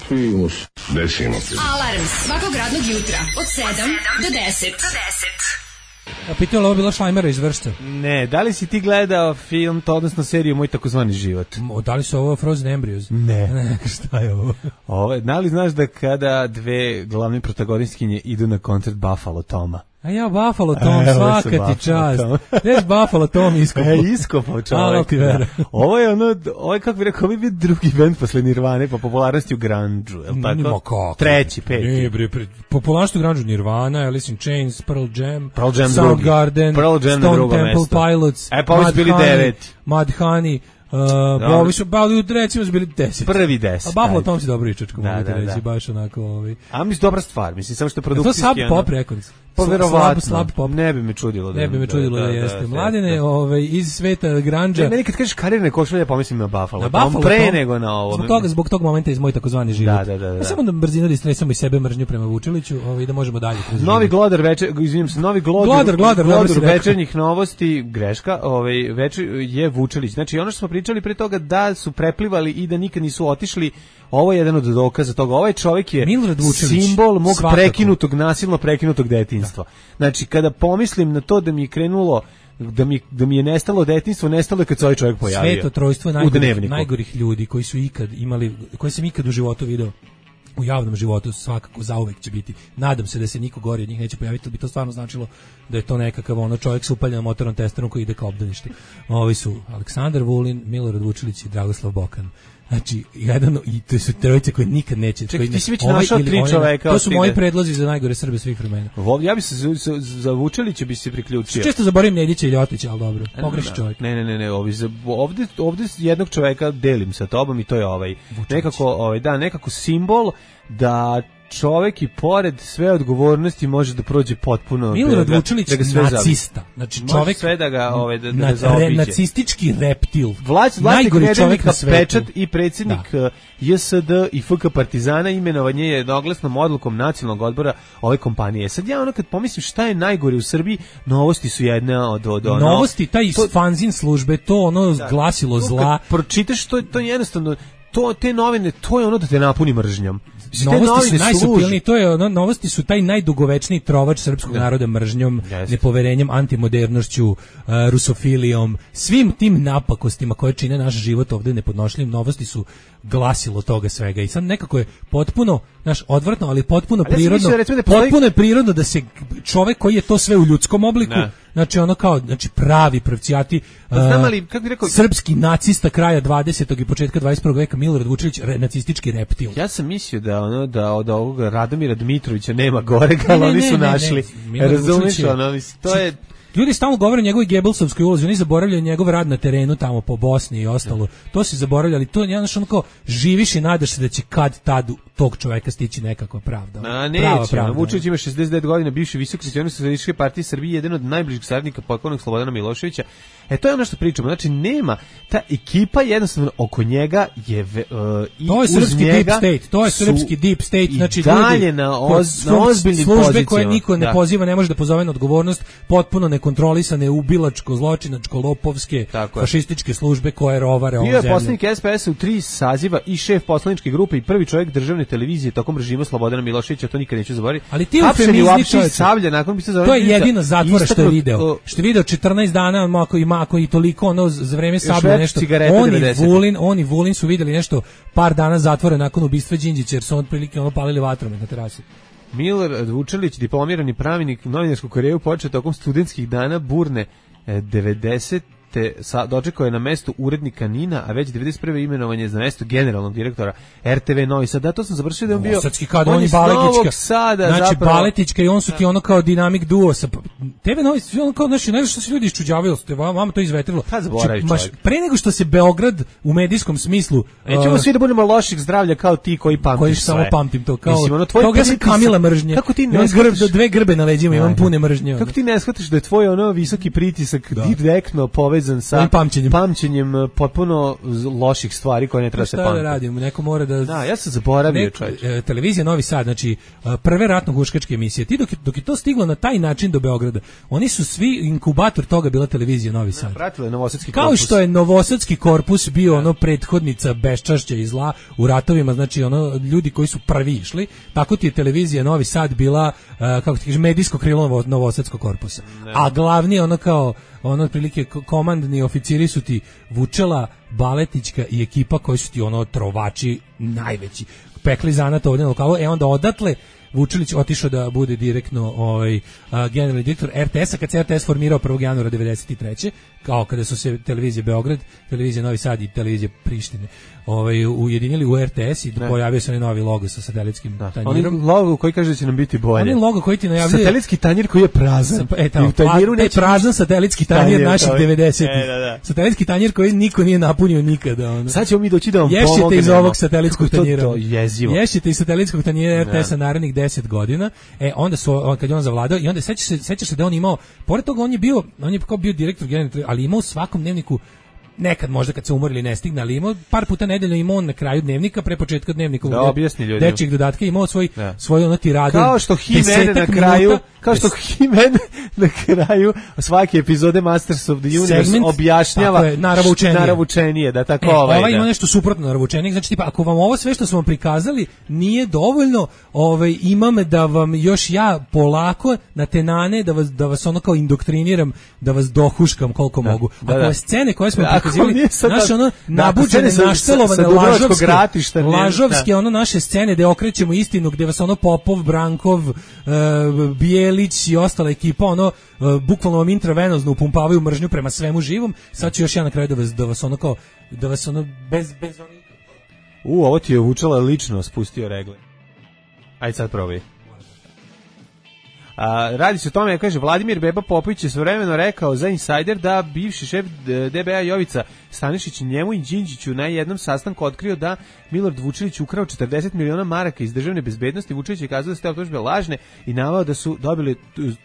Primus. Desimo ti. Alarm svakog radnog jutra od sedam do deset. A pitao li ovo bila Šlajmera iz Vršca? Ne, da li si ti gledao film, to odnosno seriju Moj takozvani život? O, da li su ovo Frozen Embryos? Ne. Ne, šta je ovo? Ovo, da li znaš da kada dve glavne protagonistkinje idu na koncert Buffalo Toma? A ja Buffalo Tom, e, svaka ti čast. Gdje Buffalo Tom iskopao? E, iskopao čovjek. Da. Ovo je ono, ovo je kako bi rekao, ovo je bio drugi band posle Nirvane po popularnosti u grunge-u, je li tako? Nima kako. Treći, peti. Ne, bre, pre, popularnosti u grunge-u Nirvana, Alice in Chains, Pearl Jam, Pearl Jam Soundgarden, Stone Temple mesto. Pilots, e, pa Mud bili devet. Mudhoney, Uh, ovi su, ba, recimo su bili deset. Prvi deset. A Buffalo Tom si dobro ičačko, da, mogu ti da, reći, da. baš onako... Ovi. A mislim, dobra stvar, mislim, samo što je produkcijski... To Sub Pop Records. Pa verovatno, slab pop. Ne bi me čudilo da, ne bi me čudilo da, da, da jeste. Da, Mladene, da. Ovaj, iz sveta grandža... Ne, meni kad kažeš karirne košulje, pomislim na Buffalo. Na Buffalo pre Tom, nego na ovo. Zbog toga, zbog tog momenta iz Moj takozvani život. Da, da, da, da. Ja samo da brzino da istresamo i sebe mržnju prema Vučiliću, ovaj, da možemo dalje. Novi glodar večer, izvinim se, novi glodar, glodar, glodar, glodar večernjih novosti, greška, ovaj, večer je Vučilić. Znači, ono što smo pričali pre toga da su preplivali i da nikad nisu otišli, ovo je jedan od dokaza toga. Ovaj čovjek je simbol mog svakako. prekinutog, nasilno prekinutog detinjstva. Da. Znači, kada pomislim na to da mi je krenulo, da mi, da mi je nestalo detinjstvo, nestalo je kad se ovaj čovjek pojavio. Sveto trojstvo najgorih, najgorih ljudi koji su ikad imali, koji sam ikad u životu video, u javnom životu svakako zauvek će biti. Nadam se da se niko gori od njih neće pojaviti, ali bi to stvarno značilo da je to nekakav ono čovjek sa upaljenom motornom testerom koji ide kao obdanište. Ovi su Aleksandar Vulin, Milorad Vučilić i Dragoslav Bokan. Znači, jedan, i to su trojice koje nikad neće... Čekaj, ti si već našao tri čoveka. To su moji predlozi za najgore Srbe svih vremena. Ja bi se za, za Vučilića bi se priključio. Često zaboravim Nedića i Ljotića, ali dobro, pogreši čovjek. Ne, ne, ne, ne, ovi, ovde, ovde jednog čoveka delim sa tobom i to je ovaj. Vučilić. Nekako, ovaj, da, nekako simbol da čovjek i pored sve odgovornosti može da prođe potpuno Milorad Vučilić, da nacista. Znači čovjek sve da ga ovaj da, da na, re, nacistički reptil. Vlast najgori čovjek na svetu. Pečat i predsjednik da. J S D i F K Partizana imenovanje je jednoglasnom odlukom nacionalnog odbora ove kompanije. Sad ja ono kad pomislim šta je najgore u Srbiji, novosti su jedna od od ono. Novosti taj to, fanzin službe, to ono da, glasilo zla. Kad pročitaš to to jednostavno to te novine, to je ono da te napuni mržnjom. Novosti su najsupilniji, to je ono, novosti su taj najdugovečniji trovač srpskog da. naroda mržnjom, yes. nepoverenjem, antimodernošću, uh, rusofilijom, svim tim napakostima koje čine naš život ovde nepodnošljivim. Novosti su glasilo toga svega i sad nekako je potpuno, naš odvratno, ali potpuno ali prirodno, ja da postoji... potpuno je prirodno da se čovek koji je to sve u ljudskom obliku, ne. znači ono kao, znači pravi pravcijati uh, ali, kako bi rekao, srpski nacista kraja dvadesetog i početka dvadeset prvog veka Milorad Vučilić, re, nacistički reptil. Ja sam mislio da ono da od ovog Radomira Dmitrovića nema gorega, ali oni su našli. Razumiješ, ono, to je... Ljudi stalno govore o njegovoj Gebelsovskoj ulozi, oni zaboravljaju njegov rad na terenu tamo po Bosni i ostalo. To se zaboravljali, to je jednostavno kao živiš i nadaš se da će kad tad tog čoveka stići nekakva pravda. A neće, Vučić ima šezdeset devet godina, bivši visoki sekretar Socijalističke partije Srbije, jedan od najbližih saradnika pokojnog Slobodana Miloševića. E to je ono što pričamo, znači nema, ta ekipa jednostavno oko njega je uh, i to je srpski deep state, to je srpski deep state, znači dalje ljudi na, oz, na ozbiljnim službe pozicijama. Koje niko ne da. poziva, ne može da pozove na odgovornost, potpuno nekontrolisane, ubilačko, zločinačko, lopovske, fašističke službe koje rovare ovom zemljom. Bio je poslanik S P S-a u tri saziva i šef poslaničke grupe i prvi čovjek državne televizije tokom režima Slobodana Miloševića, to nikad neću zaboraviti. Ali ti u Sablja, nakon bi se to je jedino zatvora što je video. Što je video četrnaest dana, ako ima ako i toliko ono za vreme Sablja nešto. Oni Vulin, oni Vulin su videli nešto par dana zatvora nakon ubistva Đinđića jer su otprilike ono palili vatromet na terasi. Milorad Vučelić, diplomirani pravnik, novinarsku karijeru počeo tokom studentskih dana burne devedeset te sa, dočekao je na mestu urednika Nina, a već devedeset prve imenovan je za mesto generalnog direktora R T V Novi Sad. Da, to sam završio da je on bio... Novosadski kad on je Baletička. Sada, znači, zapravo... Baletička i on su ti ono kao dinamik duo. Sa, T V Novi Sad, ono kao, znači, ne znaš što se ljudi iščuđavaju, vama to izvetrilo. Kad zaboravi znači, maš, pre nego što se Beograd u medijskom smislu... Nećemo uh, svi da budemo loših zdravlja kao ti koji pamtiš koji sve. Samo pamtim to. Kao, Mislim, ono, kao ja sam Kamila mržnje. Kako ti ne shvatiš... Grb, dve grbe na leđima, imam pune mržnje. Kako ti ne shvatiš da je tvoj ono visoki pritisak direktno povezan sa pamćenjem, pamćenjem potpuno loših stvari koje ne treba se pamtiti. Šta da radim, neko mora da... Da, ja sam zaboravio čovječ. E, televizija Novi Sad, znači prve ratno-huškačke emisije, ti dok, dok je to stiglo na taj način do Beograda, oni su svi inkubator toga bila televizija Novi Sad. Pratilo je Novosadski Kao korpus. Kao što je Novosadski korpus bio ono prethodnica beščašća i zla u ratovima, znači ono ljudi koji su prvi išli, tako ti je televizija Novi Sad bila, uh, kako ti kažeš, medijsko krilo Novosadskog korpusa. Ne. A glavni ono kao ono otprilike komandni oficiri su ti Vučela, Baletička i ekipa koji su ti ono trovači najveći. Pekli zanat ovdje na lokalu, e onda odatle Vučelić otišao da bude direktno ovaj a, generalni direktor R T S-a kad se R T S formirao prvog januara devedeset treće kao kada su se televizija Beograd, televizija Novi Sad i televizija Prištine ovaj ujedinili u R T S i pojavio se novi logo sa satelitskim da. tanjirom. Oni logo koji kaže da će nam biti bolje. Oni logo koji ti najavljuje satelitski tanjir koji je prazan. Sa, e, tamo, tanjiru pa, neće prazan satelitski tanjir naših devedesetih. E, da, da. Satelitski tanjir koji niko nije napunio nikada. Ono. Sad ćemo mi doći da vam pomognemo. Ješćete iz ovog satelitskog tanjira. To, to jezivo. Ješćete iz satelitskog tanjira R T S-a narednih deset godina. E, onda su, kad je on zavladao, i onda sećaš se, sećaš se da on imao, pored toga on je bio, on je kao bio direktor generalni, ali imao u svakom dnevniku, nekad možda kad se umorili ne stigne, ali imao par puta nedeljno imao on na kraju dnevnika, pre početka dnevnika da objasni ljudima. Dečjeg dodatka imao svoj ja. svoj ono tiradu. Kao što He-Man na kraju, minuta, kao što He-Man na kraju svake epizode Masters of the Universe segment, objašnjava je, naravučenije. naravučenije, da tako e, ovaj. Ovaj da. ima nešto suprotno naravučenije, znači tipa ako vam ovo sve što smo vam prikazali nije dovoljno, ovaj imam da vam još ja polako na tenane da vas da vas ono kao indoktriniram, da vas dohuškam koliko da, mogu. Da, ako da. scene koje smo prikazivali, naše ono nabuđene, naštelovane, lažovske, lažovske ono naše scene gde okrećemo istinu, gde vas ono Popov, Brankov, uh, Bijelić i ostala ekipa ono uh, bukvalno vam intravenozno upumpavaju mržnju prema svemu živom. Sad ću još ja na kraju da vas, da vas ono kao da vas ono bez, bez onih... U, ovo ti je Vučela lično spustio regle. Ajde sad probaj. A, radi se o tome, kaže, Vladimir Beba Popović je svojevremeno rekao za Insider da bivši šef D B A Jovica Stanišić njemu i Đinđiću na jednom sastanku otkrio da Milorad Vučelić ukrao četrdeset miliona maraka iz državne bezbednosti. Vučelić je kazao da su te optužbe lažne i naveo da su dobili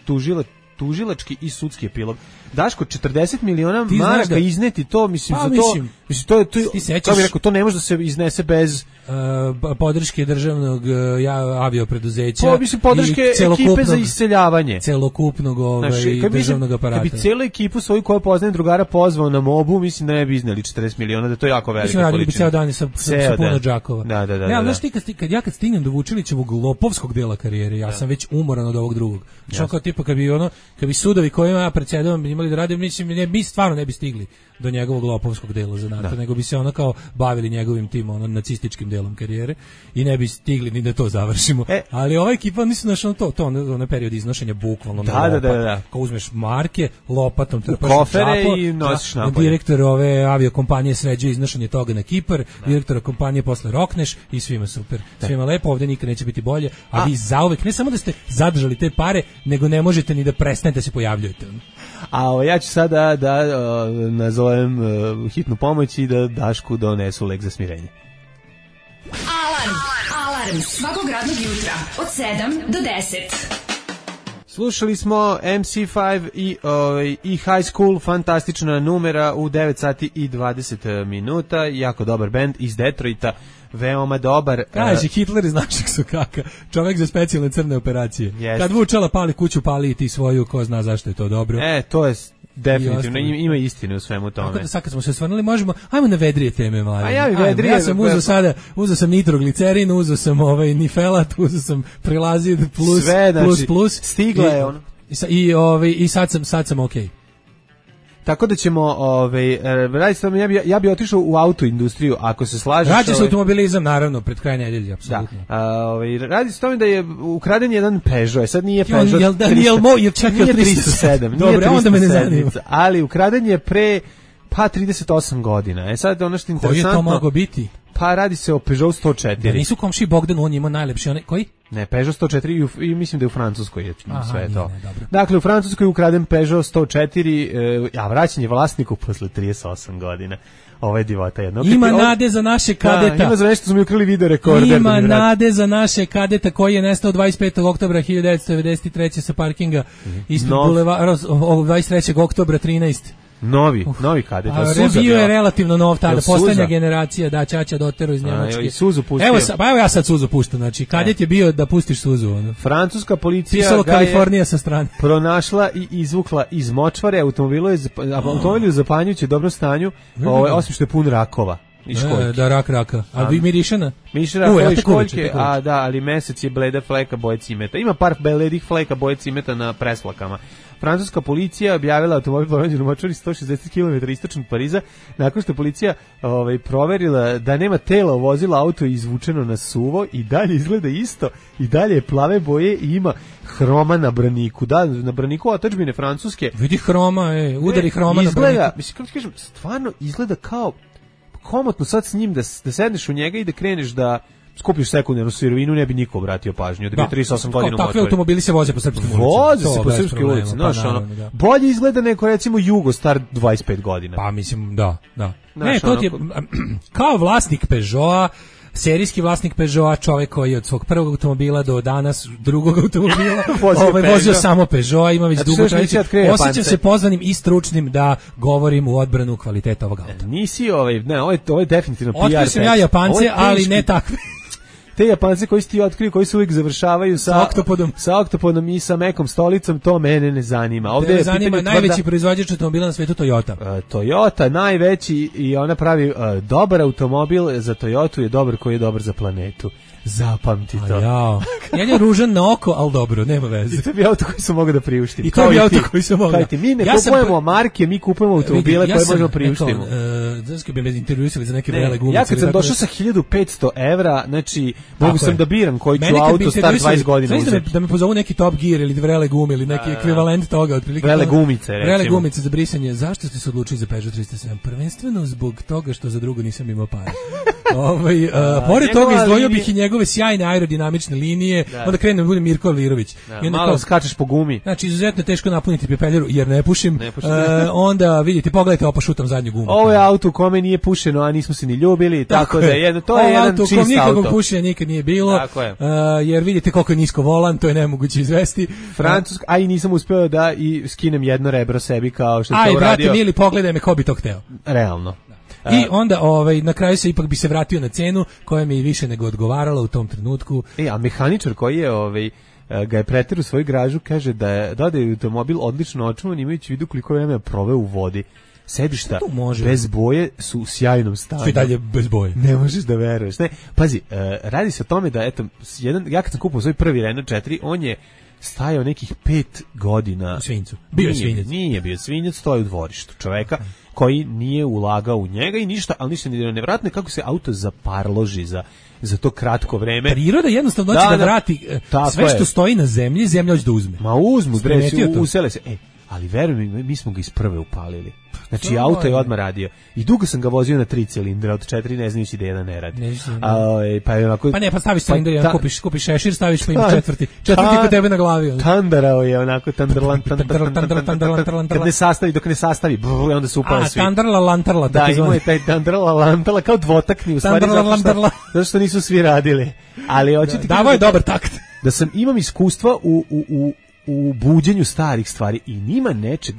tužile tužilački i sudski epilog. Daško, četrdeset miliona maraka da... izneti to, mislim, pa, za to, mislim, mislim, to je, to, kako bi rekao, to ne može da se iznese bez... Uh, podrške državnog uh, ja, aviopreduzeća po, mislim, podrške ekipe za iseljavanje. Celokupnog ovaj, znači, državnog aparata. Kad bi cijelu ekipu svoju koju poznajem drugara pozvao na mobu, mislim da ne bi izneli četrdeset miliona, da to je jako velika količina. Mislim, radili bi ceo dan sa, sa, sa puno džakova. Da, da, da. Ne, ali da, znaš ti, kad, kad ja kad stignem do Vučilićevog lopovskog dela karijere, ja da. sam već umoran od ovog drugog. Znači, kao tipa, kad bi, ono, kad bi sudovi kojima ja predsjedavam imali da radim, mislim, ne, mi stvarno ne bi stigli do njegovog lopovskog dela zanata, da. nego bi se ono kao bavili njegovim tim ono nacističkim delom karijere i ne bi stigli ni da to završimo. E, ali ova ekipa nisu našao to, to onaj period iznošenja bukvalno da, na lopat. Da, da, da. Kao uzmeš marke, lopatom trpaš kofere čapo, i nosiš napolje. Direktor ove aviokompanije sređuje iznošenje toga na Kipar, da. Direktora kompanije posle rokneš i svima super. Da. Svima lepo, ovde nikad neće biti bolje, a, a vi zauvek ne samo da ste zadržali te pare, nego ne možete ni da prestanete da se pojavljujete. A o, ja ću sada da o, nazovem o, hitnu pomoć i da Dašku donesu lek za smirenje. Alarm! Alarm! Svakog radnog jutra od sedam do deset. Slušali smo M C pet i, ovaj, i High School, fantastična numera u devet sati i dvadeset minuta, jako dobar bend iz Detroita, veoma dobar. Kaže, Hitler iz našeg sokaka, čovjek za specijalne crne operacije. Jest. Kad Vučala pali kuću, pali i ti svoju, ko zna zašto je to dobro. E, to je definitivno, ima istine u svemu tome. Tako da sad kad smo se osvrnuli, možemo, ajmo na vedrije teme, mladen. A ja bi vedrije. Ja sam uzeo sada, uzeo sam nitroglicerin, uzeo sam ovaj nifelat, uzeo sam prilazid plus, sve, znači, plus, plus. Stigla je ono. I, i, ovaj, i sad sam, sad sam okej. Okay. Tako da ćemo, ovaj, radi se, ja bi, ja bi otišao u autoindustriju, ako se slažeš. Rađe se ovaj, automobilizam, naravno, pred kraj nedelje, apsolutno. Da, a, ovaj, radi se tome da je ukraden jedan Peugeot, sad nije Peugeot jel, da, jel, mo, jel čak nije tristo sedam, nije Dobre, onda me ne zanima. Ali ukraden je pre, pa trideset osam godina. E sad ono što je interesantno. Koji je to mogao biti? Pa radi se o Peugeot sto četiri. Da nisu komši Bogdan, on ima najlepši, onaj, koji? Ne, Peugeot sto četiri i, u, i mislim da je u Francuskoj je Aha, sve nije, to. Ne, dakle, u Francuskoj je ukraden Peugeot sto četiri, e, a vraćanje vlasniku posle trideset osam godina. Ovo je divota jedno. Ima Opet, nade za naše kadeta. Da, ima za nešto, smo mi ukrali video rekorder. Ima nade za naše kadeta koji je nestao dvadeset petog oktobra hiljadu devetsto devedeset treće sa parkinga mm-hmm. ispred no. bulevara, dvadeset trećeg oktobra trinaest. Novi, uh, novi kadet. A bio je relativno nov tada, poslednja generacija, da, Ćaća doteru iz Njemačke. A, i suzu pustio. Evo, pa evo ja sad suzu puštam, znači, kadet je bio da pustiš suzu. Ono. Francuska policija Pisalo Kalifornija sa strane. Pronašla i izvukla iz močvare, automobil je, automobil je u zapanjujuće dobrom stanju, ovaj, osim što je pun rakova. E, da, rak raka. A vi mirišana? Miriše rakova i školjke, a da, ali mesec je bleda fleka boje cimeta. Ima par bledih fleka boje cimeta na preslakama. Francuska policija objavila automobil pronađen u močvari sto šezdeset kilometara istočno od Pariza, nakon što je policija ovaj, proverila da nema tela vozila, auto je izvučeno na suvo i dalje izgleda isto, i dalje je plave boje i ima hroma na braniku. Da, na braniku otadžbine francuske. Vidi hroma, e, udari hroma izgleda, na braniku. Mislim, kako ti kažem, stvarno izgleda kao komotno sad s njim da, da sedneš u njega i da kreneš da skupiš sekundarnu sirovinu, ne bi niko obratio pažnju. Da bi trideset osam godina u močvari. Takvi automobili se voze po srpskim ulicama. Voze se po srpskim ulicama. Znaš, pa, ono, da. Bolje izgleda neko, recimo, Jugo star dvadeset pet godina. Pa, mislim, da, da. Znaš, ne, to ono, ti je, kao vlasnik Peugeota, serijski vlasnik Peugeota, čovjek koji je od svog prvog automobila do danas drugog automobila vozio, ovaj, vozio samo Peugeot, ima već znači, dugo tradiciju. Osjećam se pozvanim i stručnim da govorim u odbranu kvaliteta ovog auta. Nisi ovaj, ne, ovo je, ovo je definitivno P R. Otkrio sam ja Japance, ali ne takve. Te Japance koji si ti otkriju, koji se uvijek završavaju sa, sa oktopodom, sa oktopodom i sa mekom stolicom, to mene ne zanima. Ovdje ne zanima najveći tvrda, proizvođač automobila na svetu Toyota. Uh, Toyota, najveći, i ona pravi uh, dobar automobil za Toyotu je dobar koji je dobar za planetu. Zapamti to. Jao. Ja je ružan na oko, ali dobro, nema veze. I to bi auto koji sam mogao da priuštim. I to bi auto koji sam mogao. Ti, mi ne ja kupujemo sam... marke, mi kupujemo automobile ja koje možemo priuštiti. Znači bi me intervjuisali za neke vrele gumice. Ja kad sam došao sa hiljadu petsto evra, znači mogu sam da biram koji ću auto star dvadeset godina uzeti. Da me pozovu neki Top Gear ili vrele gume ili neki ekvivalent toga, otprilike. Vrele gumice, recimo. Vrele gumice za brisanje. Zašto ste se odlučili za Peugeot tristo sedam? Prvenstveno zbog toga što za drugo nisam imao para. Ovaj pored toga izdvojio bih i njegove sjajne aerodinamične linije, da. Onda krenem da budem Mirko Alirović. Da, I onda malo kao, skačeš po gumi. Znači, izuzetno teško napuniti pepeljeru jer ne pušim. Ne pušim. E, onda vidite, pogledajte, opa šutam zadnju gumu. Ovo je auto u kome nije pušeno, a nismo se ni ljubili, tako, tako da je jedno, to ovo je jedan auto čist auto. Nikakvog pušenja nikad nije bilo. Tako je. E, jer vidite koliko je nisko volan, to je nemoguće izvesti. Francuska, a i nisam uspeo da i skinem jedno rebro sebi kao što je to uradio. Aj, brate, mili, pogledaj me, ko bi to hteo. Realno. I onda ovaj na kraju se ipak bi se vratio na cenu koja mi je više nego odgovarala u tom trenutku. E, a mehaničar koji je ovaj ga je preterao u svoju gražu, kaže da je da je automobil odlično očuvan, imajući u vidu koliko vremena proveo u vodi. Sedišta bez boje su u sjajnom stanju. Sve dalje bez boje. Ne možeš da veruješ. Ne, pazi, uh, radi se o tome da eto jedan ja kad sam kupio svoj prvi Renault četiri, on je stajao nekih pet godina u svinjcu. Bio je svinjac. Nije bio svinjac, stoji u dvorištu čoveka koji nije ulagao u njega i ništa, ali ništa nije nevjerojatno kako se auto zaparloži za za to kratko vreme. Priroda jednostavno hoće da, da vrati sve što je. Stoji na zemlji, zemlja hoće da uzme. Ma uzmu, bre, usele se. Ej, ali veruj mi, mi smo ga iz prve upalili. Znači, auto je odmah radio. I dugo sam ga vozio na tri cilindra, od četiri ne znajući da jedan ne radi. Ne, A, pa, je onako, pa ne, pa staviš cilindar, pa, ta, kupiš, kupiš šešir, staviš pa ima četvrti. Četvrti kod tebe na glavi. Ono. Tandarao je onako, tandarlan, tandarlan, kad ne sastavi, dok ne sastavi, brr, onda se upale svi. A, tandarla, lantarla. Da, imao je taj tandarla, lantarla, kao dvotakni, u stvari, zato što, zato što nisu svi radili. Ali hoće ti Davo je dobar takt. Da sam, imam iskustva u, u, u u buđenju starih stvari i nima nečeg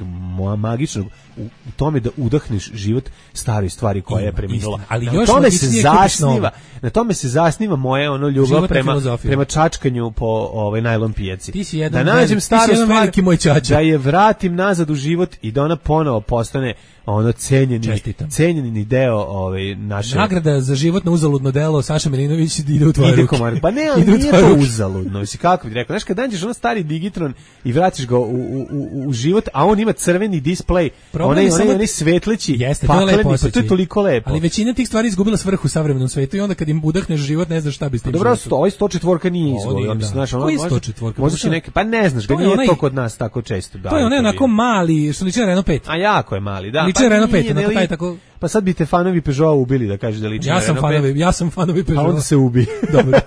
magičnog u, u tome da udahneš život staroj stvari koja ima, je preminula. Ali na još tome se zasniva, na tome se zasniva moje ono ljubav prema prema čačkanju po ovaj najlon pijaci. Ti si jedan da nađem staru stvar, veliki moj čača. Da je vratim nazad u život i da ona ponovo postane ono cenjeni cenjeni deo ovaj naše nagrada za životno uzaludno delo. Saša Milinović ide u tvoje ruke. Pa ne, ali nije to uzaludno. Mislim, kako bih rekao, znaš kad nađeš ono stari digitron i vratiš ga u, u, u, u život, a on ima crveni displej, onaj onaj svetleći, jeste, to je lepo, pa to je toliko lepo. Ali većina tih stvari izgubila svrhu u savremenom svetu i onda kad im udahneš život ne znaš šta bi s tim. Dobro, sto, ovaj sto četiri nije izgubio, mislim, znaš, ono sto četiri. Možda će neke, pa ne znaš, ga nije to kod nas tako često. To je onaj onako mali, što liči na Renault pet. A jako je mali, da. Liči na Renault pet, onako taj tako. Pa sad bi te fanovi Peugeota ubili da kažeš da liči ja na sam fanovi, ja sam fanovi Peugeota. A onda se ubi. Dobro.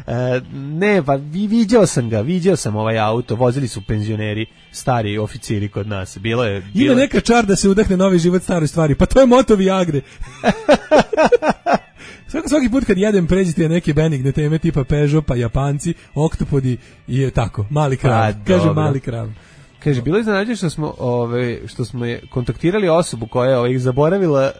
e, ne, pa vi, viđao sam ga, viđao sam ovaj auto, vozili su penzioneri, stari oficiri kod nas. Bilo je... Bilo... Ima neka čar da se udahne novi život staroj stvari, pa to je moto Viagre. Svaki, svaki put kad jedem pređite neke benigne teme tipa Peugeot, pa Japanci, oktopodi i je tako, mali krav. Pa, kaže mali krav. Kaže, bilo je iznenađenje što smo, ove, što smo je kontaktirali osobu koja je ove, zaboravila e,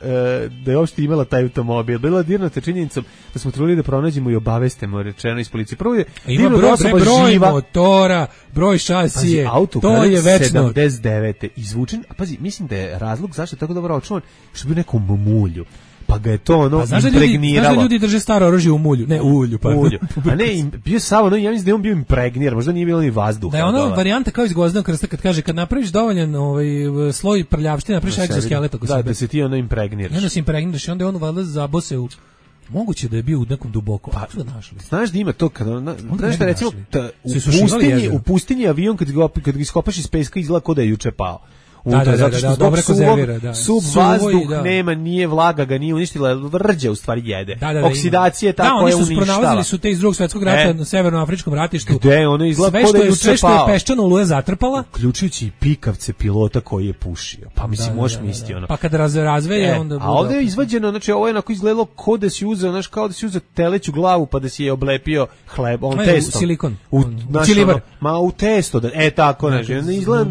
da je uopšte imala taj automobil. Bila je dirnuta činjenicom da smo trudili da pronađemo i obavestimo, rečeno iz policije. Prvo je ima broj, osoba broj živa. motora, broj šasije, pazi, auto, to je večno. sedamdeset devete izvučen, a pazi, mislim da je razlog zašto je tako dobro očuvan, što bi u nekom mulju. Pa ga je to ono pa, znaš impregniralo. Znaš da ljudi drže staro oružje u mulju, ne u ulju, pa ulju. A ne, im, bio samo, no, ja mislim da je on bio impregniran, možda nije bilo ni vazduha. Da je ona varijanta kao iz Gvozdenog krsta kad kaže kad napraviš dovoljan ovaj sloj prljavštine, napraviš egzoskelet oko sebe. Da, da se ti ono impregniraš. I onda se impregniraš i onda on valjda zabose u moguće da je bio u nekom duboko. Pa, znaš da ima to kada na, znaš da recimo ta, u pustinji, u pustinji avion kad ga kad ga iskopaš iz peska izgleda kao da je juče pao. Da, da, zato što da, zbog suvog, da. sub vazduh da. nema, nije vlaga ga, nije uništila, vrđa u stvari jede. Da, da, da, oksidacija je ta koja uništava. uništava. Da, oni su pronalazili su te iz drugog svjetskog rata e. na severnoafričkom ratištu. Gde ono izgleda kao da je juče sve što je peščano oluja zatrpala. Uključujući i pikavce pilota koji je pušio. Pa mislim, da, možeš da, misliti da. ono. Pa kad raz, razveje, e, onda... A ovdje je izvađeno, znači ovo je onako izgledalo kao da si uzeo, znaš, kao da si uzeo teleću glavu pa da si je oblepio hleb, on testom. Silikon. U, naš, ono, ma u testo, da, e tako, znači, izgleda,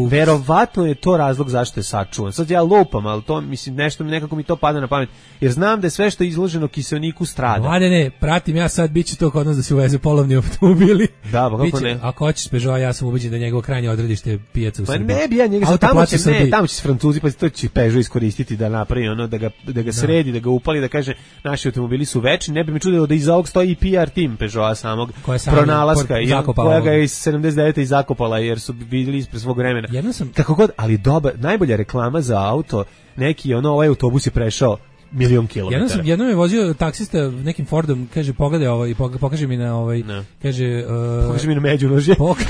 verovatno je to razlog zašto sačuvan. Sad ja lupam, ali to mislim nešto mi nekako mi to pada na pamet. Jer znam da je sve što je izloženo kiseoniku strada. Mlade ne, pratim ja sad biće to kod nas da se uveze polovni automobili. Da, pa kako biće, ne? Ako hoćeš Peugeot, ja sam ubeđen da je njegovo krajnje odredište pijaca u pa Srbiji. Pa ne bi ja njega sad tamo će, ne, tamo će se Francuzi pa to će Peugeot iskoristiti da napravi ono da ga da ga sredi, da ga upali, da kaže naši automobili su večni. Ne bi me čudilo da iza ovog stoji i P R tim Peugeota samog pronalaska i koja ga je iz sedamdeset devete i zakopala jer su bili ispred svog vremena. Kako god, ali dobar, najbolja reklama za auto, neki ono ovaj autobus je prešao milion kilometara. Jednom sam jednom je vozio taksista nekim Fordom, kaže pogledaj ovo i pokaže mi na ovaj, no. kaže uh, pokaže mi na međunožje. Pokaže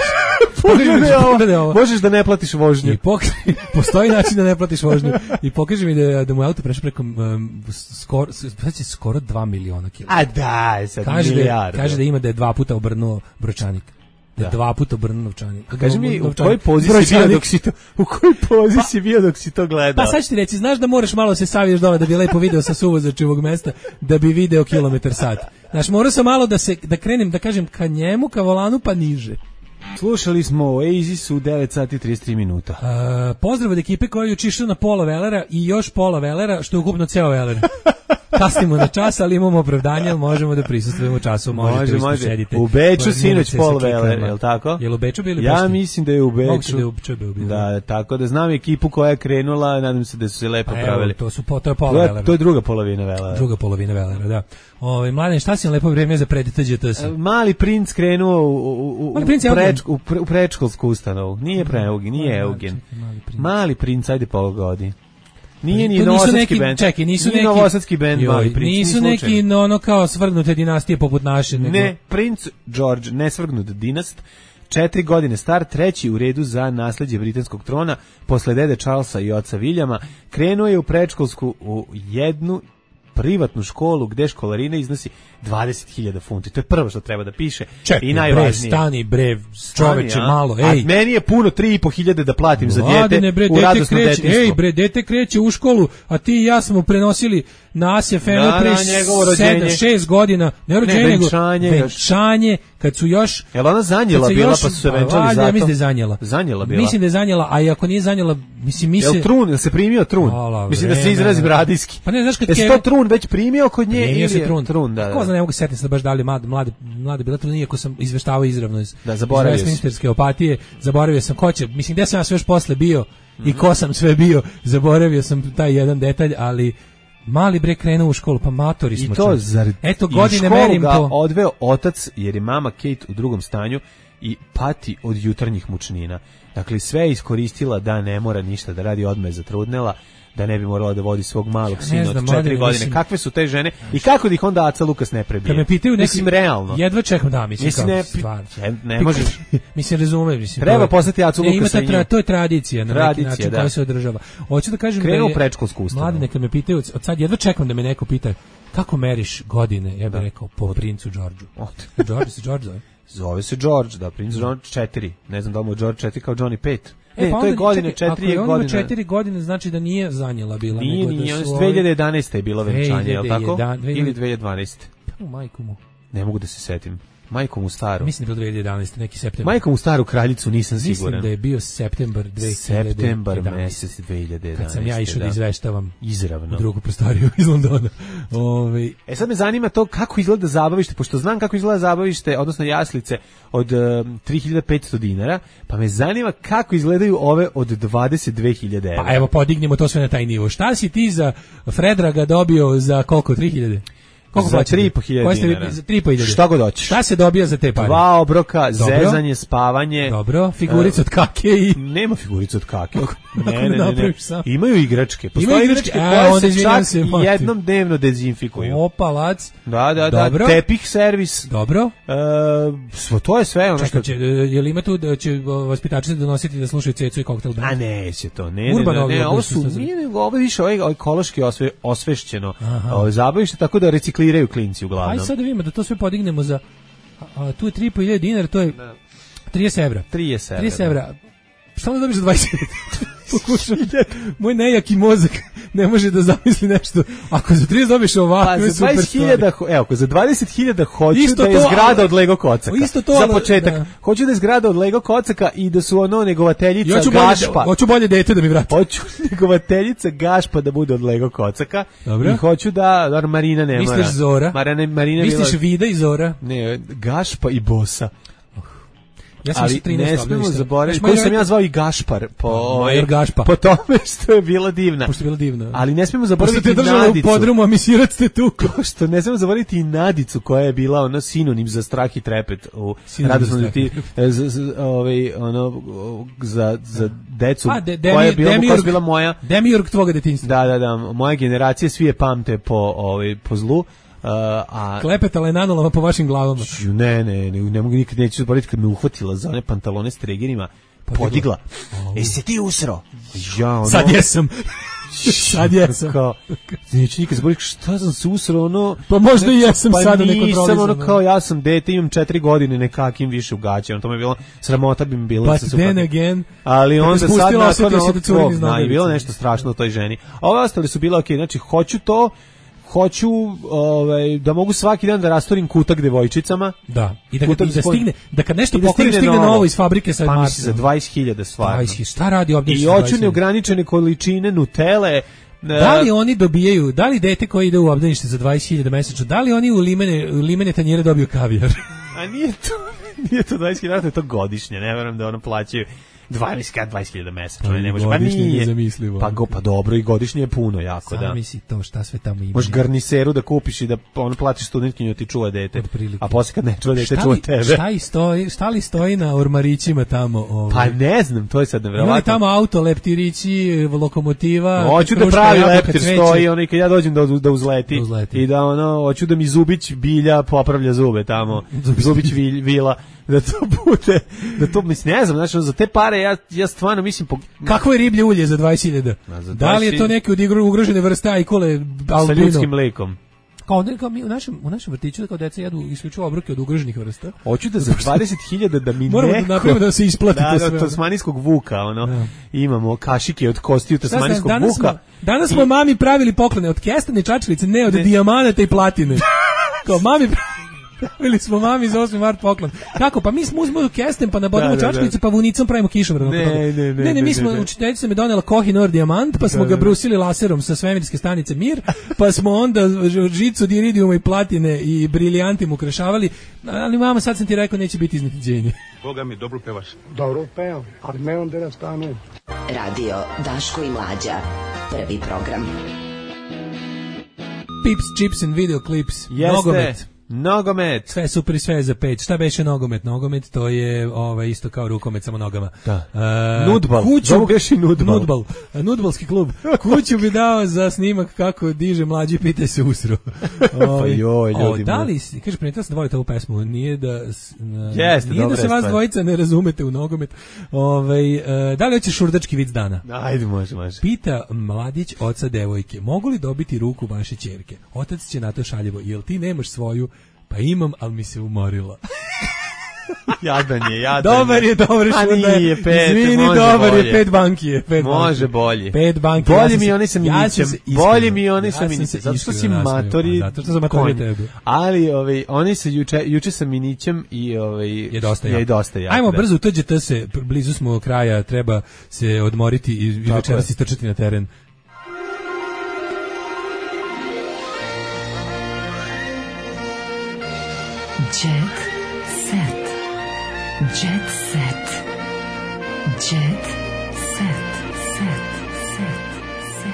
pogledaj ovo. Možeš da ne platiš vožnju. I pokaže, postoji način da ne platiš vožnju. I pokaže mi da da mu auto prešao preko um, skoro znači skoro dva miliona kilometara. A da, sad kaže milijarda. Da, kaže da ima da je dva puta obrnuo bročanik. Da. Dva puta obrnuo novčanik. A kaži mi, u kojoj poziciji bio dok si to, u kojoj poziciji bio dok si to gledao? Pa sad ću ti reći, znaš da moraš malo se saviješ dole da bi lepo video sa suvozačevog mesta, da bi video kilometar sat. Znaš, morao sam malo da se, da krenem, da kažem, ka njemu, ka volanu, pa niže. Slušali smo o Oasisu u devet sati i trideset tri minuta. Uh, pozdrav od ekipe koja je učišla na pola velera i još pola velera, što je ukupno ceo veler. Kasnimo na čas, ali imamo opravdanje, možemo da prisustvujemo času. Može, može. Sedite. U Beču sinoć pol veler, je li tako? Je li u Beču bili Ja mislim da je u Beču. Moguće da je u Beču bio. Da, tako da znam ekipu koja je krenula, nadam se da su se lepo evo, pravili. To su po, to je pola velera. To je druga polovina velera. Druga polovina velera, da. Ovaj Mladen, šta si na lepo vrijeme za pred T G T S? Mali princ krenuo u u u, princ u, preč, u, pre, u predškolsku ustanovu. Nije Preugi, nije Eugen. Mali princ. Mali princ, ajde pogodi. Nije ni novosadski bend. Čekaj, nisu neki novosadski bend, Mali princ. Nisu neki no, ono kao svrgnute dinastije poput naše. Nego... Ne, princ George, ne svrgnut dinast. Četiri godine star, treći u redu za nasleđe britanskog trona, posle dede Charlesa i oca Viljama, krenuo je u predškolsku u jednu privatnu školu gde školarina iznosi dvadeset hiljada funti. To je prvo što treba da piše. Čekaj, i najvažnije. Bre, stani bre, čoveče, malo, ej. A meni je puno tri i po hiljade da platim za dijete bre, u radosno detinjstvo. Ej bre, dete kreće u školu, a ti i ja smo prenosili na As F M-u Da, pre da, njegovo rođenje. sedam šest godina, ne rođenje, Ne, nego venčanje još. venčanje, kad su još... Jel ona zanjela kad se bila, još- pa su se pa venčali valjda, zato? Ja mislim da je zanjela. Zanjela bila. Mislim da je zanjela, a i ako nije zanjela, mislim, mi se... Jel trun, jel se primio trun? Hvala, Mislim da se vreme, izrazim da. radijski. Pa ne, znaš kad Jesi Keve- to trun već primio kod nje? Primio ili se je- trun. Trun, da, da. Ko zna, ne mogu setiti se da baš dali mlade, mlade, mlade bila trun, iako sam izveštavao izravno iz, Da, zaboravio iz si. Westminsterske opatije, zaboravio sam ko će, mislim, gde sam ja sve još posle bio i ko sam sve bio, zaboravio sam taj jedan detalj, ali mali bre krenuo u školu, pa matori smo. I to čuli. zar Eto, i godine školu merim ga po... odveo otac jer je mama Kate u drugom stanju i pati od jutarnjih mučnina. Dakle, sve je iskoristila da ne mora ništa da radi, odmah je zatrudnela, da ne bi morala da vodi svog malog Ja ne sina znam, od četiri mladine, godine. mislim- Kakve su te žene i kako da ih onda Aca Lukas ne prebije? Kad me pitaju neki, Mislim, realno. jedva čekam, da, mislim, Mislim, kao, ne, stvarno. ne, ne možeš. Mislim, razumem, mislim. Treba to je- poslati Acu Ne, ima Lukasa ta i tra, nju. to je tradicija na Tradicija, neki način da. koja se održava. Hoću da kažem Krenu da u je... predškolsku ustanovu. Mladi, neka me pitaju, od od sad jedva čekam da me neko pita kako meriš godine, ja bih Da. rekao, po princu Đorđu. Od- George se George zove. Zove se George, da, princ George četiri. Ne znam da li mu je George četiri kao Johnny pet. E, Ne, pa to je onda, godine čekaj, četiri ako je on ima godina. četiri godine, znači da nije zanjela bila. Nije, nego nije, da on su je ovi- dve hiljade jedanaeste je bilo venčanje, je li tako? dve hiljade jedan- Ili dve hiljade dvanaeste. U majku mu. Ne mogu da se setim. Majkom u staru. Mislim da je bilo dve hiljade jedanaeste, neki septembar. Majkom u staru kraljicu nisam Mislim siguran. da je bio septembar dve hiljade jedanaeste. Septembar mesec dve hiljade jedanaeste. Kad sam ja išao da, izveštavam izravno u drugu prostoriju iz Londona. Ove, E sad me zanima to kako izgleda zabavište, pošto znam kako izgleda zabavište, odnosno jaslice od um, tri hiljade petsto dinara, pa me zanima kako izgledaju ove od dvadeset dve hiljade evra. pa evo, podignimo to sve na taj nivo. Šta si ti za Fredraga dobio za koliko? tri hiljade? Koliko za plaćate? tri i po hiljade Koje ste vi- dinara. Za tri i po hiljade. Šta god hoćeš. Šta se dobija za te pare? Dva obroka, Dobro. zezanje, spavanje. Dobro, figurica od kake i... Nema figurica od kake. Ako Ne, ne ne, ne, ne. napraviš sam. Imaju igračke. Postoje Imaju igračke, igračke, a, koje onda se izvinjam čak se, Martin. jednom dnevno dezinfikuju. Opalac. Da, da, Dobro. da. Tepih servis. Dobro. E, svo, to je sve ono što... Čekaj, će, je li ima tu da će o, vaspitači donositi da slušaju cecu i koktel band? A neće to, ne, ne, Urbano ne, ne, ovo oblasti su, što se- nije, nego ovo je više ovo ekološki osve, osvešćeno Aha. ovo, zabavište, tako da recikliraju klinci uglavnom. Ajde sad da vidimo da to sve podignemo za... A, a, tu je tri i po hiljade dinara, to je trideset evra. trideset evra. trideset evra. Šta onda dobiš za dvadeset? Pokušam. Moj nejaki mozak ne može da zamisli nešto. Ako za trideset dobiš ovako, Pa je za super dvadeset hiljada, evo, ako za dvadeset hiljada hoću Isto da je to, zgrada ali- od Lego kocaka. Isto to, za ali- početak. da. Hoću da je zgrada od Lego kocaka i da su ono negovateljica I hoću bolje, Gašpa. hoću bolje dete da mi vrati. Hoću negovateljica Gašpa da bude od Lego kocaka. Dobro. I hoću da, da Marina ne mora. Misliš Zora? Marina, Marina Misliš bila- Vida i Zora? Ne, Gašpa i Bosa. Ja sam Ali išao trinaest ne smemo obdaništa. zaboraviti, Znaš, koju moj sam ja roditelj- zvao i Gašpar po, ovaj, Major Gašpa. po tome što je bila divna. Pošto je bila divna. Ali ne smemo Pošto zaboraviti te držala u Nadicu. podrumu, a mi sirac te tu. Što ne smemo zaboraviti i Nadicu koja je bila ono sinonim za strah i trepet u Sinonim radosnom za strah i deti za, za, ovaj, ono, za, za decu A, de, koja je demi, bila, koja je demiurg, bila moja. demiurg tvoga detinjstva. Da, da, da, moja generacija svi je pamte po, ovaj, po zlu. Uh, a Klepetala je nanolama po vašim glavama. Ću, ne, ne, ne, ne mogu nikad, neću zaboraviti kad me uhvatila za one pantalone s tregerima, Podigla. podigla. E, si ti usro? Ja, ono, Sad jesam. Sad jesam. Kao, neću nikad zaboraviti šta sam se usro, ono... Pa možda i jesam pa sada nisam, nekontrolizano. ono kao ja sam dete, imam četiri godine, nekakim više u gaće, ono to mi je bilo, sramota bi mi bilo. But da sam se then uhvatio. again, Ali kad te onda sad spustila, nakon osetio si ovog da curim tvog, iz da, i bilo nogavice. nešto strašno u toj ženi. A ove ostale su bile okej, znači hoću to, hoću ovaj, da mogu svaki dan da rastorim kutak devojčicama. Da, i da, Kutak i da spod- stigne, da kad nešto i da pokoriš, stigne stigne novo. novo iz fabrike sa Pa Marsom. misli za dvadeset hiljada stvarno. dvadeset, šta radi ovdje? I hoću neograničene količine Nutele. Da li oni dobijaju, da li dete koje ide u obdanište za dvadeset hiljada mesečno, da li oni u limene, u limene tanjire dobiju kavijar? A nije to, nije to dvadeset hiljada, to je to godišnje, ne verujem da ono plaćaju dvadeset hiljada mesečno, Pa ne može, pa godišnje je nije. nezamislivo. Pa, go, pa dobro, i godišnje je puno jako, da. Sami si to, šta sve tamo ima. Možeš garniseru da kupiš i da ono platiš studentkinju ti čuva dete, Otprilike. a posle kad ne čuva dete, Šta čuva li, tebe. šta, i stoji, šta li stoji na ormarićima tamo? Ovaj? Pa ne znam, to je sad Ima li nevjerovatno. tamo auto, leptirići, lokomotiva? Hoću da kruška, pravi jabuka, leptir cveće? stoji, ono i kad ja dođem da, da, uzleti, Da uzleti. i da ono, hoću da mi Zubić Bilja popravlja zube tamo, Zubić Vilj, Vila, da to bude, da to, mislim, ne znam, znači, za te pare ja, ja stvarno mislim, po, Kakvo je riblje ulje za dvadeset hiljada? A za Da li je to dvadeset neke od igru- ugrožene vrste ajkule sa albino? ljudskim mlekom. Kao, kao mi u našem, u našem vrtiću kao deca jedu isključivo obroke od ugroženih vrsta. Hoću da za dvadeset hiljada da mi moramo neko... da napravimo da se isplati da, to sve. sve. Da, tasmanijskog vuka, ono. Da. Imamo kašike od kostiju tasmanijskog danas vuka. Smo, danas smo I... mami pravili poklone od kestane čačilice, ne od ne. dijamanata i platine. Kao mami pravili smo mami za osmi mart poklon. Kako? Pa mi smo uzmemo kesten, pa nabodimo da, čačilice, da. pa vunicom pravimo kišobran. Ne, ne, ne, ne, ne, mi smo, učiteljica me donela Koh-i-Noor dijamant, pa smo da, ga brusili laserom sa svemirske stanice Mir, pa smo onda žicu od iridijuma i platine i briljantim ukrašavali, ali mama, sad sam ti rekao, neće biti iznenađenje. Boga mi, dobro pevaš. Dobro pevam, ali ne onda da stane. Radio Daško i Mlađa, prvi program. Pips, chips and video clips. Jeste. Nogomet. Nogomet. Sve super i sve za peć. Šta beše nogomet? Nogomet to je ovaj isto kao rukomet samo nogama. Da. Uh, nudbal. Zovu beše nudbal. Nudbal. Nudbalski klub. Kuću bi dao za snimak kako diže mlađi, pitaj se usro. Pa joj, ljudi. O, da li, kaže, primetila sam da volite ovu pesmu. Nije da, Jeste, nije da se vas dvojica ne razumete u nogomet. Ovaj, uh, da li hoćeš šurdački vic dana? Ajde, može, može. Pita mladić oca devojke, mogu li dobiti ruku vaše ćerke? Otac će na to šaljivo, jel ti nemaš svoju? Pa imam, ali mi se umorila. Jadan je, jadan je. Dobar je, dobar je. A nije, pet, izvini, može dobar bolje. je, pet banki je. Pet može banki. bolje. Pet banki. Bolje ja mi oni sa minićem. Ja bolje mi oni sa ja minićem. Zato što si matori. Zato što sam matori tebi. Ali ovaj, oni se juče, juče sa minićem i ovaj, je dosta jak. Je dosta jak. Ajmo da. brzo, utođete se, blizu smo kraja, treba se odmoriti i, i večeras istrčati na teren. Jet set. Jet set. Jet set. Set. Set. Set.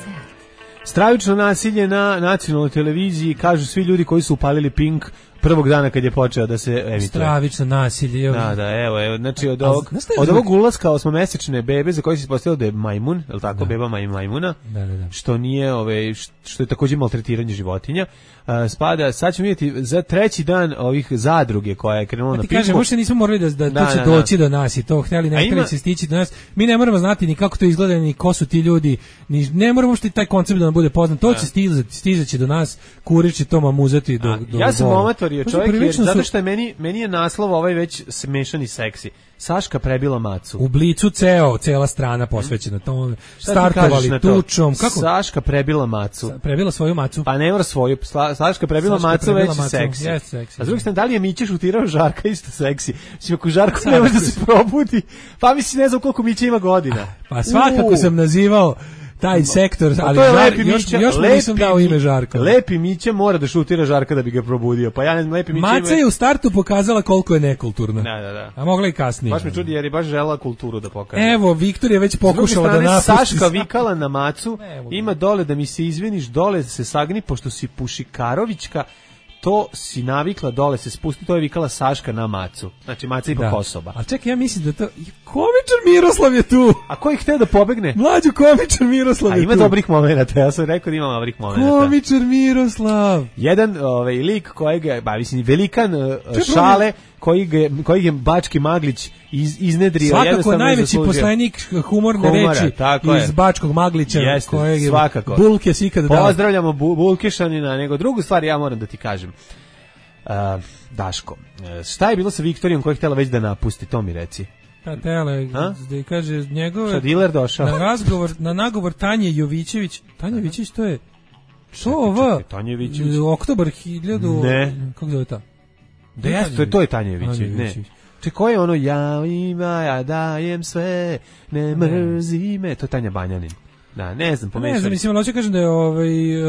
Set. Stravično nasilje na nacionalnoj televiziji, kažu svi ljudi koji su upalili Pink prvog dana kad je počeo da se emituje. Stravično nasilje. Da, da, evo, evo, znači od ovog, od ovog ulaska osmomesečne bebe za koji se ispostavilo da je majmun, je li tako, da. beba maj, majmuna, da, da, da. što nije, ove, što je također maltretiranje životinja, uh, spada, sad ćemo vidjeti za treći dan ovih zadruge koja je krenula na Pinku. Ti kažem, možda nismo morali da, da, da to će da, doći da. do nas i to htjeli, ne htjeli se stići do nas. Mi ne moramo znati ni kako to izgleda, ni ko su ti ljudi, ni, ne moramo što taj koncept da nam bude poznat. To će stizati, stizaći do nas, kurir će to mamuzati do, do ja sam omatorio čovjek, jer, su... zato što je meni, meni je naslov ovaj već smešan i seksi. Saška prebila macu. U Blicu ceo, cela strana posvećena tome. Startovali tučom. Kako? Saška prebila macu. Sa, prebila svoju macu. Pa ne mora svoju. Saška prebila Saška macu prebila već macu. Seksi. Yes, seksi. A s druge strane, da li je Mića šutirao Žarka isto seksi? Mislim, ako Žarko ne može da se probudi, pa mislim, ne znam koliko Mića ima godina. Pa svakako uh. sam nazivao taj sektor, ali je Žar, lepi još, Mića, još mu nisam dao ime Žarka. Lepi Mića mora da šutira Žarka da bi ga probudio. Pa ja ne znam, Lepi Mića Maca ima... je u startu pokazala koliko je nekulturna. Da, da, da. A mogla i kasnije. Baš me čudi jer je baš žela kulturu da pokaže. Evo, Viktor je već pokušala da napusti. Saška vikala na Macu, ima dole da mi se izviniš, dole se sagni, pošto si Pušikarovićka, to si navikla, dole se spusti, to je vikala Saška na Macu. Znači, Maca ipak da. osoba. A čekaj, ja mislim da to... Komičar Miroslav je tu! A ko ih hteo da pobegne? Mlađu komičar Miroslav je tu. A ima tu. dobrih momenata, ja sam rekao da ima dobrih momenata. Komičar Miroslav! Jedan ovaj, lik kojeg, ba, mislim, velikan uh, šale, koji ga, koji je Bački Maglić iz, iznedrio. Svakako najveći poslanik humorne Humora, reči iz je. Bačkog Maglića. Jeste, kojeg je svakako. Bulkes ikada dao. Pozdravljamo bu, Bulkešanina, nego drugu stvar ja moram da ti kažem. Uh, Daško, šta je bilo sa Viktorijom koja je htjela već da napusti, to mi reci. Ta tele, da kaže njegove... Šta diler došao? Na razgovor, na nagovor Tanje Jovićević, Tanja Jovićević to je... Što ova? Tanja Jovićević. Oktobar hiljadu... Ne. Kako zove ta? Da ja, to je, to je Tanja Jovićević, ne. Če ko je ono, ja ima, ja dajem sve, ne mrzi me, to je Tanja Banjanin. Da, ne znam, pomešali. Ne znam, mislim, ali hoće kažem da je ovaj...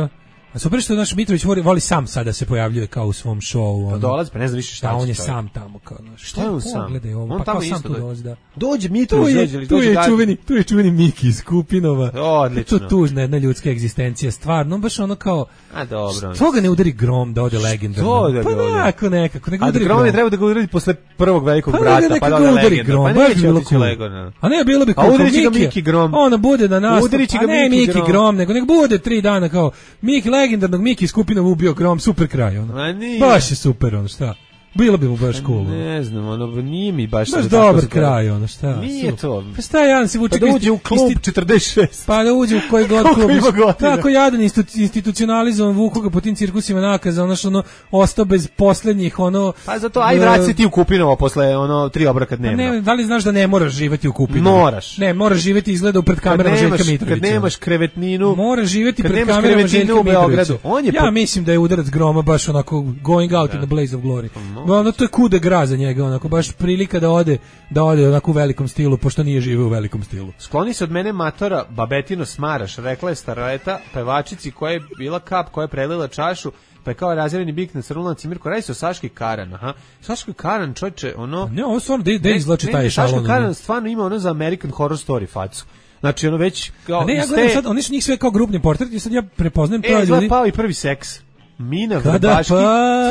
Uh, a super što naš Mitrović voli, voli sam sada se pojavljuje kao u svom šovu. Pa dolazi, pa ne znam više šta će. Da, on je čovjek. sam tamo. Kao, šta je on sam? Ovo, on pa tamo kao isto sam tu dolazi, da. Dođe Mitrović, tu je, dođe, tu dođe je da... čuveni, tu je čuveni Miki iz Kupinova. Odlično. To tužna jedna ljudska egzistencija, stvarno, baš ono kao... A dobro. Što ga ne udari grom da ode legendarno? Da pa nekako, nekako. A da grom je treba da ga udari posle prvog velikog pa brata, pa da ode legendarno. Pa neće otići legendarno. A ne, bilo bi kao Miki Grom. Ona bude na nastup, a ne Miki Grom, nego nek bude tri dana kao Miki legendarnog, Miki iz Kupinova ubio Grom, super kraj, ono. Baš je super, ono, šta? Bilo bi mu baš cool. Ne znam, ono, nije mi baš... Baš dobar kraj, ono, šta? Nije to. Pa šta Jadan se vuče... Pa da uđe u klub četrdeset šest. Pa da uđe u koji god klub. Koliko ima godina. Tako Jadan institucionalizovan, vuku ga po tim cirkusima nakaza, ono što ono, ostao bez poslednjih, ono... Pa zato, aj vraći se ti u Kupinovo posle, ono, tri obroka dnevno. Ne, da li znaš da ne moraš živjeti u Kupinovu? Moraš. Ne, moraš živjeti izgleda pred kamerama Željka Mitrovića. Kad nemaš krevetninu... Moraš živjeti pred kamerama Željka Mitrovića. On je ja po... mislim da je udarac groma baš onako going out da. in the blaze of glory. No. Ono, to je kude gra za njega, onako, baš prilika da ode, da ode onako u velikom stilu, pošto nije živeo u velikom stilu. Skloni se od mene matora, babetino smaraš, rekla je stareta pevačici koja je bila kap, koja je prelila čašu, pa je kao razjereni bik na crnula cimirku. Radi se o Saški Karan, aha. Saški Karan, čovječe, ono... Ne, ovo stvarno, da izlači taj šalon. Saški Karan stvarno ima ono za American Horror Story facu. Znači, ono već... Kao, a ne, ja gledam sad, oni su njih sve kao grupni portret i sad ja prepoznajem to ljudi... E, pao i prvi seks. Mina Vrbaški,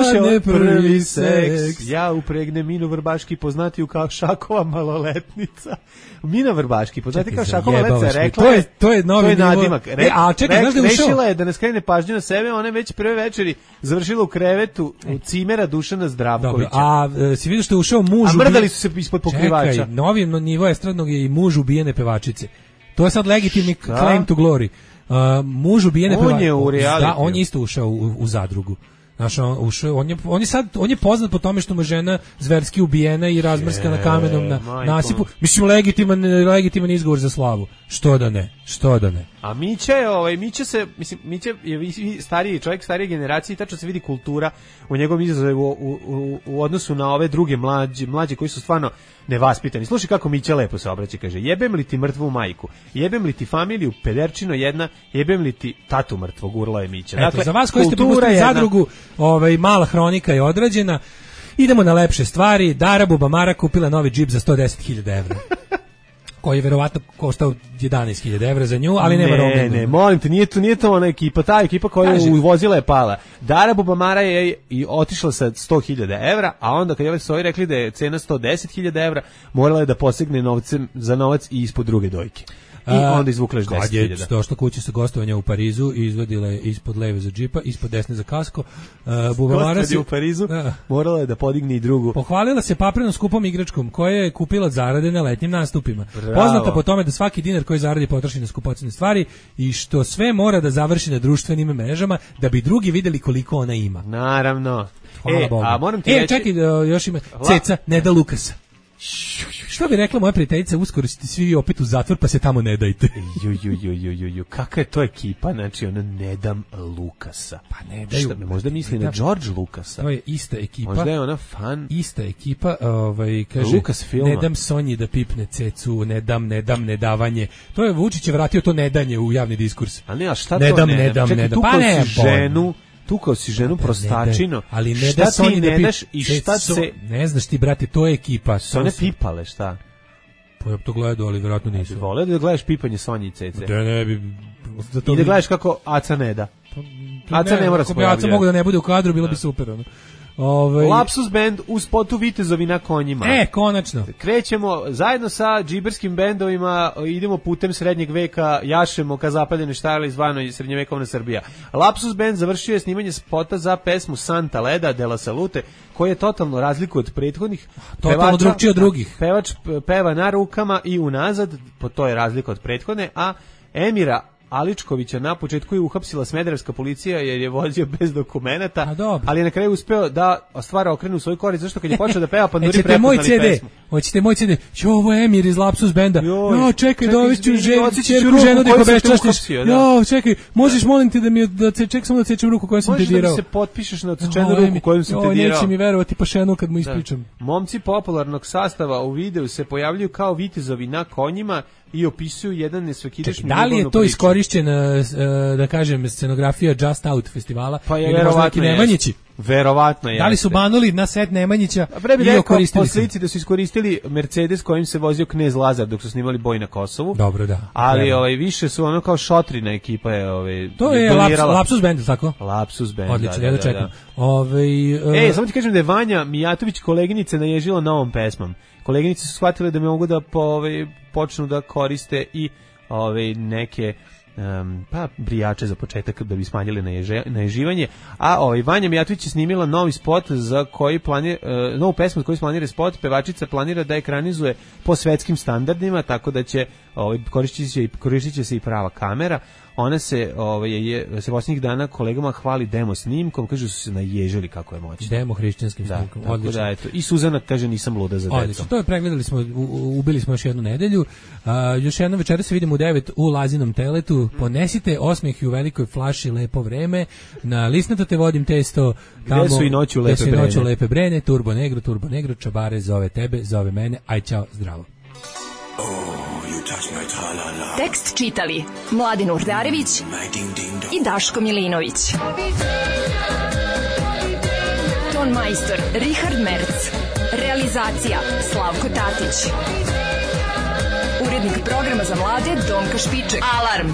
slušaj, prvi seks, ja upregne Minu Vrbaški, poznatiju kao Šakova maloletnica. Mina Vrbaški, poznati kao Šakova maloletnica, rekla to je, to je novi to je nadimak. Re, e, a čekaj, znaš da je rešila je da ne skrene pažnju na sebe, ona je već prve večeri završila u krevetu u cimera Dušana Zdravkovića. Dobro, a e, si vidio što je ušao muž... A mrdali su se ispod pokrivača. Čekaj, novi nivo estradnog je i muž ubijene pevačice. To je sad legitimni claim to glory. Uh, muž ubijene on je u reality. Da, on je isto ušao u, u zadrugu. Znaš, on, ušao, on, je, on, je sad, on je poznat po tome što mu žena zverski ubijena i razmrskana kamenom na majko. Nasipu. Mislim, legitiman, legitiman izgovor za slavu. Što da ne, što da ne. A Mića je, ovaj, Mića se, mislim, Mića je stariji čovjek, starije generacije i tačno se vidi kultura u njegovom izrazu u, u, u, u odnosu na ove druge mlađe, mlađe koji su stvarno nevaspitani. Slušaj kako Mića lepo se obraća, kaže, jebem li ti mrtvu majku, jebem li ti familiju, pederčino jedna, jebem li ti tatu mrtvog, urla je Mića. Eto, dakle, za vas koji ste propustili zadrugu, ovaj, mala hronika je odrađena. Idemo na lepše stvari. Dara Bubamara kupila novi džip za sto deset hiljada evra. Koji je verovatno koštao jedanaest hiljada evra za nju, ali nema roaminga. Ne, ne, molim te, nije to, nije to ona ekipa, ta ekipa koja je uvozila je pala. Dara Bubamara je i otišla sa sto hiljada evra, a onda kad je ovaj Soji rekli da je cena sto deset hiljada evra, morala je da posegne novcem za novac i ispod druge dojke. I onda izvukla još deset hiljada. Kad je došla kući sa gostovanja u Parizu i izvadila je ispod leve za džipa, ispod desne za kasko. Uh, Bubamara se u Parizu, uh, morala je da podigne i drugu. Pohvalila se paprenom skupom igračkom koje je kupila od zarade na letnjim nastupima. Bravo. Poznata po tome da svaki dinar koji zaradi potroši na skupocene stvari i što sve mora da završi na društvenim mrežama da bi drugi videli koliko ona ima. Naravno. Hvala e, Bogu. A moram ti e, reći... čekaj, još ima Ceca, Neda Lukasa. Što bi rekla moja prijateljica, uskoro ćete svi opet u zatvor, pa se tamo ne dajte. Ju, ju, ju, ju, ju, ju. Kakva je to ekipa, znači ona ne dam Lukasa. Pa ne daju. Šta, možda misli na George Lukasa. To je ista ekipa. Možda je ona fan. Ista ekipa, ovaj, kaže, Lukas filma. Ne dam Sonji da pipne cecu, ne dam, ne dam, ne davanje. To je Vučić je vratio to nedanje u javni diskurs. A ne, a šta ne to dam, ne, ne dam, Čekaj, ne dam. Pa ne, ženu, tukao si ženu prostačino, ali ne šta da ti ne daš i šta se... Ne znaš ti, brate, to je ekipa. Su one pipale, šta? Pa ja to gledao, ali vjerojatno nisu. Ne vole da gledaš pipanje Sonji i Cece. Da ne bi... Da I da gledaš kako Aca ne da. Pa, Aca ne, ne mora se pojavljati. Aca mogu da ne bude u kadru, bilo bi super. Ono. Ove... Lapsus band u spotu Vitezovi na konjima. E, konačno. Krećemo zajedno sa džiberskim bendovima, idemo putem srednjeg veka, jašemo ka zapaljene štajle zvano i srednjevekovna Srbija. Lapsus band završio je snimanje spota za pesmu Santa Leda de la Salute, koji je totalno razliku od prethodnih. Totalno drugčiji od drugih. Pevač peva na rukama i unazad, po to je razlika od prethodne, a Emira Aličkovića na početku je uhapsila smederevska policija jer je vozio bez dokumenata, ali je na kraju uspeo da stvar okrene u svoj korist, zašto kad je počeo da peva Panduri prepoznali pesmu. Hoćete moj C D? Čo, ovo je Emir iz Lapsus benda. Jo, čekaj, dovešću čerku ženu da ih obeščastiš. Jo, čekaj, možeš molim te da mi da ček samo da cečem ruku kojom sam te dirao. Možeš da mi se potpišeš na odsečenu ruku kojom sam te dirao. Neće mi verovati pa šenu kad mu ispričam. Momci popularnog sastava u videu se pojavljuju kao vitezovi na konjima i opisuju jedan nesvakidašnji. Da li je to iskorišćena, da kažem, scenografija Just Out festivala? Pa je verovatno Nemanjići. Verovatno je. Da li su banuli na set Nemanjića i koristili poslici da su iskoristili Mercedes kojim se vozio Knez Lazar dok su snimali Boj na Kosovu. Dobro, da. Ali ovaj više su ono kao šotrina ekipa je ovaj to je laps, Lapsus band, tako? Lapsus band. Odlično, da, ja da, čekam. da. Ovaj uh... Ej, samo ti kažem da je Vanja Mijatović koleginice naježila novom pesmom. Koleginice su shvatile da me mogu da po, ovaj, počnu da koriste i ovaj neke Um, pa brijače za početak da bi smanjili naježe, naježivanje, a ovaj Vanja Mijatović je snimila novi spot za koji planira, uh, novu pesmu za koju planira spot, pevačica planira da ekranizuje po svetskim standardima, tako da će ovaj, koristit će, koristit će se i prava kamera. Ona se ovaj je se posljednjih dana kolegama hvali demo snimkom, kaže su se naježili kako je moćno. Demo hrišćanskim da, snimkom. Odlično. Da, eto. I Suzana kaže nisam luda za decu. To je pregledali smo, u, ubili smo još jednu nedelju. Uh, još jednom večera se vidimo u devet u Lazinom teletu. Ponesite osmeh i u velikoj flaši lepo vreme. Na Lisnato te vodim testo. Tamo, gde su i noću lepe brene. Noću lepe brene. Turbo Negro, Turbo Negro, Čabare zove tebe, zove mene. Aj čao, zdravo. Tekst čitali Mladin Urdarević i Daško Milinović. Ton majstor Richard Merc. Realizacija Slavko Tatić. Urednik programa za mlade Donka Špiček. Alarm!